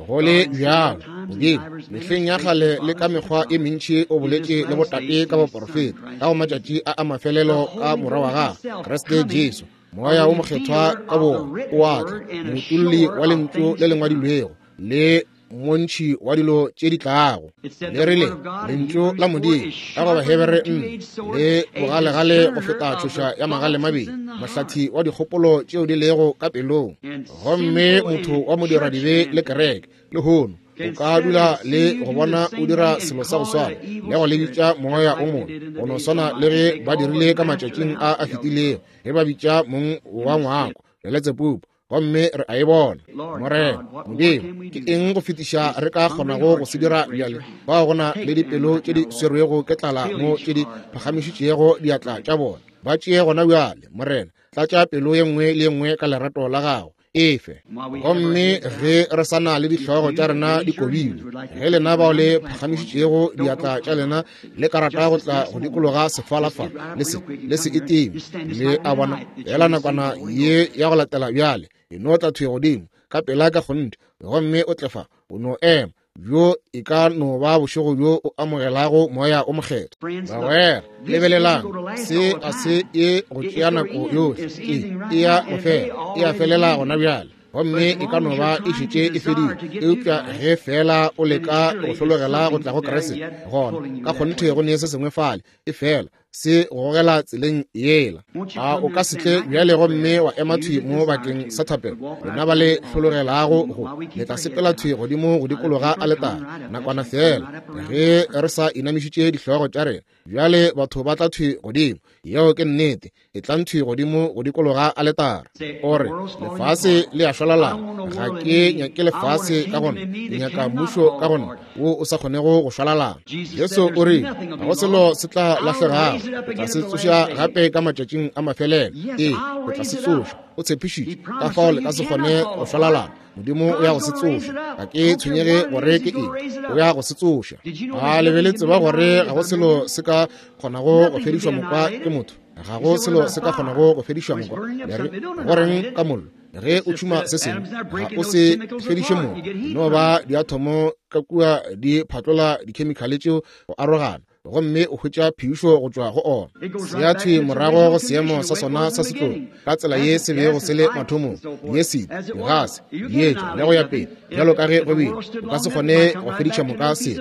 Go le bjalo, Modimo mehleng ya kgale le ka mekgwa e mentši o boletše le botate ka baporofeta ka go matšatši a a mafelelo ka Morwa wa gagwe Kriste Jesu. Moya wo Mokgethwa ka bowona o a tla, moutolli wa lentšu le le ngwadilwego le montši wa dilo tše di tlago. Le rile lentšu la Modimo ka go Bahebere 4 le bogalegale go feta tšhoša ya magale mabedi, mohlathi wa dikgopolo tšeo di lego ka pelong. Gomme motho wa modiradibe le kereke lehono o ka dula le go bona o dira selo sa go swana le go le bitša moya o mongwe, go no swana le ge ba dirile ka matšatšing a a fetilego ge ba bitša mong wa ngwako Beletsebubu. gomme re a e bona. Morena Modimo, ke eng go fetiša re ka kgonago go se dira bjale? Bao go na le dipelo tše di swerwego ke tlala mo tše di phagamišitšego diatla tša bona, ba tšee gona bjale. Morena, tlatša pelo ye nngwe le ye nngwe ka lerato la gago. Efe. Gomme ge re sa na le dihlogo tša rena di kobilwe, ge lena bao le phagamišitšego diatla tša lena le ka rata go tla go dikologa sefala fa, le se, le se itime. Le a bona, fela nakwana ye ya go latela bjale, e no tla thwi godimo ka pela ka kgonthe, gomme o tle fa, o no ema. Bjo e ka no ba bošego bjo o amogelago Moya o Mokgethwa. Bagwera, lebelelang, se a se ye go tšea nako yohle. E, e ya go fela, e a felela gona bjale, gomme e ka no ba e šetše e fedile. Eupša ge fela o leka go hlologela go tla go Kriste, gona ka kgonthe go ne se sengwe fale, e fela se go gogela tseleng yela. A o ka se tle bjale gomme wa ema thwi mo bakeng sa thapelo? Lena ba le hlologelago go, le tla sepela thwi godimo go dikologa aletare nakwana feela, ge re sa inamišitše dihlogo tša rena. Bjale batho ba tla thwi godimo. Yeo ke nnete. E tlang thwi godimo go dikologa aletare. O re, lefase le a šwalalana. Ga ke nyake lefase ka gona. Ke nyaka mmušo ka gona wo o sa kgonego go šwalalana. Jesu o rile, ga go selo se tla lahlegago. O tla se tsoša gape ka matšatšing a mafelelo. Ee, o tla se tsoša. O tshepišitše. Ka fao le ka se kgone go šwalalana. Modimo o ya go se tsoša. Ga ke tshwenyege gore ke eng. O ya go se tsoša. A le be le tseba gore ga go selo se ka kgonago go fedišwa mokwa ke motho? Ga go selo se ka kgonago go fedišwa mokwa. Le re, go reng ka mollo? Ge o tšhuma se sengwe, ga o se fediše mollo. No ba diathomo ka kua di phatlola dikhemikhale tšeo go arogana, gomme o hwetša phišo go tšwa go ona. Se ya thwi morago go seemo sa sona sa setlogo, ka tsela ye se bego se le mathomong, diesiti, digase, dietša, le go ya pele, bjalo ka ge go bile. O ka se kgone go fediša moka se.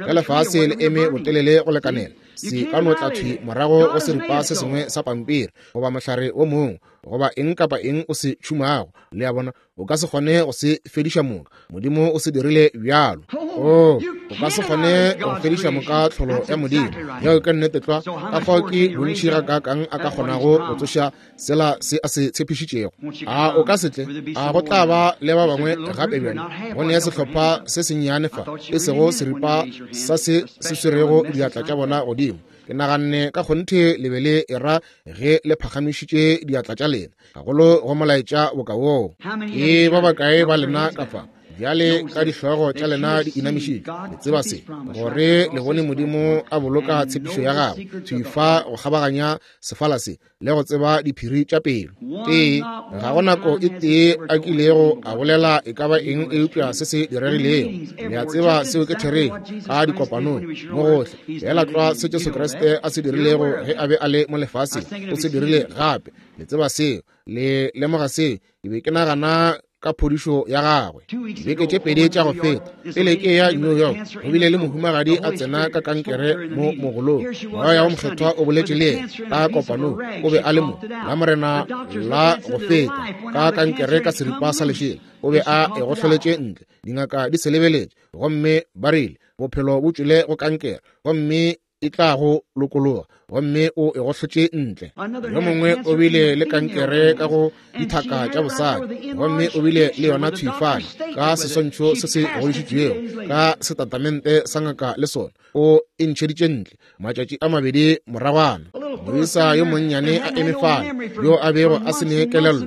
Ge lefase le eme botelele go lekanela, se ka no tla thwi morago go seripa se sengwe sa pampiri, goba mohlare wo mongwe, goba eng kapa eng o se tšhumago. Le a bona, o ka se kgone go se fediša moka. Modimo o se dirile bjalo. Oh, o ka se kgone go fediša moka tlholo ya Modimo. Yeo ke nnete tlwa. Ka fao ke bontši gakaakang a ka kgonago go tsoša sela se a se tshepišitšego. A o ka se tle? A go tla ba le ba bangwe gape bjale? Go ne sehlopha se sennyane fa, e sego seripa sa se se swerego diatla tša bona godimo. Ke naganne ka kgonthe le be le era ge le phagamišitše diatla tša lena, gagolo go molaetša boka woo. Ke ba bakae ba lena ka fa bjale ka dihlogo tša lena di inamišitše, le tseba se, gore le bone Modimo a boloka tshepišo ya gagwe thwi fa go kgabaganya sefala se, le go tseba diphiri tša pelo. Ee, ga go nako e tee a kilego a bolela e ka ba eng eupša se se diregilego. Le a tseba seo ke therešo, ka dikopanong mo gohle. Feela tlwa se Jesu Kriste a se dirilego ge a be a le mo lefaseng, o se dirile gape. Le tseba seo, le lemoga seo. Ke be ke nagana ka phodišo ya gagwe beke tše pedi tša go feta, pele ke ya New York, go bile le mohumagadi a tsena ka kankere mo mogolong. Moya wo Mokgethwa o boletše le yena ka kopanong. O be a le mo la Morena la go feta ka kankere ka seripa sa lešela. O be a e gohloletše ntle, dingaka di se lebeletše, gomme ba rile bophelo bo tšwele go kankere, gomme e tla go lokologa, gomme o e gohlotše ntle. Yo mongwe o bile le kankere ka go dithaka tša bosadi, gomme o bile le yona thwi fale ka seswantšho se se godišitšwego ka setatamente sa ngaka le sona, o e ntšheditše ntle matšatši a mabedi moragwana. Moisa yo monnyane a eme fale, yo a bego a se ne kelello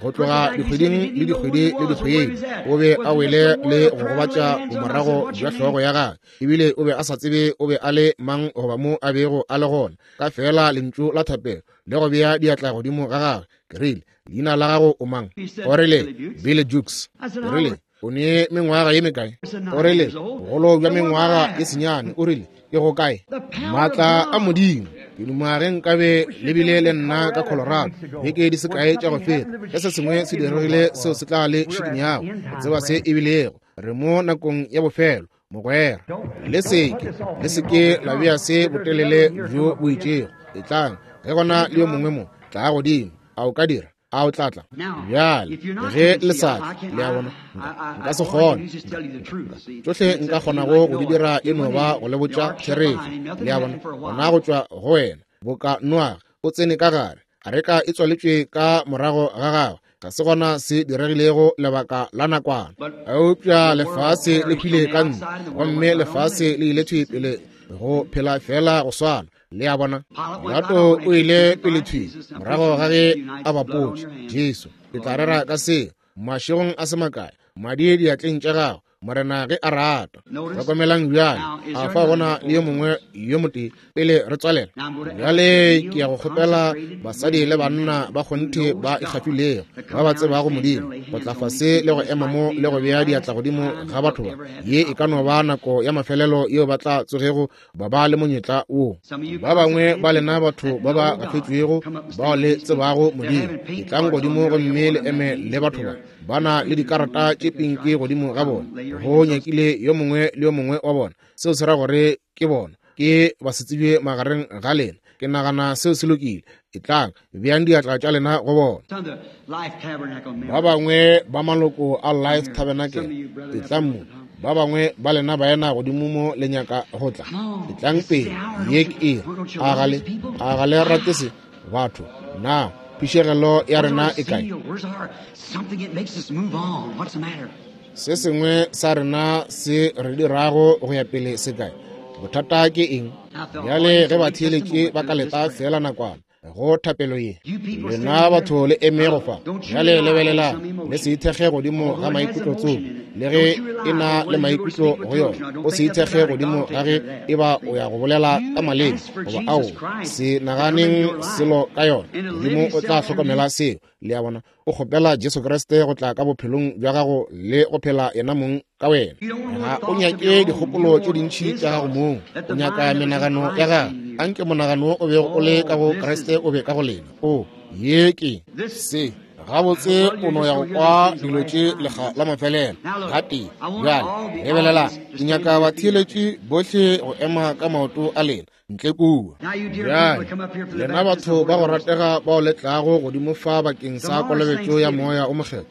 go tloga dikgweding le dikgwedi le dikgwedi, o be a wele le go gobatša bomorago bja hlogo ya gagwe, ebile o be a sa tsebe o be a le mang goba mo a bego a le gona. Ka feela lentšu la thapelo le go bea diatla godimo ga gagwe, ke rile, leina la gago o mang? O rile, Billy Jukes. Ke rile, o ne mengwaga ye mekae? O rile, bogolo bja mengwaga ye senyane. O rile, ke go kae? Maatla a Modimo. Ke duma ge nkabe le bile le nna ka Colorado beke di se kae tša go feta, ge se sengwe se diregile seo se tla le šikinyago go tseba se e bilego. Re mo nakong ya bofelo, mogwera. Le seke la bea se botelele bjo bo itšego. Etlang, ge gona le yo mongwe mo, tla godimo. A o ka dira? A o tla tla? Bjale, ge le sa tle, le a bona, nka se kgone. Tšohle nka kgonago go di dira e no ba go le botša therešo. Le a bona, gona go tšwa go wena. Boka Noage, o tsene ka gare, areka e tswaletšwe ka morago ga gagwe. Ga se gona se diregilego lebaka la nakwana. Eupša lefase le hwile ka ntle, gomme lefase le ile thwi pele go phela fela go swana. Le a bona? Pilato o ile pele thwi morago ga ge a bapotše Jesu. Ke tla rera ka seo mašegong a se makae. Madi diatleng tša gago, Morena ge a rata. Hlokomelang bjale, a fa gona le yo mongwe yo motee pele re tswalela. Bjale ke ya go kgopela basadi le banna ba kgonthe ba ikgafilego, ba ba tsebago Modimo, go tla fase le go ema mo le go bea diatla godimo ga batho ba. Ye e ka no ba nako ya mafelelo yeo ba tla tsogego ba ba le monyetla wo. Ba bangwe ba lena batho ba ba gafetšwego bao le tsebago Modimo, etlang godimo gomme le eme le batho ba. Ba na le dikarata tše pinki godimo ga bona, go nyakile yo mongwe le yo mongwe wa bona. Seo se ra gore ke bona ke basetsebje magareng ga lena. Ke nagana seo se lokile. Etlang, beang diatla tša lena go bona. Ba bangwe ba maloko a Life Tabernacle, etlang mo. Ba bangwe ba lena baena godimo mo le nyaka go tla, etlang pele. Ye ke eng? A ga le rate se, batho? Na phišegelo ya rena e kae? Se sengwe sa rena se re dirago go ya pele se kae? Bothata ke eng? Bjale ge batheeletši ba ka leta fela nakwana go thapelo ye, lena batho le eme go fa. Bjale lebelelang, le se ithekge godimo ga maikutlo tsoko, le ge e na le maikutlo go yona. O se ithekge godimo ga ge e ba o ya go bolela ka maleme goba ao, se naganeng selo ka yona. Modimo o tla hlokomela seo. Le a bona? O kgopela Jesu Kriste go tla ka bophelong bja gago le go phela yena mong ka wena. Ga o nyake dikgopolo tše dintši tša gago mong, o nyaka menagano ya gago. Anke monagano o bego o le ka go Kriste o be ka go lena. O ye ke se gabotse o no ya go kwa dilo tše lekga la mafelelo gatee. Bjale lebelelang, ke nyaka batheeletši bohle go ema ka maoto a lena ntle kua. Bjale lena batho ba go ratega bao le tlago godimo fa bakeng sa kolobetšo ya Moya o Mokgethwa,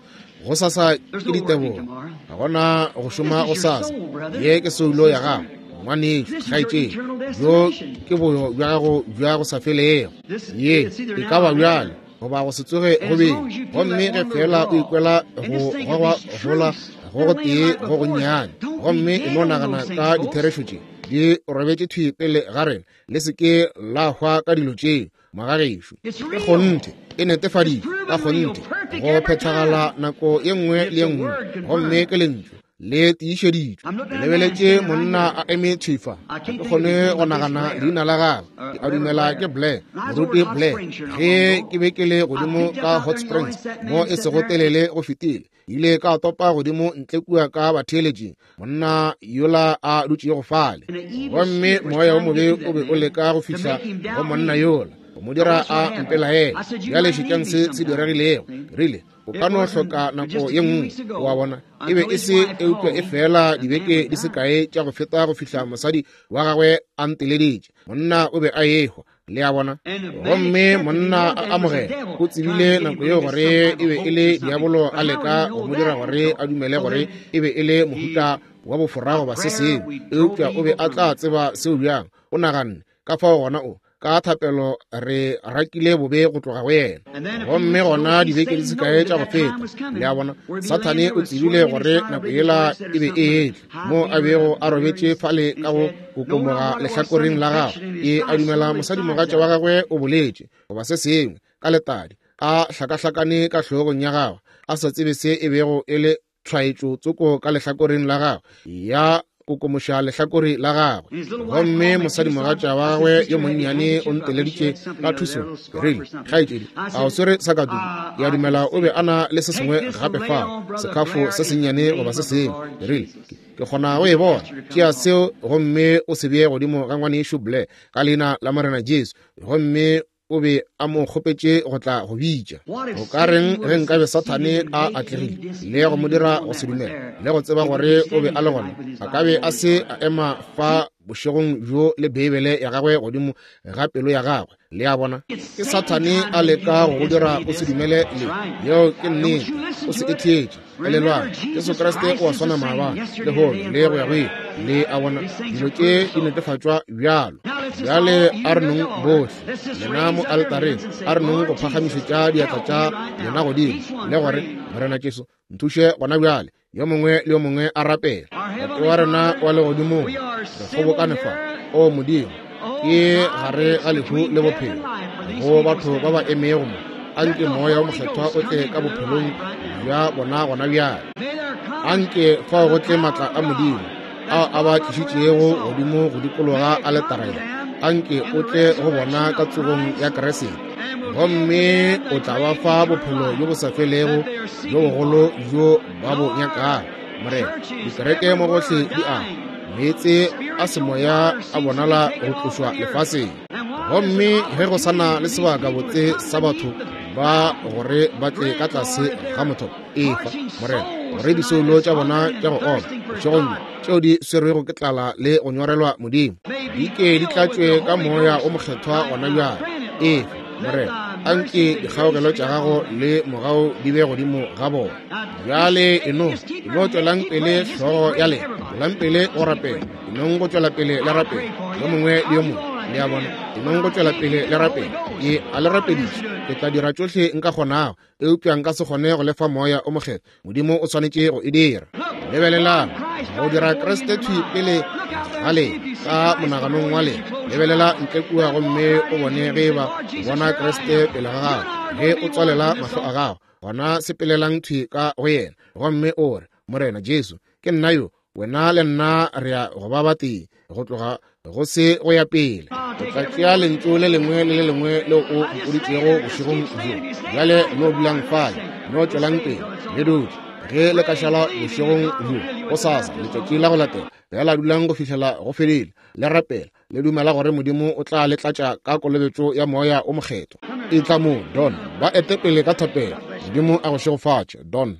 go sasa ke ditebogo, ga gona go šoma go sasa. Ye ke soulo ya gago, ngwanešo, kgaetšedi, bjo ke boyo bja gago bja go sa felego. Ye e ka ba bjale goba go se tsoge go beng. Gomme ge fela o ikwela go gogwa gola go go tee go gonnyane, gomme e no nagana ka ditherešo tše di robetše thwi pele ga rena, le se ke la hwa ka dilo tšeo, magagešo. Ke kgonthe, e netefaditšwe ka kgonthe go phethagala nako ye nngwe le ye nngwe, gomme ke lentšu le tiišeditšwe. Ke lebeletše monna a eme thwi fa, ga ke kgone go nagana leina la gagwe. Ke a dumela ke Blair, moruti Blair. Ge ke be ke le godimo ka Hot Springs mo e sego telele go fetile, ile ka topa godimo ntle kua ka batheeletšing, monna yola a dutšego fale, gomme moya wo mobe o be o leka go fihla go monna yola, go mo dira a mpelaele. Bjale šetšang se se diregilego. Rile, o ka no hloka nako ye nngwe, wa bona. E be e se eupša e fela dibeke di se kae tša go feta go fihla mosadi wa gagwe a nteleditše. Monna o be a ehwa, le a bona. Gomme monna a amogela, o tsebile nako yeo gore e be e le diabolo a leka go mo dira gore a dumele gore e be e le mohuta wa bofora goba se sengwe, eupša o be a tla tseba seo bjang? O naganne ka fao gona o ka thapelo re rakile bobe go tloga go yena. Gomme gona dibeke di se kae tša go feta, le a bona, Sathane o tsebile gore nako yela e be e etla, mo a bego a robetše fale ka go kokomoga lehlakoreng la gagwe. Ke a dumela mosadimogatša wa gagwe o boletše goba se sengwe ka letadi, a hlakahlakane ka hlogong ya gagwe, a sa tsebe se e bego e le tshwaetšo tsoko ka lehlakoreng la gagwe, ya kokomoša lehlakore la gagwe. Gomme mosadimogatša wa gagwe yo monnyane o nteleditše ka thuso. Ke rile, kgaetšedi, a o swere sa ka tuku? Ke a dumela o be a na le se sengwe gape fao, sekhafo se sennyane goba se sengwe. Ke rile, ke kgona go e bona. Tšea seo gomme o se bee godimo ga ngwanešu Blair, ka leina la Morena Jesu. Gomme o be a mo kgopetše go tla go bitša. O ka reng ge nkabe Sathane a atlegile le go mo dira go se dumele le go tseba gore o be a le gona? A ka be a se a ema fa bošegong bjo le Beibele ya gagwe godimo ga pelo ya gagwe. Le a bona, ke Sathane a leka go go dira o se dumele le. Yeo ke nnete. O se e theetše. Elelwang, Jesu Kriste o a swana maabane, lehono le go ya go ile. Le a bona, dilo tše di netefatšwa bjalo. Bjale a re nong bohle lena mo altareng, a re nong go phagamišetša diatla tša lena godimo le gore, Morena Jesu, nthuše gona bjale. Yo mongwe le yo mongwe a rapela. Tate wa rena wa legodimong, re kgobokane fa, o Modimo, ke gare ga lehu le bophelo, go batho ba ba emego mo. Anke Moya o Mokgethwa o tle ka bophelong bja bona gona bjale. Anke fao go tle maatla a Modimo ao a ba tlišitšego godimo go dikologa aletara ye. Anke o tle go bona ka tsogong ya Kriste, gomme o tla ba fa bophelo bjo bo sa felego bjo bogolo bjo ba bo nyakago. Morena, dikereke mo gohle di a meetse a semoya a bonala go tlošwa lefaseng, gomme ge go sa na le sebaka botse sa batho ba gore ba tle ka tlase ga mothopo, efa, Morena, gore disoulo tša bona tša go oma bošegong bjo, tšeo di swerwego ke tlala le go nyorelwa Modimo, di ke di tlatšwe ka Moya o Mokgethwa gona bjale. Efa, Morena, anke dikgaogelo tša gago le mogau di be godimo ga bona. Bjale eno tšwelang pele hlogo ya lena, tšwelang pele go rapela, enong go tšwela pele le rapela, yo mongwe le yo mongwe, le a bona, enong go tšwela pele le rapela. Ke a le rapediša, ke tla dira tšohle nka kgonago, eupša nka se kgone go lefa Moya o Mokgethwa. Modimo o swanetše go e dira. Lebelelang go dira Kriste thwi pele ga lena ka monaganong wa lena. Lebelela ntle kua gomme o bone ge eba o bona Kriste pele ga gago. Ge o tswalela mahlo a gago, gona sepelelang thwi ka go yena gomme o re, Morena Jesu, ke nna yo, wena le nna re ya go ba batee go tloga go se go ya pele. O tla tšea lentšu le lengwe le le lengwe leo o mpoditšego bošegong bjo. Bjale no dulang fale, no tšwelang pele le dutše. Ge le ka šala bošegong bjo, gosasa letšatši la go latela, fela dulang go fihlela go fedile, le rapela, le dumela gore Modimo o tla le tlatša ka kolobetšo ya Moya o Mokgethwa. Etla mo, Don. Ba ete pele ka thapelo. Modimo a go šegofatše, Don.